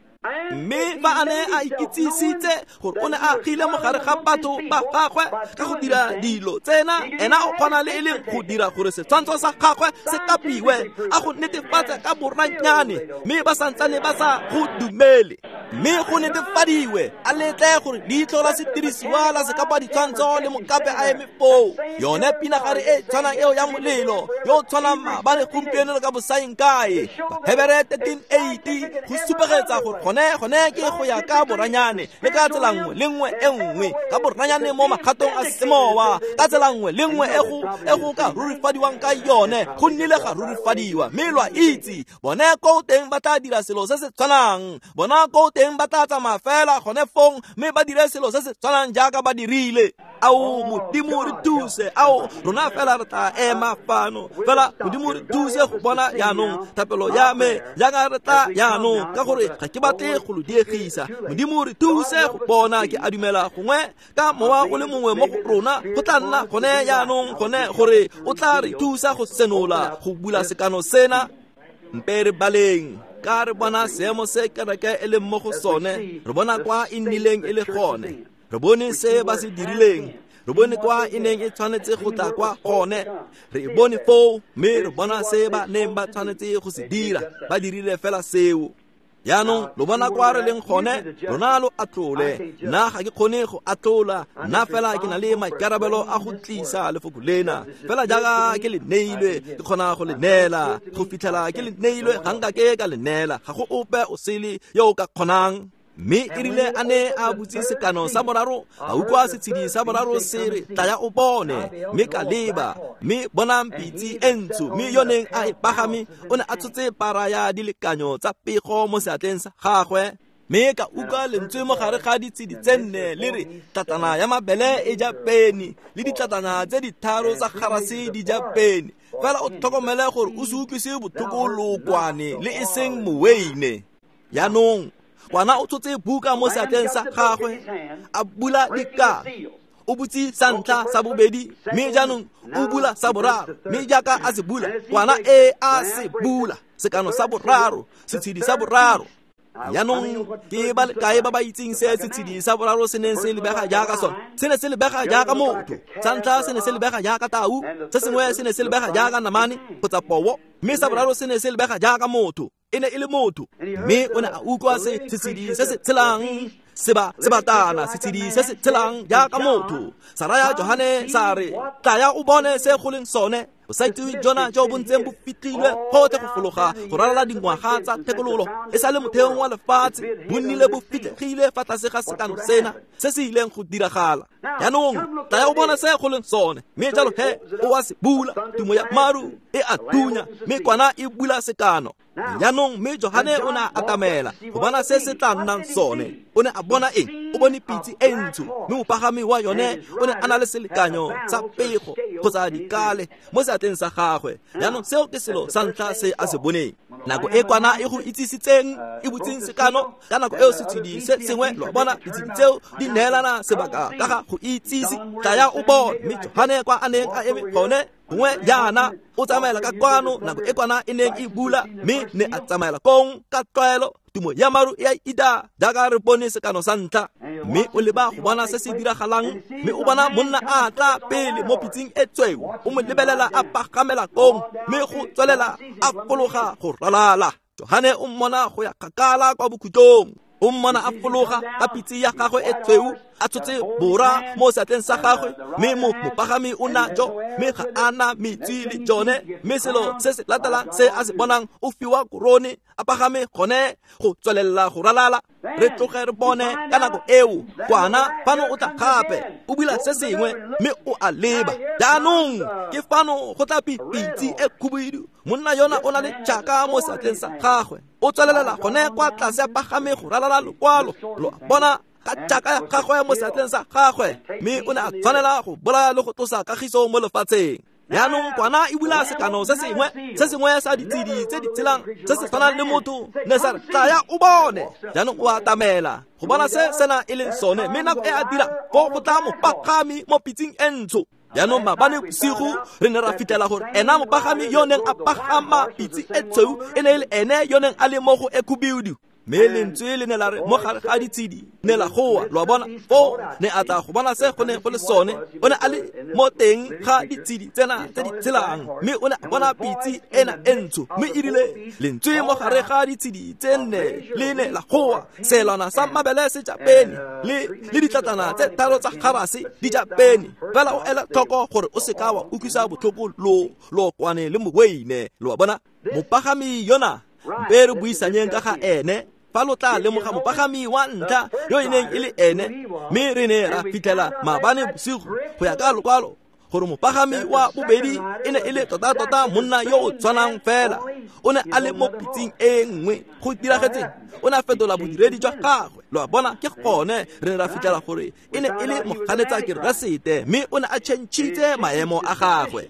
Mme fa a ne a ikitsisitse gore o ne a agile mo gare ga batho ba gagwe ka go dira dilo tsena, ena o kgona le e leng go dira gore setshwantsho sa gagwe se kapiwe, a go netefatse ka boranyane, mme ba santsane ba sa go dumele. Mme go netefadiwe, a letle gore leitlho la sedirisiwa la sekapa ditshwantsho le mokape a eme foo. Yone pinagare e tshwanang eo ya molelo yo o tshwanang maabane, gompieno le ka bosaeng kae. Bahebere thirteen eighty go supegetsa gore gone gone ke go ya ka boranyane le ka tsela nngwe le nngwe e nngwe, ka boranyane mo magatong a semowa, ka tsela nngwe le nngwe e go e go ka rurifadiwang ka yone, go nnile ga rurifadiwa. Mme lo a itse, bone ko teng ba tla dira selo se se tshwanang, bona ko teng ba tla tsamaya fela gone fong mme ba dire selo se se tshwanang jaaka ba dirile. Ao Modimo re thuse, ao rona fela re tla ema fano fela. Modimo re thuse go bona jaanong thapelo ya me jaaka re tla jaanong, ka gore ga ke batle go lo diegisa. Modimo re thuse go bona. Ke a dumela gongwe ka mowa o le mongwe mo go rona go tla nna gone jaanong gone gore o tla re thusa go senola go bula sekano sena. Mpe re baleng ka re bona seemo se kereke e leng mo go sone, re bona kwa e nnileng e le gone, re bone se ba se dirileng, re bone kwa e neng e tshwanetse go tla kwa gone, re e bone foo, mme re bona se ba neng ba tshwanetse go se dira, ba dirile fela seo. Jaanong lo bona kwa re leng gone, rona lo atlole. Nna ga ke kgone go atlola, nna fela ke na le maikarabelo a go tlisa lefoko lena fela jaaka ke le neilwe, ke kgona go le neela go fitlhela ke le neilwe. Ga nka ke ka le neela, ga go ope o sele yo o ka kgonang. Mme e rile a ne a butse sekano sa boraro, a utlwa setshedi sa boraro se re, tlaya o bone. Mme ka leba, mme bonang pitse e ntsho, mme yo neng a e pagame o ne a tshotse para ya dilekanyo tsa pego mo seatleng sa gagwe. Mme ka utlwa lentswe mo gare ga ditshedi tse nne le re, tlatana ya mabele e ja peni, le ditlatana tse ditharo tsa garase di ja peni. Fela o tlhokomele gore o se utlwise botlhoko lookwane le e seng moweine. Jaanong kwana o tshotse buka mo seatleng sa gagwe, a bula dikano. O butse sa ntlha, sa bobedi, mme jaanong o bula sa boraro. Mme jaaka a se bula, kwana e a se bula, sekano sa boraro, setshedi sa boraro. Jaanong ke ba le kae ba ba itseng se setshedi sa boraro se neng se lebega jaaka sone? Se ne se lebega jaaka motho. Sa ntlha se ne se lebega jaaka tau, se sengwe se ne se lebega jaaka namane kgotsa poo, mme sa boraro se ne se lebega jaaka motho. E ne e le motho. Mme o ne a utlwa se setshedi se se tshelang seba sebatana, setshedi se se tshelang jaaka motho. Sa raya Johane sa re, tlaya o bone se go leng sone. Bosaitsewe jona jo bo ntseng bo fitlhilwe gotlhe go fologa go ralala dingwaga tsa thekololo e sa le motheong wa lefatshe, bo nnile bo fitlhegile fa tlase ga sekano sena se se ileng go diragala. Jaanong tlaya o bone se go leng sone. Mme jalo he o a se bula, tumo ya maru e a thunya, mme kwana e bula sekano. Jaanong mme Johane o ne a atamela go bona se se tla nnang sone. O ne a bona eng? O bone pitse e ntsho, mme mopagami wa yone o ne a na le selekanyo sa pego kgotsa dikale mo seatleng sa gagwe. Jaanong seo ke selo sa ntlha se a se boneng. Nako e kwana e go itsisitseng e butseng sekano ka nako eo setshedi se sengwe, lo bona ditshedi tseo di neelana sebaka ka ga go itsise. Tlaya o bone. Mme Johane kwa a neng a eme gone gongwe jaana o tsamaela ka kwano nako e kwana e neng e bula, mme ne a tsamaela kong ka tlwaelo. Tumo ya maru e a ida jaaka re bone sekano sa ntlha. Mme o leba go bona se se diragalang, mme o bona monna a tla pele mo pitseng e tshweu. O mo lebelela a pagamela kong, mme go tswelela a fologa go ralala. Johane o mmona go ya kgakala kwa bokhutlong. O mmona a fologa ka pitse ya gagwe e tshweu, a tshotse bora mo seatleng sa gagwe, mme mo mopagami o na jo, mme ga a na metsi le jone. Mme selo se se latelang se a se bonang, o fiwa korone, a pagame gone go tswelela go ralala. Re tloge re bone ka nako eo kwana fano o tla gape o bula se sengwe, mme o a leba. Jaanong ke fano go tla pitse e khubidu. Monna yona o na le tšhaka mo seatleng sa gagwe, o tswelelela gone kwa tlase a pagame go ralala lokwalo. Lo bona ka tšhaka ya gagwe mo seatleng sa gagwe, mme o ne a tshwanela go bolaya le go tlosa kagiso mo lefatsheng. Jaanong kwana e bula sekano se sengwe, se sengwe sa ditshedi tse di tshelang se se tshwanang le motho, ne sa re tlaya o bone. Jaanong o atamela go bona se sena e leng sone, mme nako e a dira fo go tla mopagami mo pitseng e ntsho. Jaanong maabane bosigo re ne ra fitlhela gore ena mopagami yo neng a pagama pitse e tshweu e ne e le ene yo neng a le mo go e khubidu. Mme lentswe le ne la re mo gare ga ditshedi ne la goa. Lo a bona foo ne a tla go bona se go ne go le sone. O ne a le mo teng ga ditshedi tsena tse di tshelang, mme o ne a bona pitse ena e ntsho. Mme e rile lentswe mo gare ga ditshedi tse nne le ne la goa, selwana sa mabele se ja peni le le ditlatlana tse tharo tsa garase di ja peni. Fela o ela tlhoko gore o seka wa utlwisa botlhoko lo lokwane le moweine. Lo a bona mopagami yona mpe re buisanyeng ka ga ene. Fa lo tla lemoga mopagami wa ntlha yo e neng e le ene, mme re ne ra fitlhela maabane bosigo go ya ka lokwalo gore mopagami wa bobedi e ne e le tota-tota monna yo o tshwanang fela. O ne a le mo pitseng e nngwe. Go diragetseng? O ne a fetola bodiredi jwa gagwe. Lo a bona ke gone re ne ra fitlhela gore e ne e le moganetsa Keresete, mme o ne a tšhentšhitse maemo a gagwe.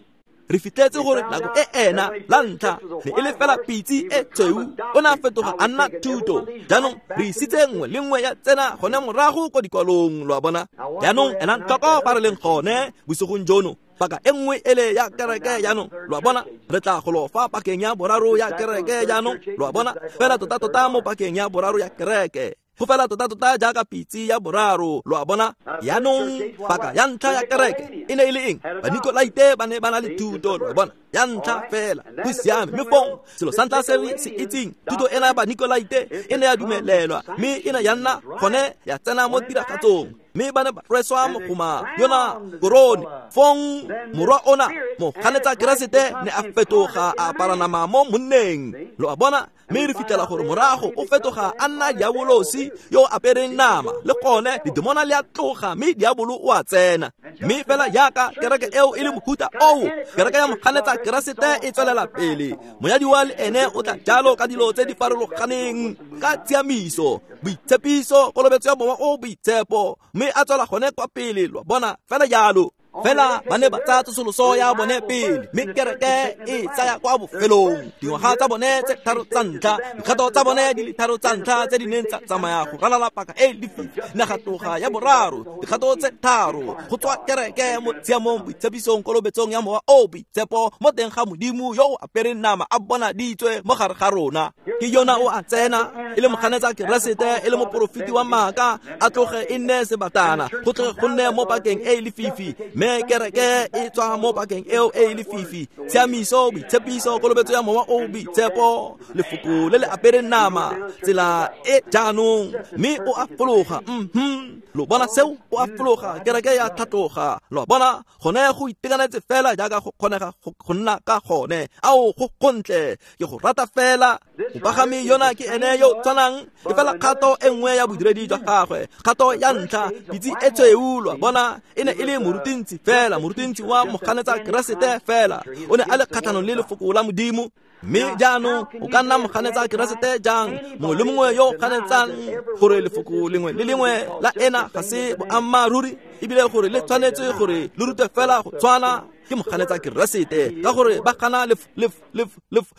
Re fitlhetse gore nako e ena la ntlha ne e le fela pitse e tshweu, o ne a fetoga a nna thuto. Jaanong re isitse nngwe le nngwe ya tsena gone morago ko dikwalong. Lo a bona? Jaanong enang tlhoko fa re leng gone bosigong jono. Paka e nngwe ele ya kereke jaanong, lo a bona, re tla go lo fa pakeng ya boraro ya kereke jaanong. Lo a bona, fela tota-tota mo pakeng ya boraro ya kereke. Go fela tota-tota jaaka pitse ya boraro. Lo a bona? Jaanong paka ya ntlha ya kereke e ne e le eng? Banikolaite ba ne ba na le thuto. Lo a bona, ya ntlha fela go siame. Mme fong selo sa ntlha se re se itseng, thuto ena ya Banikolaite e ne ya dumelelwa, mme e ne ya nna gone ya tsena mo tiragatsong. Mme ba ne ba rweswa mogoma yona korone. Fong morwa ona moganetsa Keresete ne a fetoga a apara nama mo monneng. Lo a bona? Mme re fitlhela gore morago o fetoga a nna diabolosi yo apereng nama, le gone ledimona le a tloga mme diabolo o a tsena. Mme fela jaaka kereke eo e le mohuta oo, kereke ya moganetsa Keresete e tswelela pele. Monyadiwa le ene o tla jalo ka dilo tse di farologaneng, ka tshiamiso, boitshepiso, kolobetso ya Mowa o Boitshepo, mme a tswela gone kwa pele. Lo bona fela jalo. Fela ba ne ba tsaya tsosoloso ya bone pele, mme kereke e tsaya kwa bofelong. Dingwaga tsa bone tse tharo tsa ntlha, dikgato tsa bone di le tharo tsa ntlha tse di neng tsa tsamaya go ralala paka e lefifi, naga tloga ya boraro, dikgato tse tharo go tswa kereke mo tshiamong, boitshepisong, kolobetsong ya Mowa o Boitshepo mo teng ga Modimo yo o apereng nama a bonaditswe mo gare ga rona. Ke yona o a tsena e le moganetsa Keresete, e le moporofeti wa maaka, a tloge e nne sebatana, go tloge go nne mo pakeng e lefifi. Mme kereke e tswa mo pakeng eo e lefifi, tshiamiso, boitshepiso, kolobetso ya Mowa o Boitshepo, lefoko le le apereng nama, tsela e jaanong, mme o a fologa. Mhm, lo bona seo? O a fologa, kereke ya tlhatloga. Lo bona gone go itekanetse fela jaaka go kgonega go nna ka gone. Ao, go gontle, ke go rata fela. Mopagami yona ke ene yo tshwanang, e fela kgato e nngwe ya bodiredi jwa gagwe. Kgato ya ntlha, pitse e tshweu, lo a bona, e ne e le moruti morutintsi fela, morutintsi wa moganetsa Keresete fela. O ne a le kgatlhanong le lefoko la Modimo. Mme jaanong o ka nna moganetsa Keresete jang? Mongwe le mongwe yo o ganetsang gore lefoko lengwe le lengwe la ena ga se boammaaruri, ebile gore le tshwanetse gore le rute fela go tshwana, ke moganetsa Keresete, ka gore ba gana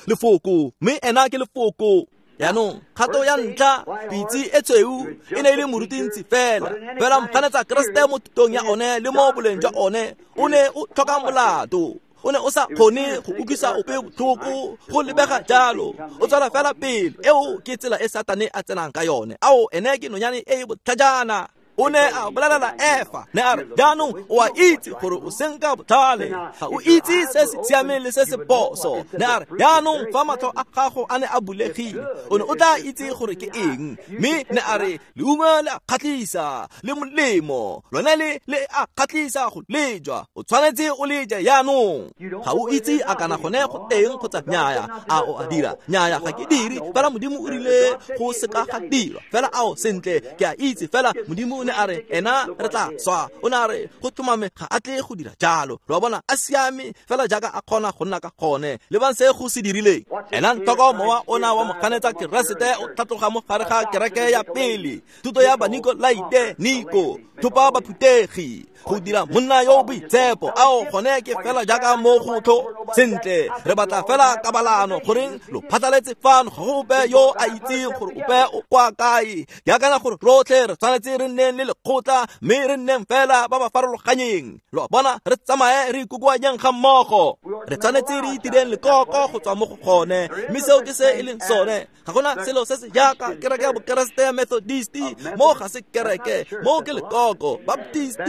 lefoko, mme ena ke lefoko. Jaanong kgato ya ntlha, pitse e tshweu e ne e le morutintsi fela, fela moganetsa Keresete mo thutong ya one le mo boleng jwa one o ne o tlhoka molato. O ne o sa kgone go utlwisa ope botlhoko, go lebega jalo. O tswela fela pele. Eo ke tsela e Satane a tsenang ka yone. Ao, ene ke nonyane e e botlhajana. O ne a bolelela Efa, ne a re, jaanong o a itse gore o senka botlhale, ga o itse se se siameng le se se phoso. Ne a re, jaanong fa matlho a gago a ne a bulegile, o ne o tla itse gore ke eng. Mme ne a re, leungo le a kgatlhisa, le molemo, lone le le a kgatlhisa go lejwa, o tshwanetse o le je jaanong. Ga o itse a kana gone go teng kgotsa nnyaya, a o a dira? Nnyaya, ga ke dire, fela Modimo o rile go seka ga dirwa. Fela ao, sentle, ke a itse, fela Modimo o ne a re ena re tla swa. O ne a re go tlhomame ga a tle go dira jalo. Lo a bona, a siame fela jaaka a kgona go nna ka gone. Lebang se go se dirileng. Ena ntoko mowa ona wa moganetsa Keresete o tlhatloga mo gare ga kereke ya pele, thuto ya Banikolaite, Niko, thopa baphutegi, go dira monna yo o boitshepo. Ao, gone ke fela jaaka mo go tlo. Sentle, re batla fela kabalano, goreng lo phatlaletse fano, ga go ope yo a itseng gore ope o kwa kae. Ke akanya gore rotlhe re tshwanetse re nneng le lekgotla, mme re nneng fela ba ba farologanyeng. Lo a bona, re tsamaye re ikokoanyeng ga mmogo. Re tshwanetse re itireng lekoko go tswa mo go gone, mme seo ke se e leng sone. Ga gona selo se se jaaka kereke ya Bokeresete ya Methodist, mo ga se kereke, mo ke lekoko. Baptist,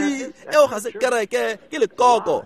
eo ga se kereke, ke lekoko.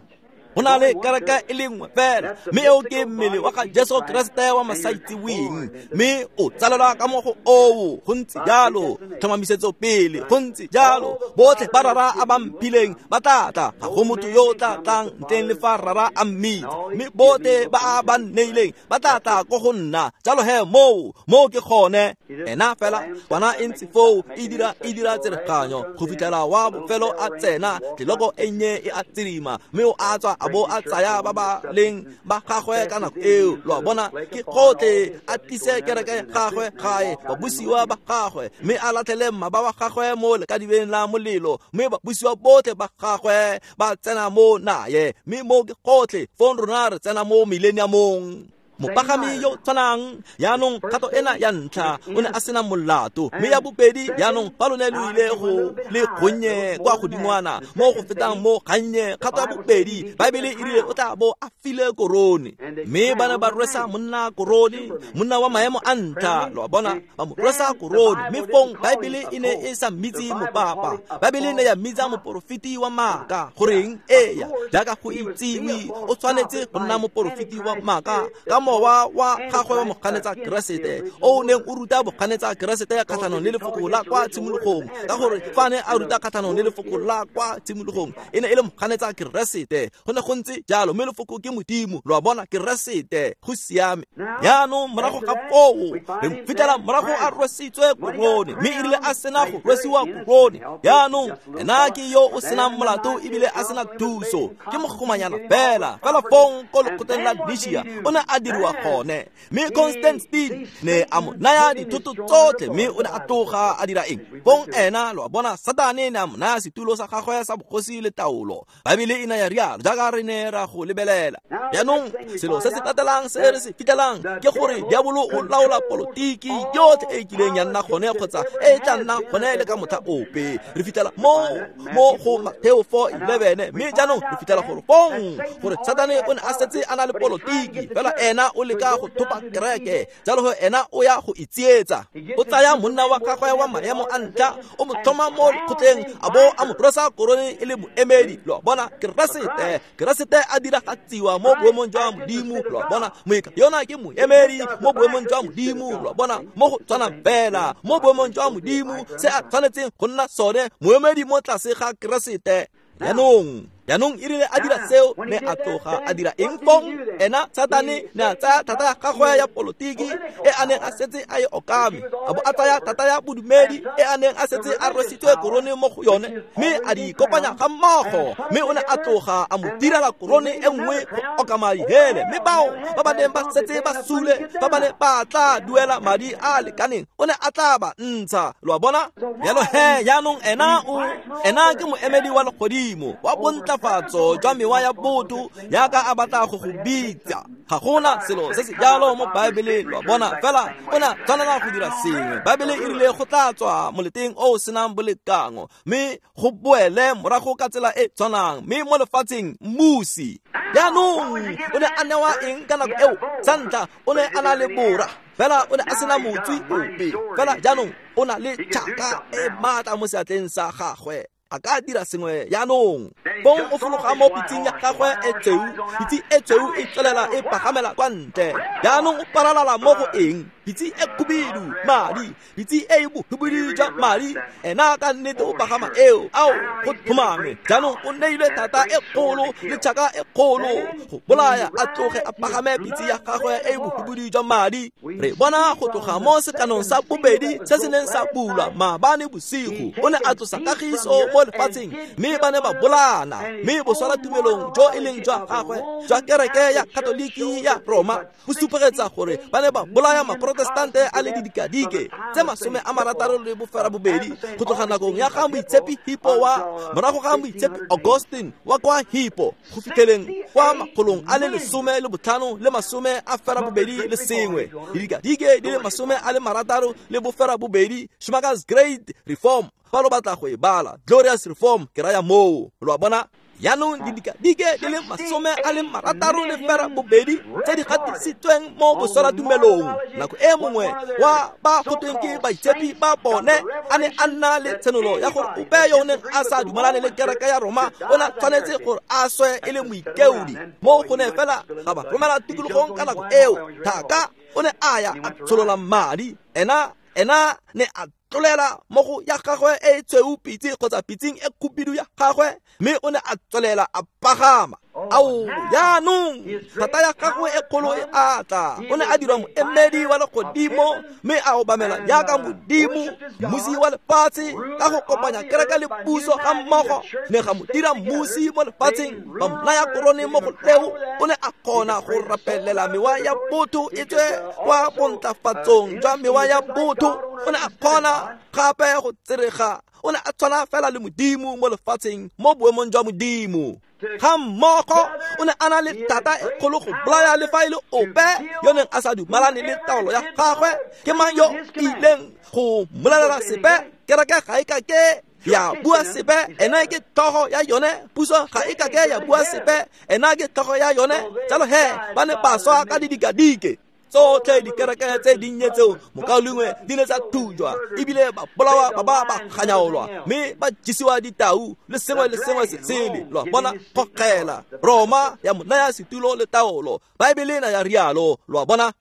Go na le kereke e le nngwe fela, mme eo ke mmele wa ga Jesu Keresete wa masaitseweng, mme o tsalelwa ka mo go oo. Go ntse jalo, tlhomamisetso pele, go ntse jalo. Botlhe ba Rara a ba mphileng ba tla tla, ga go motho yo o tla tlang ntleng le fa Rara a mmitsa, mme botlhe ba a ba nneileng ba tla tla ko go nna. Jalo he, moo moo ke gone. Ena fela kwana e ntse foo, e dira e dira tsereganyo go fitlhela wa bofelo a tsena, tleloko e nnye e a tsirima, mme o a tswa a bo a tsaya ba ba leng ba gagwe ka nako eo. Lo a bona, ke gotlhe a tlise kereke ya gagwe gae, babusiwa ba gagwe, mme a latlhele mmaba wa gagwe mo lekadibeng la molelo, mme babusiwa botlhe ba gagwe ba tsena mo naye. Mme mo ke gotlhe, fong rona re tsena mo millenniumong. Mopagami yo tshwanang, jaanong kgato ena ya ntlha o ne a sena molato, mme ya bobedi jaanong fa lo ne lo ile go le gonnye kwa godingwana mo go fetang mo gannye, kgato ya bobedi Baebele e rile o tla bo a file korone, mme ba ne ba rwesa monna korone, monna wa maemo a ntlha. Lo a bona, ba mo rwesa korone, mme fong Baebele e ne e sa mmitse mopapa, Baebele e ne ya mmitsa moporofeti wa maaka. Goreng? Eya, jaaka go itsiwe, o tshwanetse go nna moporofeti wa maaka ka mowa wa gagwe wa moganetsa Keresete, o neng o ruta boganetsa Keresete kgatlhanong le lefoko la kwa tshimologong, ka gore fa ne a ruta kgatlhanong le lefoko la kwa tshimologong, e ne e le moganetsa Keresete. Go ne go ntse jalo, mme lefoko ke Modimo. Lo a bona, Keresete, go siame. Jaanong morago ga foo re fitlhela morago a rwesitswe korone, mme e rile a sena go rwesiwa korone, jaanong ena ke yo o senang molato ebile a sena thuso, ke mogomanyana fela. Fela fong ko lekgotleng la Nishia o ne a diriwa gone, mme Constantine ne a mo naya dithoto tsotlhe, mme o ne a tloga a dira eng? Fong ena, lo a bona, Satane ne a mo naya setulo sa gagwe sa bogosi le taolo. Baebele e ne ya rialo, jaaka re ne ra go lebelela. Jaanong selo se se latelang se re se fitlhelang ke gore diabolo o laola polotiki yotlhe e kileng ya nna gone kgotsa e tla nna gone le ka motlha ope. Re fitlhela mo mo go Mateo four eleven, mme jaanong re fitlhela gore fong gore Satane o ne a setse a na le polotiki, fela ena o leka go thopa kereke. Jalo he ena o ya go itsietsa. O tsaya monna wa gagwe wa maemo a ntlha, o mo tlhoma mo lekgotleng, a bo a mo rwesa korone e le moemedi. Lo a bona, Keresete, Keresete a diragatsiwa mo boemong jwa Modimo. Lo a bona, moeka yona ke moemedi mo boemong jwa Modimo. Lo a bona, mo go tshwanang fela mo boemong jwa Modimo, se a tshwanetseng go nna sone, moemedi mo tlase ga Keresete. Jaanong Jaanong e rile a dira seo ne a tloga a dira eng fong? Ena Satane ne a tsaya thata ya gagwe ya polotiki e a neng a setse a e okame, a bo a tsaya thata ya bodumedi e a neng a setse a rwesitswe korone mo go yone, mme a di kopanya ga mmogo, mme o ne a tloga a mo direla korone e nngwe go okama dihele. Mme bao ba ba neng ba setse ba sule, ba ba ne ba tla duela madi a lekaneng, o ne a tla ba ntsha. Lo a bona? Jalo he jaanong ena o ena ke moemedi wa legodimo wa bontlafatso jwa mewa ya botho jaaka a batla go go bitsa. Ga gona selo se se jalo mo Baebeleng, lo a bona, fela o ne a tshwanela go dira sengwe. Baebele e rile go tla tswa moleteng o o senang bolekango, mme go boele morago ka tsela e tshwanang, mme mo lefatsheng mmusi. Jaanong o ne a newa eng ka nako eo? Sa ntlha o ne a na le bora, fela o ne a sena motswi ope. Fela jaanong o na le tšhaka e maatla mo seatleng sa gagwe, a ka dira sengwe jaanong. Fong o fologa mo pitseng ya gagwe e tshweu, pitse e tshweu e tswelela e pagamela kwa ntle. Jaanong o paralala mo go eng? Pitse e khubidu, madi, pitse e e bohubidu jwa madi. Ena ka nnete o pagama eo, ao go tlhomame. Jaanong o neilwe thata e kgolo le tšhaka e kgolo go bolaya, a tloge a pagame pitse ya gagwe e e bohubidu jwa madi. Re bona go tloga mo sekanong sa bobedi se se neng sa bulwa maabane bosigo, o ne a tlosa kagiso mo lefatsheng, mme ba ne ba bolaana. Mme boswala tumelong jo e leng jwa gagwe jwa kereke ya Katoliki ya Roma bo supegetsa gore ba ne ba bolaya maprotestante a le didikadike tse masome a marataro le bofera bobedi go tloga nakong ya ga moitshepi Hippo wa morago ga moitshepi Augustine wa kwa Hippo go fitlheleng kwa makgolong a le lesome le botlhano le masome a fera bobedi le sengwe, didikadike di le masome a le marataro le bofera bobedi. Schumacher's Great Reform, fa lo batla go e bala, Glorious Reform ke raya moo, lo a bona. Jaanong didikadike di le masome a le marataro le fera bobedi tse di gatisitsweng mo boswalatumelong. Nako e mongwe wa ba gotweng ke baitshepi ba bone a ne a nna le tshenolo ya gore ope yo o neng a sa dumalane le kereke ya Roma o ne a tshwanetse gore a swe e le moikeodi. Mo go ne fela ga ba romela tikologong ka nako eo, thaka o ne a ya a tsholola madi. Ena ena ne a tlolela mo go ya gagwe e tshweu pitse kgotsa pitseng e khubidu ya gagwe, mme o ne a tswelela a pagama. Ao jaanong thata ya gagwe e kgolo e atla. O ne a dirwa moemedi wa legodimo, mme a obamela jaaka modimo, mmusi wa lefatshe, ka go kopanya kereke le puso ga mmogo. Ne ga mo dira mmusi mo lefatsheng, ba mo naya korone mo go leo. O ne a kgona go rapelela mewa ya botho e tswe kwa bontlafatsong jwa mewa ya botho. O ne a kgona gape go tserega. O ne a tshwana fela le modimo mo lefatsheng, mo boemong jwa modimo. Ga mmogo o ne a na le thata e kgolo go bolaya le fa e le ope yo neng a sa dumalane le taolo ya gagwe. Ke mang yo ileng go mmolelela sepe? Kereke ga e ka ke ya bua sepe, ena ke tlhogo ya yone. Puso ga e ka ke ya bua sepe, ena ke tlhogo ya yone. Jalo he ba ne ba swa ka didikadike tsotlhe. Dikereke tse dinnye tseo mokaulengwe di ne tsa thujwa, ebile ba bolawa ba ba ba ganyaolwa, mme ba jesiwa ditau le sengwe le sengwe se sele. Lo a bona, kgogela Roma ya mo naya setulo le taolo. Baebele na ya rialo, lo a bona.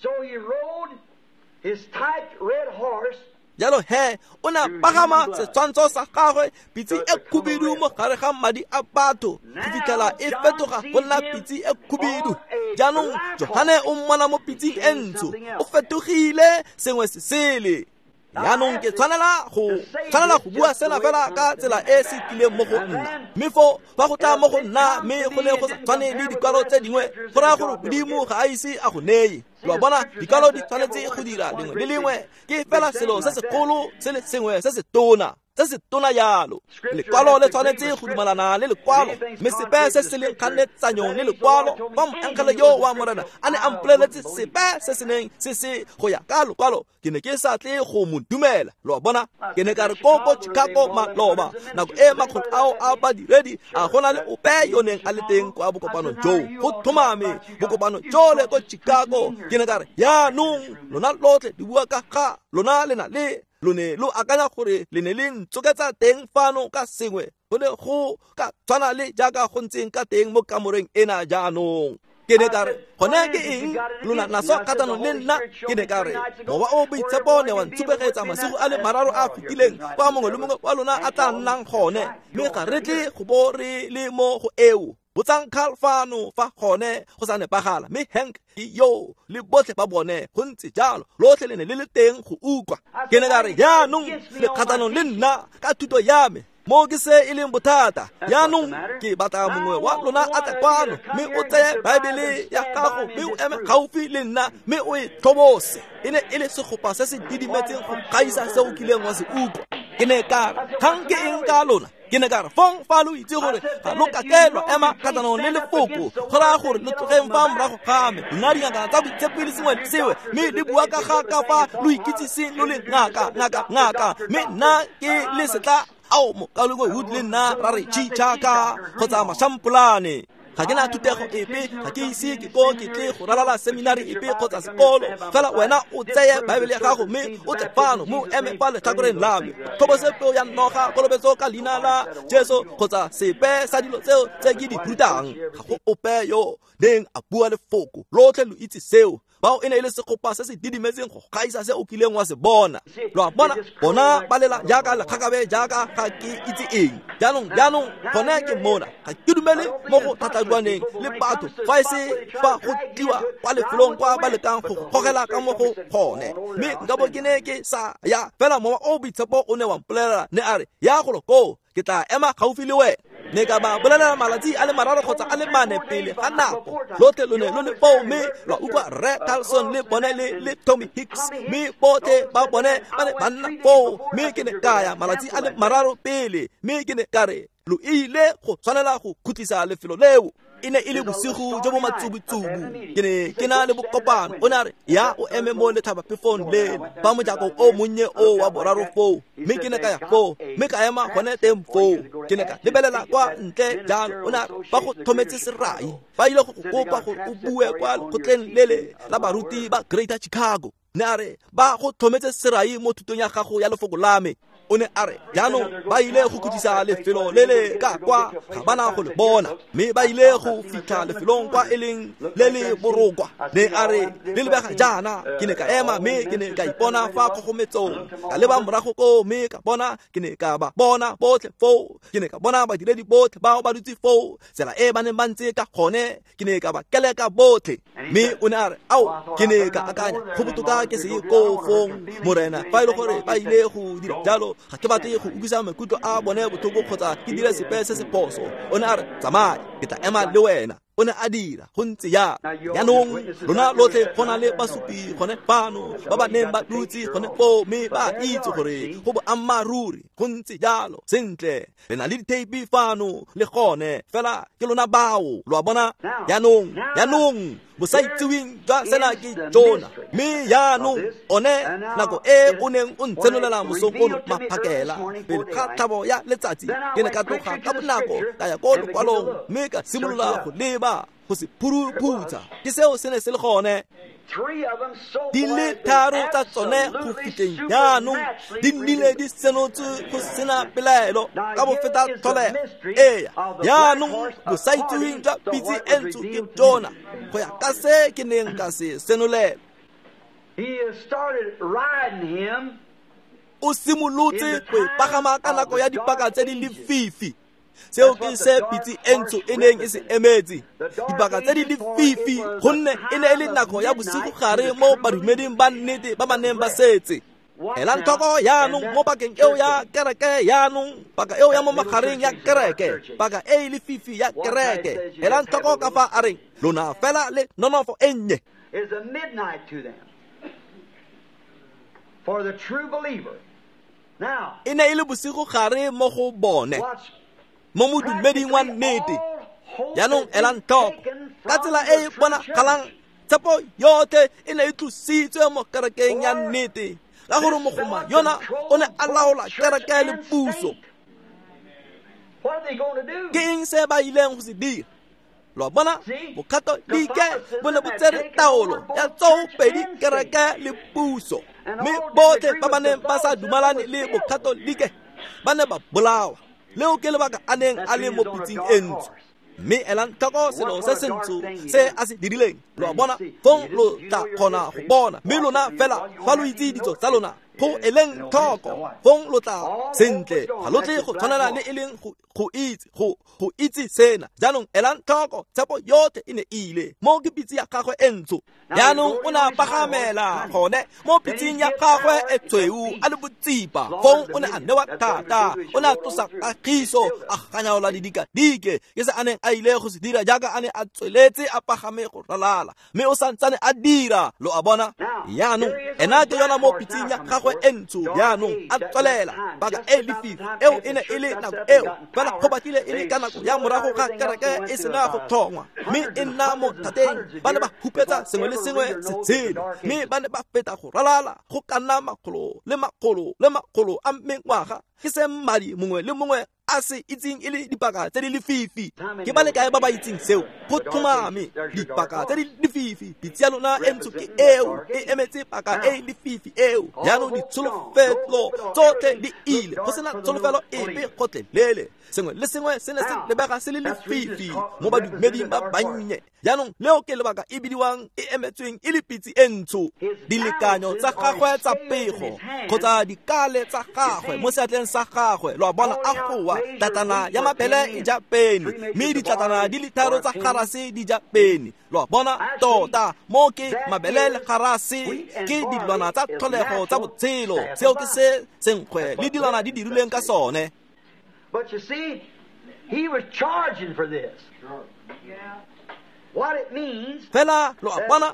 So he rode his tight red horse. Jalo he o ne a pagama setshwantsho sa gagwe, pitse e khubidu mo gare ga madi a batho, go fitlhela e fetoga go nna pitse e khubidu. Jaanong Johane o mmona mo pitseng e ntsho, o fetogile sengwe se sele. Jaanong ke tshwanela go tshwanela go bua sena fela ka tsela e se tlileng mo go nna, mme fo fa go tla mo go nna mme go ne go sa tshwane le dikwalo tse dingwe, go raya gore modimo ga a ise a go neye. Lo a bona, dikwalo di tshwanetse go dira lengwe le lengwe, ke fela selo se segolo se le sengwe se se tona, se se tona jalo. Lekwalo le tshwanetse go dumalana le lekwalo, mme sepe se se leng kganetsanyong le lekwalo. Fa moengele yo wa Morena a ne a mpoleletse sepe se se neng se se go ya ka lekwalo, ke ne ke sa tle go mo dumela. Lo a bona, ke ne ka re ko ko Chicago maloba, nako e makgotla ao a badiredi a go na le ope yo neng a le teng kwa bokopanong joo, go tlhomame bokopano jole ko Chicago. Ke ne ka re jaanong lona lotlhe di bua ka ga lona le na le lo ne lo akanya gore le ne le ntsoketsa teng fano ka sengwe, go ne go ka tshwana le jaaka go ntseng ka teng mo kamoreng ena jaanong. Ke ne ka re gone ke eng lona naso kgatlhanong le nna? Ke ne ka re mowa o boitshepo ne wa ntshupegetsa masigo a le mararo a fetileng kwa mongwe le mongwe wa lona a tla nnang gone, mme ga re tle go bo re le mo go eo. Botsang Carl fano fa gone go sa nepagala, mme Hank ke yo le botlhe ba bone go ntse jalo, lotlhe le ne le le teng go utlwa. Ke ne ka re jaanong le kgatlhanong le nna ka thuto ya me, mo ke se e leng bothata. Jaanong ke batla mongwe wa lona a tle kwano mme o tseye Baebele ya gago mme o eme gaufi le nna mme o e tlhobose. E ne e le segopa se se didimetseng go gaisa se o kileng wa se utlwa. Ke ne ka re kgang ke eng ka lona? Ke ne ka re fong fa lo itse gore ga lo kake lwa ema kgatlhanong le lefoko, go raya gore lo tlogeng fa morago ga me. Lona dingaka tsa boitshepi le sengwe le sengwe, mme le bua ka ga ka fa lo ikitsiseng lo le ngaka, ngaka, ngaka, mme nna ke le setla ao mokalengwe Wood le nna ra re tšhitšhaka kgotsa mašampolane. Ga ke na thutego epe, ga ke ise ke ko ke tle go ralala seminari epe kgotsa sekolo. Fela wena o tseye Baebele ya gago mme o tle fano mo eme fa letlhakoreng la me. Tlhobose peo ya noga, kolobetso ka leina la Jesu kgotsa sepe sa dilo tseo tse ke di rutang. Ga go ope yo neng a bua lefoko, lotlhe lo itse seo. Bao e ne e le segopa se se didimetseng go gaisa se o kileng wa se bona. Lo a bona, bona ba lela jaaka lekgakabe jaaka ga ke itse eng. Jaanong, jaanong gone ke mona, ga ke dumele mo go thathaduaneng le batho fa e se fa go tliwa kwa lefelong kwa ba lekang go gogela ka mo go gone. Mme nka bo ke ne ke sa ya, fela mowa o boitshepo o ne wa mpolelela, ne a re ya golo koo, ke tla ema gaufi le wena. Ne ka ba bolelela malatsi a le mararo kgotsa a le mane pele ga nako. Lotlhe lo ne lo le foo mme lwa utlwa Rre Carlson le bone le le Tommy Hicks, mme botlhe ba bone ba ne ba nna foo. Mme ke ne ka ya malatsi a le mararo pele, mme ke ne ka re lo ile go tshwanela go khutlisa lefelo leo. E ne e le bosigo jo bo matsubutsubu, ke ne ke na le bokopano. O ne a re ya o eme mo letlhabaphefong lele fa mojako o monnye o wa boraro foo, mme ke ne ka ya foo mme ka ema gone teng foo. Ke ne ka lebelela kwa ntle jalo. O ne a re ba go thometse serai, ba ile go go kopa gore o bue kwa lekgotleng lele la baruti ba Greater Chicago. Ne a re ba go thometse serai mo thutong ya gago ya lefoko la me. O ne a re jaanong ba ile go khutlisa lefelo le le ka kwa, ga bana go le bona, mme ba ile go fitlha lefelong kwa e leng le le borokwa. Ne a re le lebega jaana. Ke ne ka ema mme ke ne ka ipona fa kgogometsong, ka leba morago koo mme ka bona, ke ne ka ba bona botlhe foo. Ke ne ka bona badiredi botlhe bao ba dutse foo, tsela e ba neng ba ntse ka gone, ke ne ka ba keleka botlhe. Mme o ne a re ao, ke ne ka akanya go botoka ke se ye koo fong, Morena, fa e le gore ba ile go dira jalo, ga ke batle go utlwisa maikutlo a bone botlhoko kgotsa ke dire sepe se se phoso. O ne a re tsamaya, ke tla ema le wena. O ne a dira go ntse jalo. Jaanong lona lotlhe go na le basupi gone fano ba ba neng ba dutse gone foo, mme ba itse gore go boammaaruri go ntse jalo. Sentle, le na le ditheipi fano le gone, fela ke lona bao, lo a bona. Jaanong, jaanong bosaitseweng jwa sena ke jona, mme jaanong one nako e o neng o ntsenolela mosong ono maphakela pele ga tlhabo ya letsatsi, ke ne ka tloga ka bonako ka ya ko lokwalong mme ka simolola go leba go se phuruphutsa. Ke seo se ne se le gone. Di le tharo tsa tsone go fitlheng jaanong di nnile di senotswe go sena pelaelo ka bofeta tlholego. Ee, jaanong bosaitseweng jwa pitse e ntsho ke jona go ya ka se ke neng ka se senolela. O simolotse go e pagama ka nako ya dipaka tse di lefifi. Seo ke se pitse e ntsho e neng e se emetse, dipaka tse di lefifi, gonne e ne e le nako ya bosigo gare mo badumeding ba nnete ba ba neng ba setse. Elang tlhoko jaanong mo pakeng eo ya kereke, jaanong paka eo ya mo magareng ya kereke, paka e e lefifi ya kereke. Elang tlhoko ka fa a reng lona fela le nonofo e nnye. E ne e le bosigo gare mo go bone, mo modumeding wa nnete. Jaanong elang tlhoko ka tsela e e bonagalang, tshepo yotlhe e ne e tlositswe mo kerekeng ya nnete, ka gore mogoma yona o ne a laola kereke le puso. Ke eng se ba ileng go se dira? Lo a bona, bokatolike bo ne bo tsere taolo ya tsoopedi kereke le puso, mme botlhe ba ba neng ba sa dumalane le bokatolike ba ne ba bolawa. Leo ke lebaka a neng a le mo pitseng e ntsho. Mme elang tlhoko selo se sentsho se a se dirileng. Lo a bona, fong lo tla kgona go bona. Mme lona fela fa lo itse ditso tsa lona, go eleng tlhoko, fong lo tla sentle. Ga lo tle go tshwanela le e leng go go itse go go itse sena. Jaanong elang tlhoko, tshepo yotlhe e ne e ile mo ke pitse ya gagwe e ntsho. Jaanong o ne a pagamela gone mo pitseng ya gagwe e tshweu a le botsipa. Fong o ne a newa thata, o ne a tlosa kagiso, a ganyaola didikadike. Ke se a neng a ile go se dira jaaka a ne a tsweletse a pagame go ralala, mme o santsane a dira. Lo a bona? Jaanong ena ke yona mo pitseng ya gagwe e ntsho. Jaanong a tswelela paka e lefifi eo e ne e le nako eo fela go batlile e le ka nako ya morago ga kereke e sena go tlhongwa, mme e nna mo thateng. Ba ne ba hupetsa sengwe le sengwe se tshele, mme ba ne ba feta go ralala go ka nna makgolo le makgolo le makgolo a mengwaga. Ke se mmadi mongwe le mongwe a se itseng e le dipaka tse di lefifi. Ke ba le kae ba ba itseng seo? Go tlhomame, dipaka tse di lefifi. Pitse ya lona e ntsho ke eo, e emetse paka e lefifi eo. Jaanong ditsholofelo tsotlhe di ile, go sena tsholofelo epe gotlhelele. Sengwe le sengwe se ne se lebega se le lefifi mo badumeding ba bannye. Jaanong leo ke lebaka e bidiwang e emetsweng e le pitse e ntsho. Dilekanyo tsa gagwe tsa pego kgotsa dikale tsa gagwe mo seatleng sa gagwe, lo a bona, a goa tlatana ya mabele e ja peni, mme ditlatana di le tharo tsa garase di ja peni. Lo a bona, tota mo ke mabele le garase ke dilwana tsa tlholego tsa botshelo. Seo ke se senkgwe le dilwana di dirilweng ka sone. But you see, he was charging for this. What it means, fela lo a bona,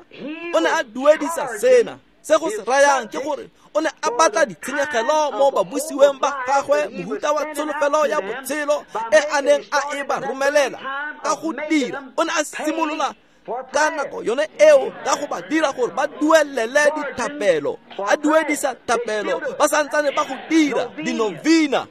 o ne a duedisa sena. Se go se rayang ke gore o ne a batla ditshenyegelo mo babusiweng ba gagwe, mohuta wa tsholofelo ya botshelo e a neng a e ba romelela ka go dira. O ne a simolola ka nako yone eo ka go ba dira gore ba duelele dithapelo, a duedisa thapelo ba santsane ba go dira dinovina.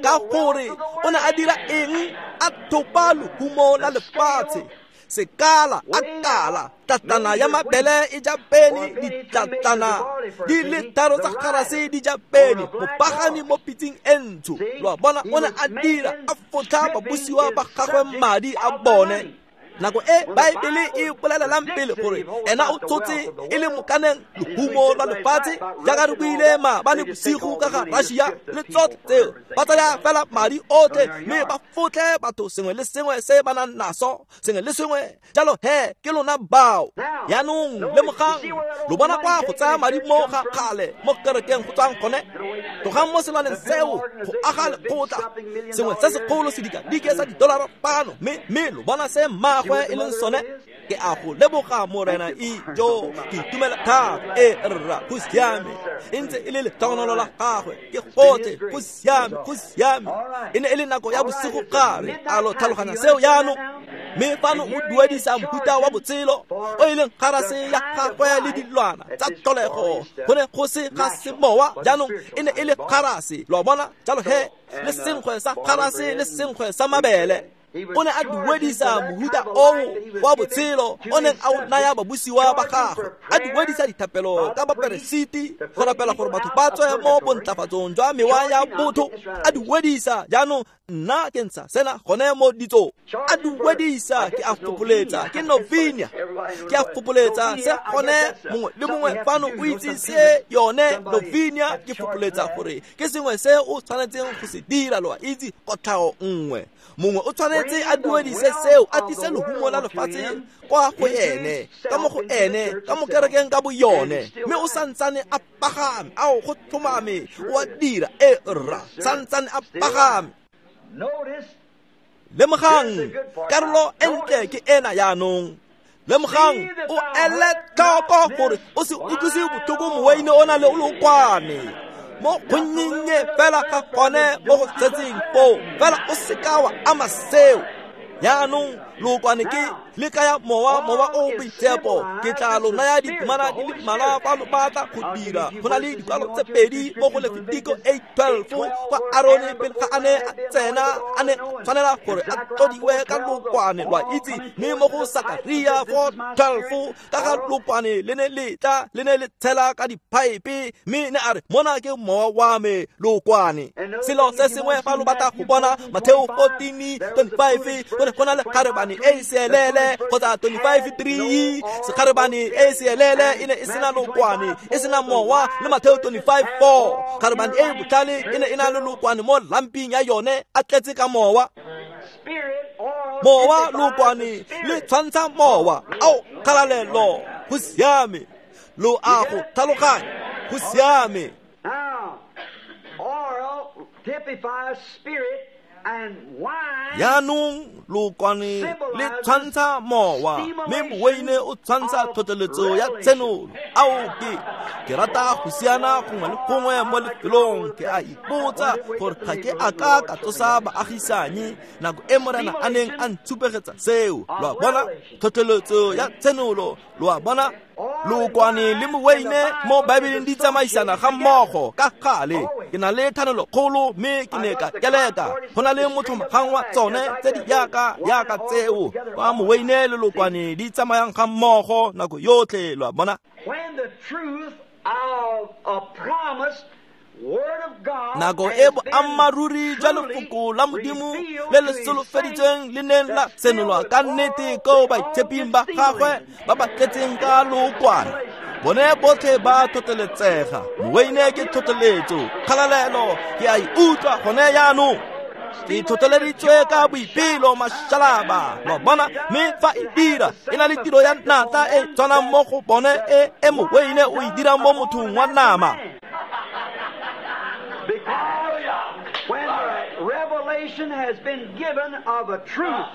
Ka gore o ne a dira eng? A thopa lehumo la lefatshe. Sekala a kala tlatana ya mabele e ja peni, ditlatana di le tharo tsa garase di ja peni, mopagami mo pitseng e ntsho. Lo a bona, o ne a dira a fotlha babusiwa ba gagwe madi a bone. Nako e Baebele e bolelelang pele gore ena o tsotse e le mokaneng lehumo la lefatshe, jaaka re buile maabane bosigo ka ga Russia le tsotlhe tseo, ba tsaya fela madi otlhe mme ba fotlhe batho sengwe le sengwe se ba nang naso, sengwe le sengwe. Jalo he ke lona bao. Jaanong lemogang, lo bona kwa go tsaya madi mo ga kgale mo kerekeng go tswang gone. Tlogang mo selwaneng seo go aga lekgotla, sengwe se segolo sedikadike sa didolara pano, mme mme lo bona se mma e leng sone. Ke a go leboga Morena ijo, ke itumela thata. E rra, go siame. E ntse e le letogonolo la gagwe, ke gotlhe, go siame, go siame. E ne e le nako ya bosigo gare. A lo tlhaloganya seo jaanong? Mme fano o duedisa mohuta wa botshelo o e leng garase ya gagwe le dilwana tsa tlholego. Go ne go se ga semowa, jaanong e ne e le garase. Lo a bona? Jalo he le senkgwe sa garase le senkgwe sa mabele. O ne a duedisa mohuta oo wa botshelo o neng a o naya babusiwa ba gagwe, a duedisa dithapelo ka baperesiti go rapela gore batho ba tswe mo bontlafatsong jwa mewa ya botho. A duedisa, jaanong nna ke ntsha sena gone mo ditsong. A duedisa, ke a fopoletsa, ke novinia, ke a fopoletsa se gone mongwe le mongwe fano o itse se yone novinia. Ke fopoletsa gore ke sengwe se o tshwanetseng go se dira, lo a itse, kotlhao nngwe. Mongwe o tshwanetse a duedise seo, a tlise lehumo la lefatshe kwa go ene, ka mo go ene, ka mo kerekeng ka boyone, mme o santsane a pagame. Ao, go tlhomame, o a dira. E rra, santsane a pagame. Lemogang, karolo e ntle ke ena jaanong. Lemogang, o ele tlhoko gore o se utlwise botlhoko moweine o na le o lokwane mo gonnye fela ga gone mo go setseng foo, fela o seka wa ama seo. Jaanong Lookwane ke le kaya mowa, mowa o boitshepo. Ke tla lo naya ditemana di le mmalwa fa lo batla go dira. Go na le dikwalo tse pedi mo go Lefitiko eight twelve kwa Arone pele ga a ne a tsena a ne tshwanela gore a tlodiwe ka lookwane, lwa itse. Mme mo go Sakaria four twelve ka ga lookwane le ne le tla le ne le tshela ka diphaepe, mme ne a re mona ke mowa wa me lookwane. Selo se sengwe fa lo batla go bona Mateo fourteen twenty-five go ne go na le kgarebane e e seelele kgotsa twenty-five three sekgarebane e e seelele e ne e sena lookwane e sena mowa, le Mateo twenty-five four kgarebane e e botlhale e ne e na le lookwane mo lamping ya yone a tletse ka mowa. Mowa lookwane le tshwantsha mowa. Ao kgalalelo, go siame. Lo a go tlhaloganya, go siame. Jaanong lookwane le tshwantsha mowa, mme moweine o tshwantsha tlhotlheletso ya tshenolo. Ao ke ke rata go siana gongwe le gongwe mo lefelong. Ke a ipotsa gore ga ke a ka ka tsosa baagisanyi nako e Morena a neng a ntshupegetsa seo. Lo a bona, tlhotlheletso ya tshenolo, lo a bona. Lookwane le moweine mo Baebeleng di tsamaisana ga mmogo ka gale. Ke na le thanolo kgolo mme ke ne ka keleka. Go na le motlhomagang wa tsone tse di yaka yaka tseo kwa moweine le lookwane di tsamayang ga mmogo nako yotlhe, lo a bona. Nako e boammaaruri jwa lefoko la Modimo le le solofeditsweng le neng la senolwa ka nnete ko baitsheping ba gagwe ba ba tletseng ka lookwane, bone botlhe ba tlhotlheletsega. Moweine ke tlhotlheletso, kgalalelo, ke a e utlwa gone jaanong. Ke tlhotlheleditswe ka boipelo mašalaba, lo bona. Mme fa e dira e na le tiro ya natla e tshwanang mo go bone e e moweine o e dirang mo mothong wa nama. Because when the revelation has been given of a truth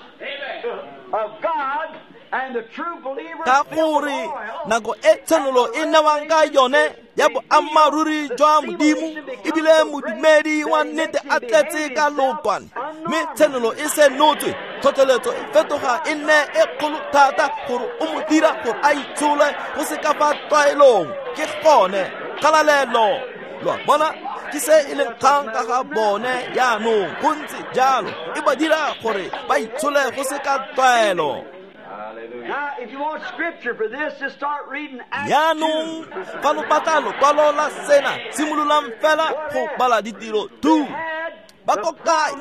of God and the true believer, ka gore nako e tshenolo e newang ka yone ya boammaaruri jwa Modimo, ebile modumedi wa nnete a tletse ka lookwane, mme tshenolo e senotswe, tlhotlheletso e fetoga e nne e kgolo thata gore o mo dira gore a itshole go se ka fa tlwaelong. Ke gone kgalalelo, lo a bona. Ke se e leng kgang ka ga bone jaanong, go ntse jalo e ba dira gore ba itshole go se ka tlwaelo. Jaanong fa lo batla lokwalo la sena, simololang fela go bala ditiro two. Ba ko kae?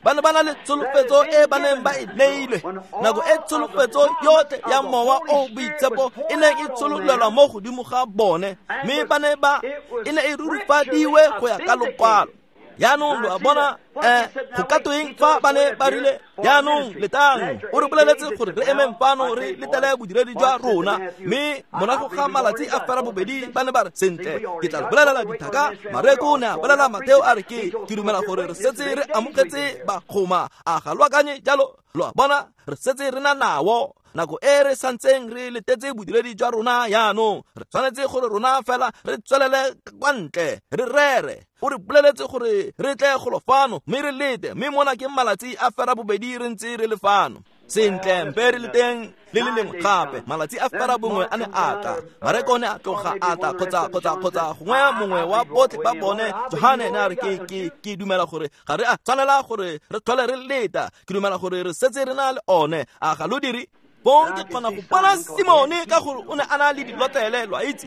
Ba ne ba na le tsholofetso e ba neng ba e neilwe. Nako e tsholofetso yotlhe ya mowa o boitshepo e neng e tshololelwa mo godimo ga bone, mme ba ne ba e ne e rurifadiwe go ya ka lokwalo. Jaanong lo a bona, eh, go ka tweng fa ba ne ba rile, jaanong letang, o re boleletse gore re emeng fano re letele bodiredi jwa rona, mme morago ga malatsi a fera bobedi ba ne ba re sentle, ke tla bolelela dithaka. Mareko o ne a bolela Mateo a re ke ke dumela gore re setse re amogetse bagoma, a ga lo akanye jalo? Lo a bona, re setse re na nao. Nako e re santseng re letetse bodiredi jwa rona jaanong, re tshwanetse gore rona fela re tswelele kwa ntle re rere. O re boleletse gore re tle golo fano mme re lete, mme mona ke malatsi a fera bobedi re ntse re le fano. Sentle, mpe re le teng le le lengwe gape. Malatsi a fera bongwe a ne a tla, Mareko ne a tloga a tla, kgotsa kgotsa kgotsa gongwe mongwe wa botlhe ba bone. Johane ne a re ke ke ke dumela gore ga re a tshwanela gore re tlhole re leta, ke dumela gore re setse re na le one. A ga lo dire? Bong ke kgona go bona Simone ka gore o ne a na le dilotlele, lo a itse.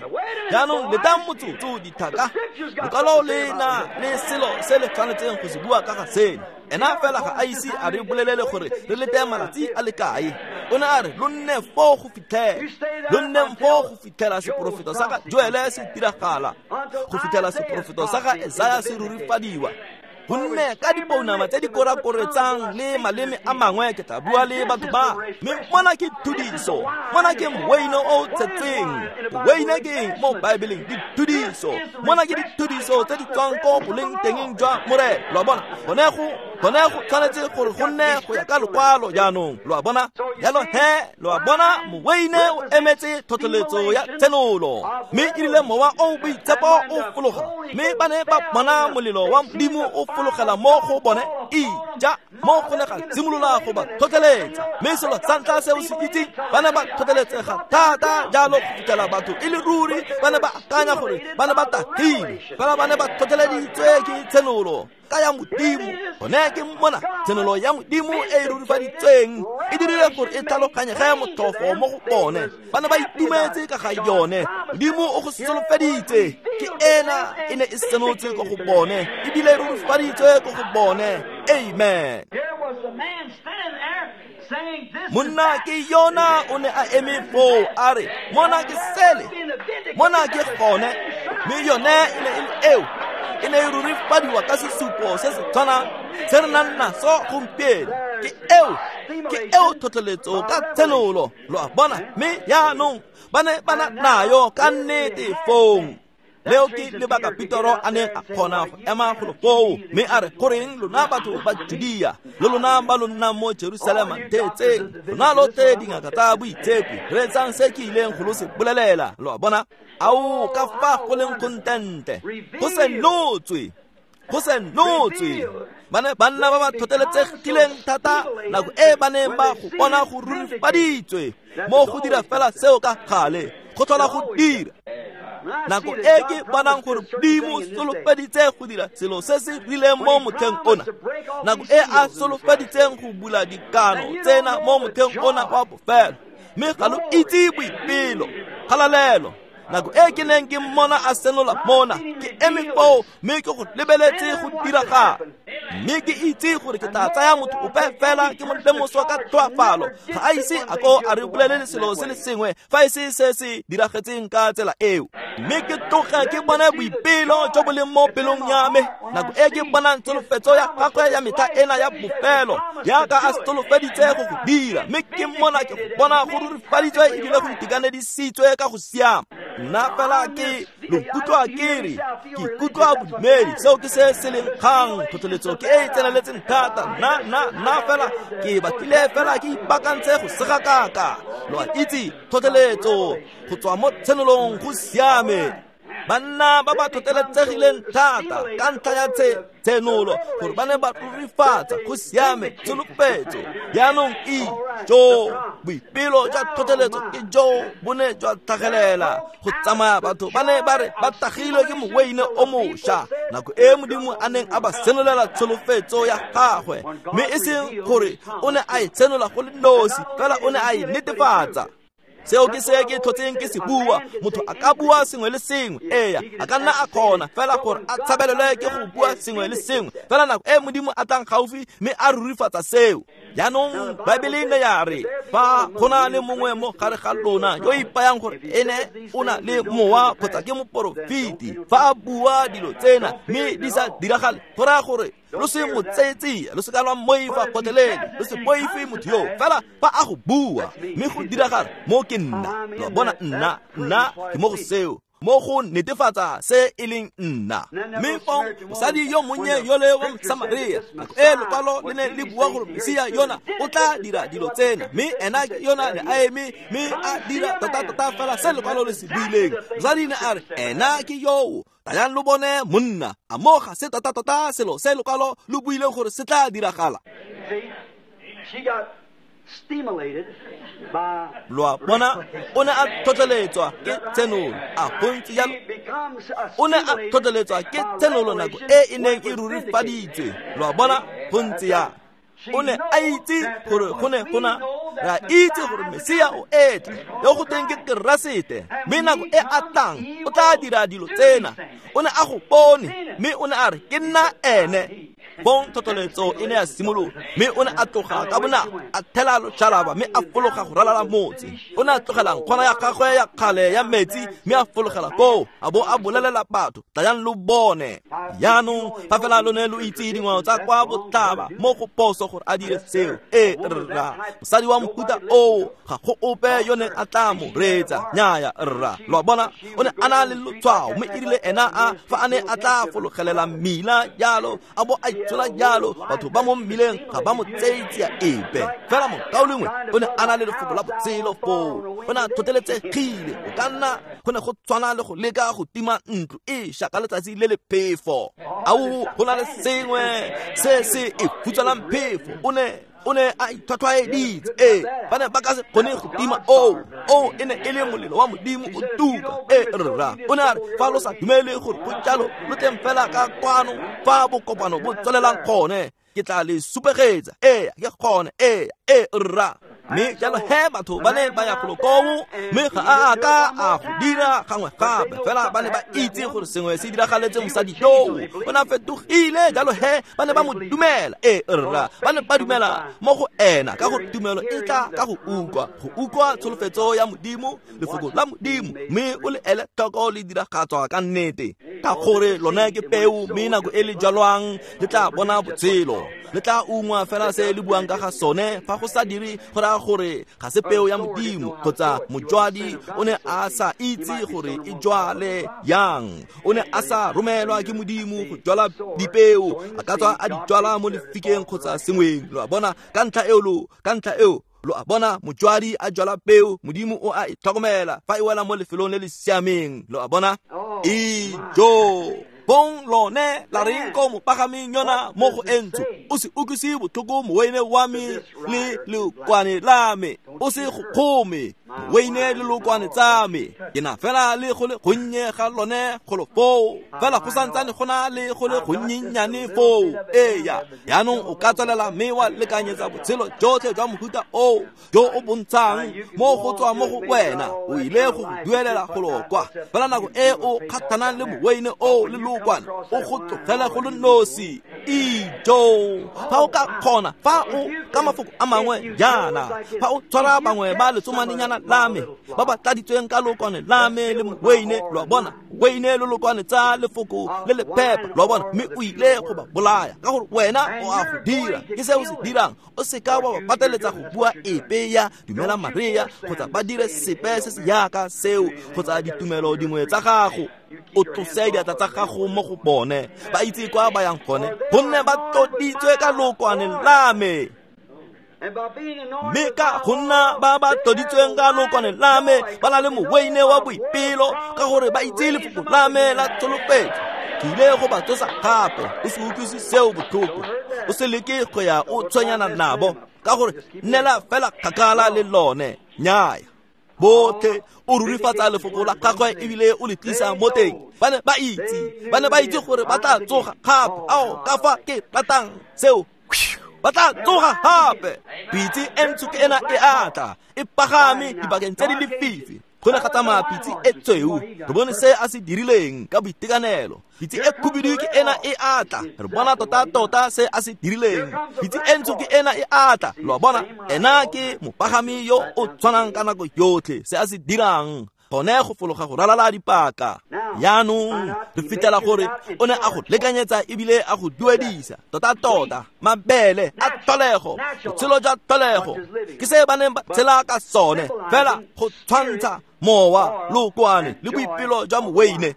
Jaanong letang motsotso, dithaka. Lokwalo le na le selo se le tshwanetseng go se bua ka ga seno. Ena fela ga a ise a re bolelele gore re lete malatsi a le kae. O ne a re lo nne foo go fitlhela, lo nneng foo go fitlhela seporofeto sa ga Joele se diragala, go fitlhela seporofeto sa ga Esaya se rurifadiwa. Gonne ka dipounama tse di korakoretsang le maleme a mangwe ke tla bua le batho ba, mme mona ke thudiso, mona ke moweine o tshetseng. Moweine ke eng mo Baebeleng? Dithudiso. Mona ke dithudiso tse di tswang ko boleng tengeng jwa Morena, lo a bona. Gone go Gone go tshwanetse gore go nne go ya ka lokwalo jaanong, lo a bona. Jalo he, lo a bona, moweine o emetse tlhotlheletso ya tshenolo. Mme e rile mowa o boitshepo o fologa, mme ba ne ba bona molelo wa Modimo o fologela mo go bone, ija mo go ne ga simolola go ba tlhotlheletsa. Mme selo sa ntlha se o se itseng, ba ne ba tlhotlheletsega thata jalo go fitlhela batho e le ruri ba ne ba akanya gore ba ne ba tagile, fela ba ne ba tlhotlheleditswe ke tshenolo ka ya Modimo. Gone ke mona tshenolo ya Modimo e e rurifaditsweng e dirile gore e tlhaloganyege motlhofo mo go bone. Ba ne ba itumetse ka ga yone. Modimo o go solofeditse, ke ena e ne e senotswe ko go bone, ebile e rurifaditswe ko go bone. Amen. Monna ke yona o ne a eme foo a re, mona ke sele, mona ke gone. Mme yone e ne e le eo, e ne e rurifadiwa ka sesupo se se tshwanang se re nang naso gompieno. Ke eo, ke eo tlhotlheletso ka tshenolo, lo a bona. Mme jaanong ba ne ba na nayo ka nnete fong. Leo ke lebaka Petero a neng a kgona go ema golo foo mme a re, goreng lona batho ba Judea le lona ba lo nnang mo Jerusalema, ntheetseng, lona lotlhe dingaka tsa boitshepi, reetsang se ke ileng go lo se bolelela. Lo a bona? Ao, ka fa go leng contente, go senotswe, go senotswe. Ba ne banna ba ba tlhotlheletsegileng thata nako e ba neng ba go bona go rurifaditswe mo go dira fela seo ka gale, go tlhola go dira. Nako e ke bonang gore Modimo solofeditse go dira selo se se rileng mo motlheng ona, nako e a solofeditseng go bula dikano tsena mo motlheng ona wa bofelo, mme ga lo itse boipelo, kgalalelo. Nako e ke neng ke mmona a senola mona, ke eme foo mme ke go lebeletse go diragala. Mme ke itse gore ke tla tsaya motho ope fela ke mo lemoswa ka tlhoafalo, ga a ise a ko a re bolelele selo se le sengwe fa e se se se diragetseng ka tsela eo. Mme ke tloge ke bone boipelo jo bo leng mo pelong ya me nako e ke bonang tsholofetso ya gagwe ya metlha ena ya bofelo, jaaka a solofeditse go go dira. Mme ke mmona ke go bona go rurifaditswe ebile go itekanedisitswe ka go siama. Nna fela ke lo kutlwa ke re, ke ikutlwa bodumedi, seo ke se se leng kgang. Tlhotlheletso ke e e tseneletseng thata. Nna, nna, nna fela ke batlile fela ke ipaakantse go segakaka. Lo a itse, tlhotlheletso go tswa mo tshenolong go siame. Banna ba ba tlhotlheletsegileng thata ka ntlha ya tshenolo gore ba ne ba rurifatsa go siame tsholofetso. Jaanong e jo boipelo jwa tlhotlheletso ke jo bo ne jwa tlhagelela go tsamaya. Batho ba ne ba re ba tagilwe ke moweine o mošwa nako e Modimo a neng a ba senolela tsholofetso ya gagwe, mme e seng gore o ne a e senola go le nosi, fela o ne a e netefatsa. Seo ke se ke tlhotseng ke se bua. Motho a ka bua sengwe le sengwe, eya, a ka nna a kgona fela gore a tshabelelwe ke go bua sengwe le sengwe, fela nako e Modimo a tlang gaufi mme a rurifatsa seo. Jaanong Baebele ne ya re, fa go na le mongwe mo gare ga lona yo ipayang gore ene o na le mowa kgotsa ke moporofeti, fa a bua dilo tsena mme di sa diragale, go raya gore lo se mo tseetsia, lo se ka lwa mmoifa gotlhelele, lo se boife motho yo. Fela fa a go bua mme go diragala, mo ke nna. Lo bona, nna, nna ke mo go seo, mo go netefatsa se e leng nna. Mme fong mosadi yo monnye yole wa Mosamaria, nako e lokwalo le ne le bua gore Mesia yona o tla dira dilo tsena, mme ena yona ne a eme mme a dira tota-tota fela se lokwalo le se buileng. Mosadi ne a re, ena ke yoo, tlayang lo bone monna. A mo ga se tota-tota selo se lokwalo lo buileng gore se tla diragala. Lo a bona, o ne a tlhotlheletswa ke tshenolo. A go ntse jalo? O ne a tlhotlheletswa ke tshenolo nako e e neng e rurifaditswe. Lo a bona, go ntse jalo. O ne a itse gore go ne go na, re a itse gore Mesia o etla, yo go teng ke Keresete, mme nako e a tlang o tla dira dilo tsena. O ne a go bone mme o ne a re, ke nna ene. Bong tlhotlheletso e ne ya simolola, mme o ne a tloga ka bonako, a thela loshalaba mme a fologa go ralala motse. O ne a tlogela nkgwana ya gagwe ya kgale ya metsi mme a fologela koo, a bo a bolelela batho, tlayang lo bone. Jaanong fa fela lo ne lo itse dingwao tsa kwa botlhaba mo go phoso gore a dire seo. Ee rra, mosadi wa mohuta oo ga go ope yo neng a tla mo reetsa. Nnyaya rra, lo a bona, o ne a na le lotshwao, mme e rile ena a fa a ne a tla fologelela mmila jalo a bo a tshola jalo batho ba mo mmileng ga ba mo tseye tsia epe fela mokaulengwe o ne a na le lefoko la botshelo foo o ne a tlhotlheletsegile o ka nna go ne go tshwana le go leka go tima ntlo e ša ka letsatsi le le phefo ao go na le sengwe se se e futswelang phefo o ne o ne a itlhwatlhwaeditse ee ba ne ba ka se kgone go tima oo oo e ne e le molelo wa modimo o tuka ee rra o ne a re fa lo sa dumele gore go jalo lo tleng fela ka kwano fa bokopano bo tswelelang gone ke tla le supegetsa ee ke gone ee ee rra mme jalo he batho ba ne ba ya golo koo mme ga a ka a go dira gangwe gape fela ba ne ba itse gore sengwe se diragaletse mosadi yoo o ne a fetogile jalo he ba ne ba mo dumela ee rra ba ne ba dumela mo go ena ka gore tumelo e tla ka go utlwa go utlwa tsholofetso ya modimo lefoko la modimo mme o le ele tlhoko le diragatswa ka nnete ka gore lone ke peo mme nako e le jalwang le tla bona botshelo le tla ungwa fela se le buang ka ga sone fa go sa dire go raya gore ga se peo ya modimo kgotsa mojwadi o ne a sa itse gore e jwale yang o ne a sa romelwa ke modimo go jwala dipeo a ka tswa a di jwala mo lefikeng kgotsa sengweng lo a bona ka ntlha eo lo ka ntlha eo lo a bona mojwadi a jwala peo modimo o a e tlhokomela fa e wela mo lefelong le le siameng lo a bona ijo bong lone la reng ko mopagameng yona mo go e ntsho o se utlwise botlhoko moweine wa me le lekwane la me o se go kgome moweine le lokwane tsa me ke na fela le go le gonnye ga lone golo foo fela go santsane go na le go le gonnyenyane foo eya yaanong o ka tswelela mme wa lekanyetsa botshelo jotlhe jwa mohuta oo jo o bontshang mo go tswa mo go wena o ile go go duelela golo kwa fela nako e o kgathanang le moweine oo le lokwane o go tlogela go le nosi ijo fa o ka kgona fa o ka mafoko a mangwe jaana fa o tshwara bangwe ba letsomanenyana la me ba ba tladitsweng ka lokwane la me le moweine lo a bona weine le lokwane tsa lefoko le le phepa lo a bona mme o ile go ba bolaya ka gore wena o a go dira ke se o se dirang o seka wa ba pateletsa go bua epe ya dumela Maria kgotsa ba dire sepe se se yaka seo kgotsa ditumelo dingwe tsa gago o tlose diatla tsa gago mo go bone ba itse kwa ba yang gone gonne ba tloditswe ka lokwane la me mme ka go nna ba ba tloditsweng ka lokwane la me ba na le moweine wa boipelo ka gore ba itse lefoko la me la tsholofetso ke ile go ba tsosa gape o se utlwise seo botlhoko o se leke go ya o tshwenyana nabo ka gore nnela fela kgakala le lone nnyaya botlhe o rurifatsa lefoko la gagwe ebile o le tlisa mo teng ba ne ba itse ba ne ba itse gore ba tla tsoga gape ao ka fa ke ratang seo ba tla tsoga gape pitse e ntsho ke ena e atla e pagame dibakeng tse di lefifi go ne ga tsamaya pitse e tsweu re bone se a se dirileng ka boitekanelo pitse e khubidu ke ena e atla re bona tota-tota se a se dirileng pitse e ntsho ke ena e atla lo a bona ena ke mopagami yo o tshwanang ka nako yotlhe se a se dirang gone go fologa go ralala dipaka yaanong re fitlhela gore o ne a go lekanyetsa ebile a go duedisa tota-tota mabele a tlholego botshelo jwa tlholego ke se ba neng ba tshela ka sone fela go tshwantsha mowa lokwane le boipelo jwa moweine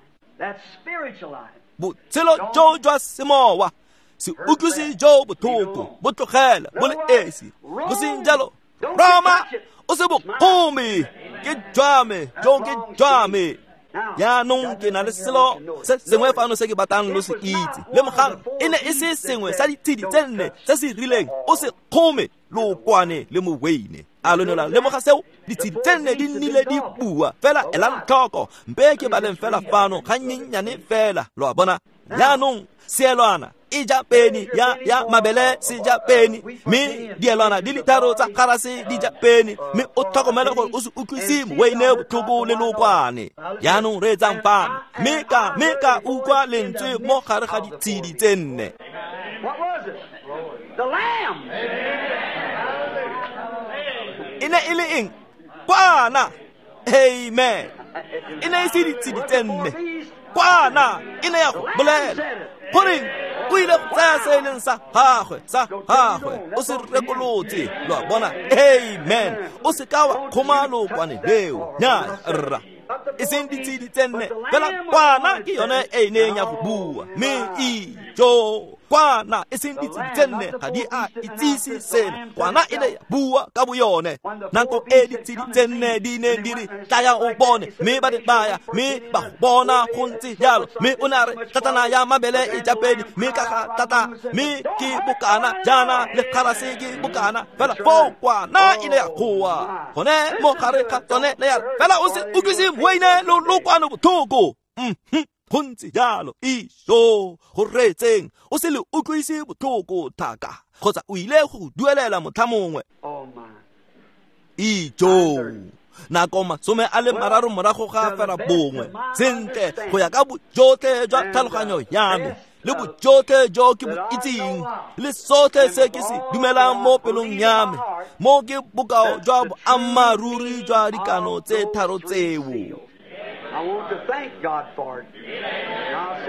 botshelo jo jwa semowa se utlwise jo botlhoko bo tlogela bo le esi bo seng jalo Roma o se bokgome ke jwa me jo ke jwa me yaanong ke na le selo se sengwe fano se ke batlang lo se itse lemogang e ne e se sengwe sa ditshedi tse nne se se rileng o se kgome lokwane le moweine a lo ne la lemoga seo ditshedi tse nne di nnile di bua fela elang tlhoko mpe ke baleng fela fano gannyenyane fela lo a bona yaanong seelwana e ja peni ya ya mabele se ja peni mme dielwana di le tharo tsa garase di ja peni mme o tlhokomele gore o se utlwise moweine botlhoko le lokwane yaanong re etsang fano mme ka mme ka utlwa lentswe mo gare ga ditshedi tse nne e ne e le eng kwana amen e ne e se ditshedi tse nne kwana e ne ya go bolela goreng o ile go tsaya se e leng sa gagwe sa gagwe o se rekolotse lo a bona amen o se ka wa kgoma lokwane leo nnyaya rra e seng ditshedi tse nne fela kwana ke yone e neng ya go bua mme ijo Kwana e seng ditshedi tse nne ga di a itsise sena. Kwana e ne ya bua ka boyone. Nako e ditshedi tse nne di ne di re tlaya o bone, mme ba ne ba ya, mme ba go bona go ntse jalo. Mme o ne a re tlatana ya mabele e ja pedi, mme ka ga tlata, mme ke bokana jaana le kgarase ke bokana. Fela foo kwana e ne ya goa gone mo gare ga tsone ne ya re fela o se utlwise moine lo lokwano botlhoko. Mhm, go ntse jalo. Iso go reetseng, o se le utlwise botlhoko thaka, kgotsa o ile go duelela motlha mongwe. Ijo nako masome a le mararo morago ga fela bongwe. Sentle, go ya ka bojotlhe jwa tlhaloganyo ya me le bojotlhe jo ke bo itseng le sotlhe se ke se dumelang mo pelong ya me, mo ke bokao jwa boammaaruri jwa dikano tse tharo tseo.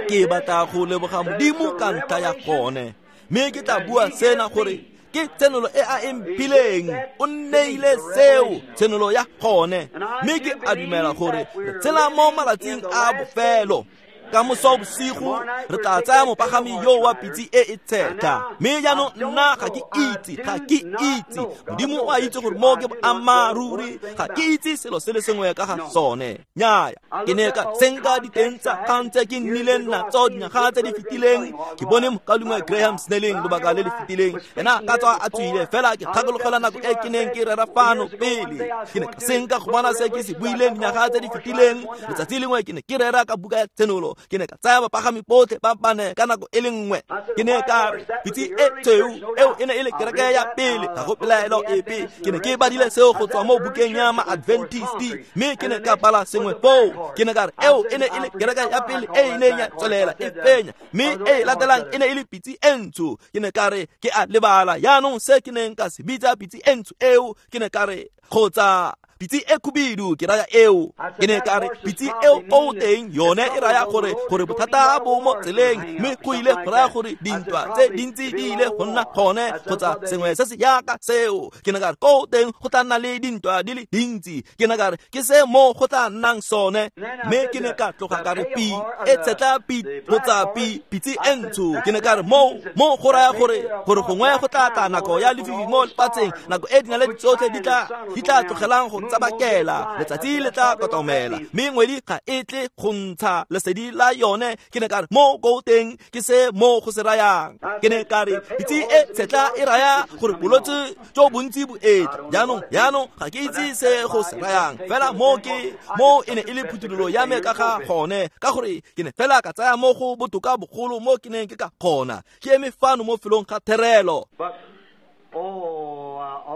Ke batla go leboga Modimo ka ntlha ya gone, mme ke tla bua sena gore ke tshenolo e a e mphileng. O nneile seo, tshenolo ya gone, mme ke a dumela gore re tshela mo malatsing a bofelo. Ka moso bosigo re tla tsaya mopagami yo wa pitse e e tshetlha. Mme jaanong nna ga ke itse, ga ke itse. Modimo o a itse gore mo ke boammaaruri, ga ke itse selo se le sengwe ka ga sone. Nnyaya, ke ne ka senka diteng tsa kgang tse ke nnileng natso dinyaga tse di fetileng. Ke bone mokaulengwe Graham Snelling lobaka le le fetileng, ena ka tswa a tswile, fela ke gakologelwa nako e ke neng ke rera fano pele. Ke ne ka senka go bona se ke se buileng dinyaga tse di fetileng. Letsatsi lengwe ke ne ke rera ka buka ya Tshenolo. Ke ne ka tsaya bapagami botlhe ba bane ka nako e le nngwe. Ke ne ka re pitse e tshweu eo e ne e le kereke ya pele, ga go pelaelo epe. Ke ne ke badile seo go tswa mo bukeng ya Ma-Adventist, mme ke ne ka bala sengwe foo. Ke ne ka re eo e ne e le kereke ya pele e e neng ya tswelela e fenya, mme e latelang e ne e le pitse e ntsho. Ke ne ka re ke a lebala jaanong se ke neng ka se bitsa pitse e ntsho eo. Ke ne ka re kgotsa pitse e khubidu ke raya eo. Ke ne ka re pitse eo ko teng yone e raya gore gore bothata bo mo tseleng, mme go ile go raya gore dintwa tse dintsi di ile go nna gone, kgotsa sengwe se se yaka seo. Ke ne ka re ko teng go tla nna le dintwa di le dintsi. Ke ne ka re ke se mo go tla nnang sone. Mme ke ne ka tloga ka re pi e tshetla pi kgotsa pi pitse e ntsho. Ke ne ka re mo mo go raya gore gore gongwe go tla tla nako ya lefifi mo lefatsheng, nako e dinaledi tsotlhe di tla di tla tlogelang go tsabakela, letsatsi le tla kotomela, mme ngwedi ga e tle go ntsha lesedi la yone. Ke ne ka re mo ko teng ke se mo go se rayang. Ke ne ka re pitse e tshetla e raya gore bolwetse jo bontsi bo etla. Jaanong jaanong ga ke itse se go se rayang, fela mo ke mo e ne e le phuthololo ya me ka ga gone, ka gore ke ne fela ka tsaya mo go botoka bogolo mo ke neng ke ka kgona. Ke eme fano mo felong ga therelo.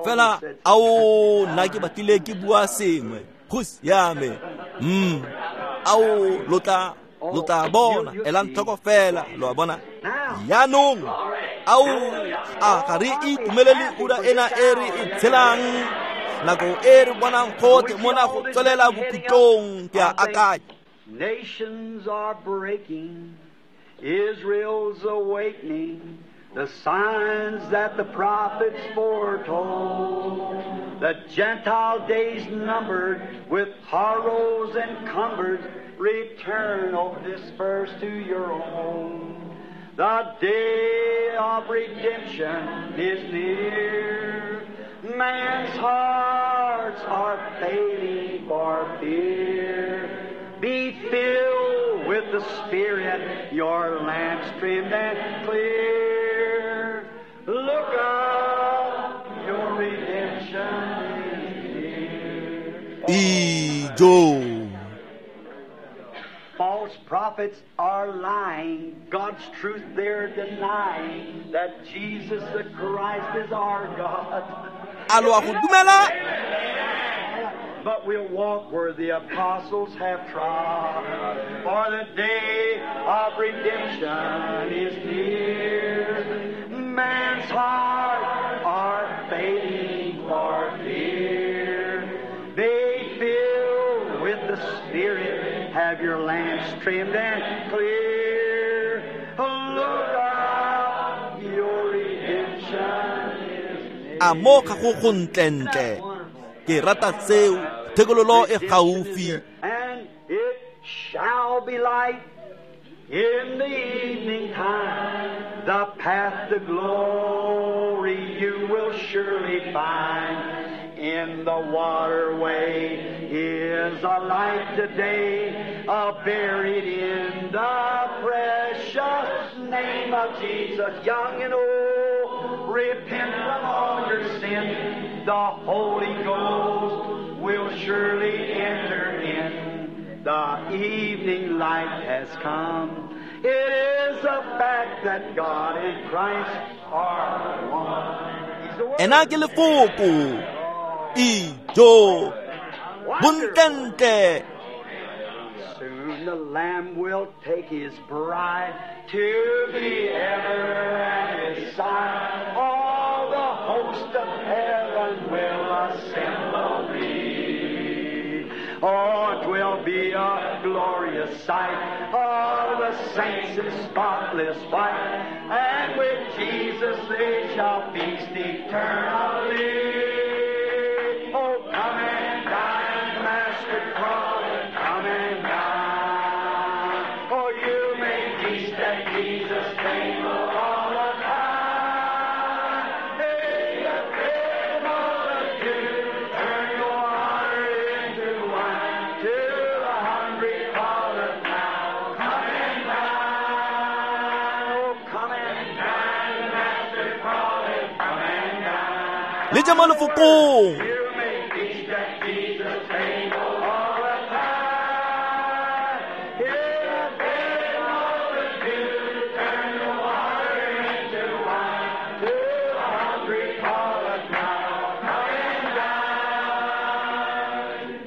Fela ao nna ke batlile ke bua sengwe go siame. Mm ao lo tla lo tla bona, elang tlhoko fela, lo a bona. Jaanong ao a ga re itumelele ura ena e re e tshelang, nako e re bonang gotlhe mona go tswelela bokhutlong. Ke a akanya. Nations are breaking, Israel's awakening, the signs that the prophets foretold, the Gentile days numbered, with horrors encumbered, return, O dispersed to your own. The day of redemption is near. Man's hearts are failing for fear. Be filled with the Spirit, your lamps trimmed and clear. Look up, your redemption is near. Ijo. False prophets are lying, God's truth they're denying, that Jesus the Christ is our God. A lo a go dumela? But we'll walk where the apostles have trod, for the day of redemption is near. Man's hearts are fading for fear. Be filled with the Spirit, have your lamps trimmed and clear. Look up, your redemption is near. A mo ga go go ntlentle. Ke rata seo, thekololo e gaufi. And it shall be light in the evening time. The path to glory you will surely find. In the waterway is a light today, uh, buried in the precious name of Jesus. Young and old, repent from all your sin. The Holy Ghost will surely enter in. The evening light has come. It is a fact that God and Christ are one. He's the Word. Ena ke lefoko. Ijo. Bontentle. Soon the Lamb will take his bride to be ever at his side. All the host of heaven will assemble be. Oh, it will be a glorious sight, all the saints in spotless white, and with Jesus they shall feast eternally. Oh, come and dine, Master Crawley, come and dine. Oh, you may feast at Jesus' table all the time. Hey, the great multitude, turn your water into wine. To the hungry calleth now, come and dine. Oh, come and dine, Master Crawley, come and dine. Le ja mo lefokong. You may feast at Jesus' table all the time. Here the great multitude, turn the water into wine. To the hungry calleth now, come and dine.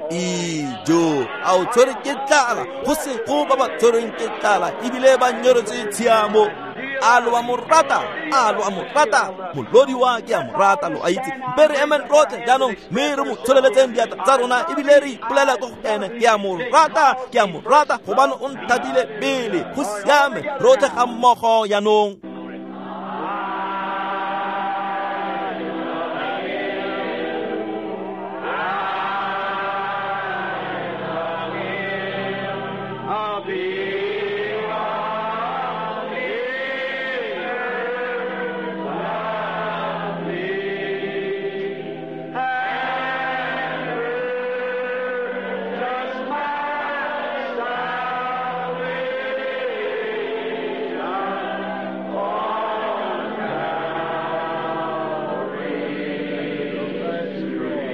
Ijo. A o tshwere ke tlala, go se go ba ba tshwereng ke tlala ebile ba nyoretswe tshiamo. A lo a mo rata, a lo a mo rata, molodi wa ke a mo rata, lo a itse. Mpe re emeng rotlhe jaanong, mme re mo tsholeletseng diatla tsa rona ebile re ipolela ko go ene. Ke a mo rata, ke a mo rata, gobane o nthatile pele. Go siame, rotlhe ga mmogo jaanong. I'll be on the earth, love me, and purchase my salvation on Calvary's tree.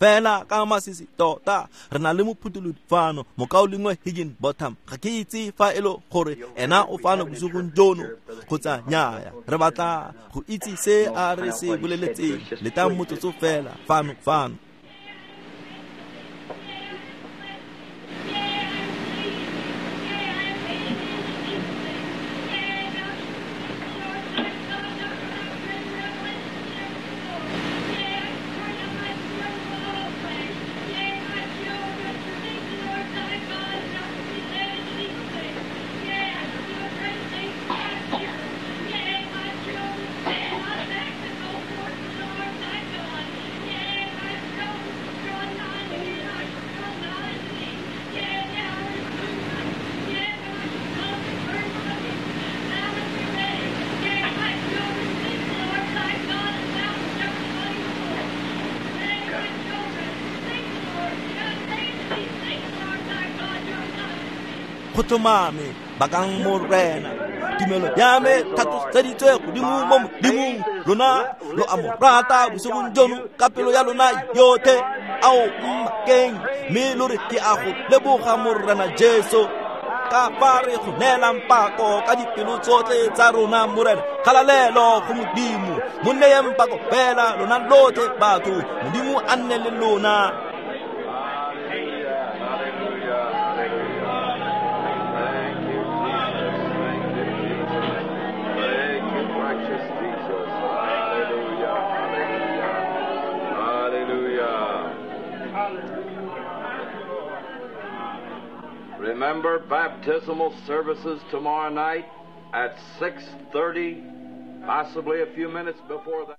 Fela ka masisi tota re na le mophutholodi fano, mokaulengwe Higginbotham. Ga ke itse fa e le gore ena o fano bosigong jono kgotsa nnyaya. Re batla go itse se a re se boleletseng. Letang motsotso fela fano fano. Go tlhomame bakang Morena. Tumelo ya me tlhatloseditswe godimo mo Modimong. Lona lo a mo rata bosigong jono ka pelo ya lona yotlhe. Ao mmakeng, mme lo re ke a go leboga Morena Jesu ka fa re go neelang pako ka dipelo tsotlhe tsa rona Morena. Kgalalelo go Modimo. Mo neyeng pako fela lona lotlhe batho. Modimo a nne le lona. Hallelujah, hallelujah, hallelujah. Thank you, Jesus. Thank you, Jesus. Thank you, precious Jesus. Hallelujah, hallelujah, hallelujah. Remember baptismal services tomorrow night at six thirty, possibly a few minutes before that.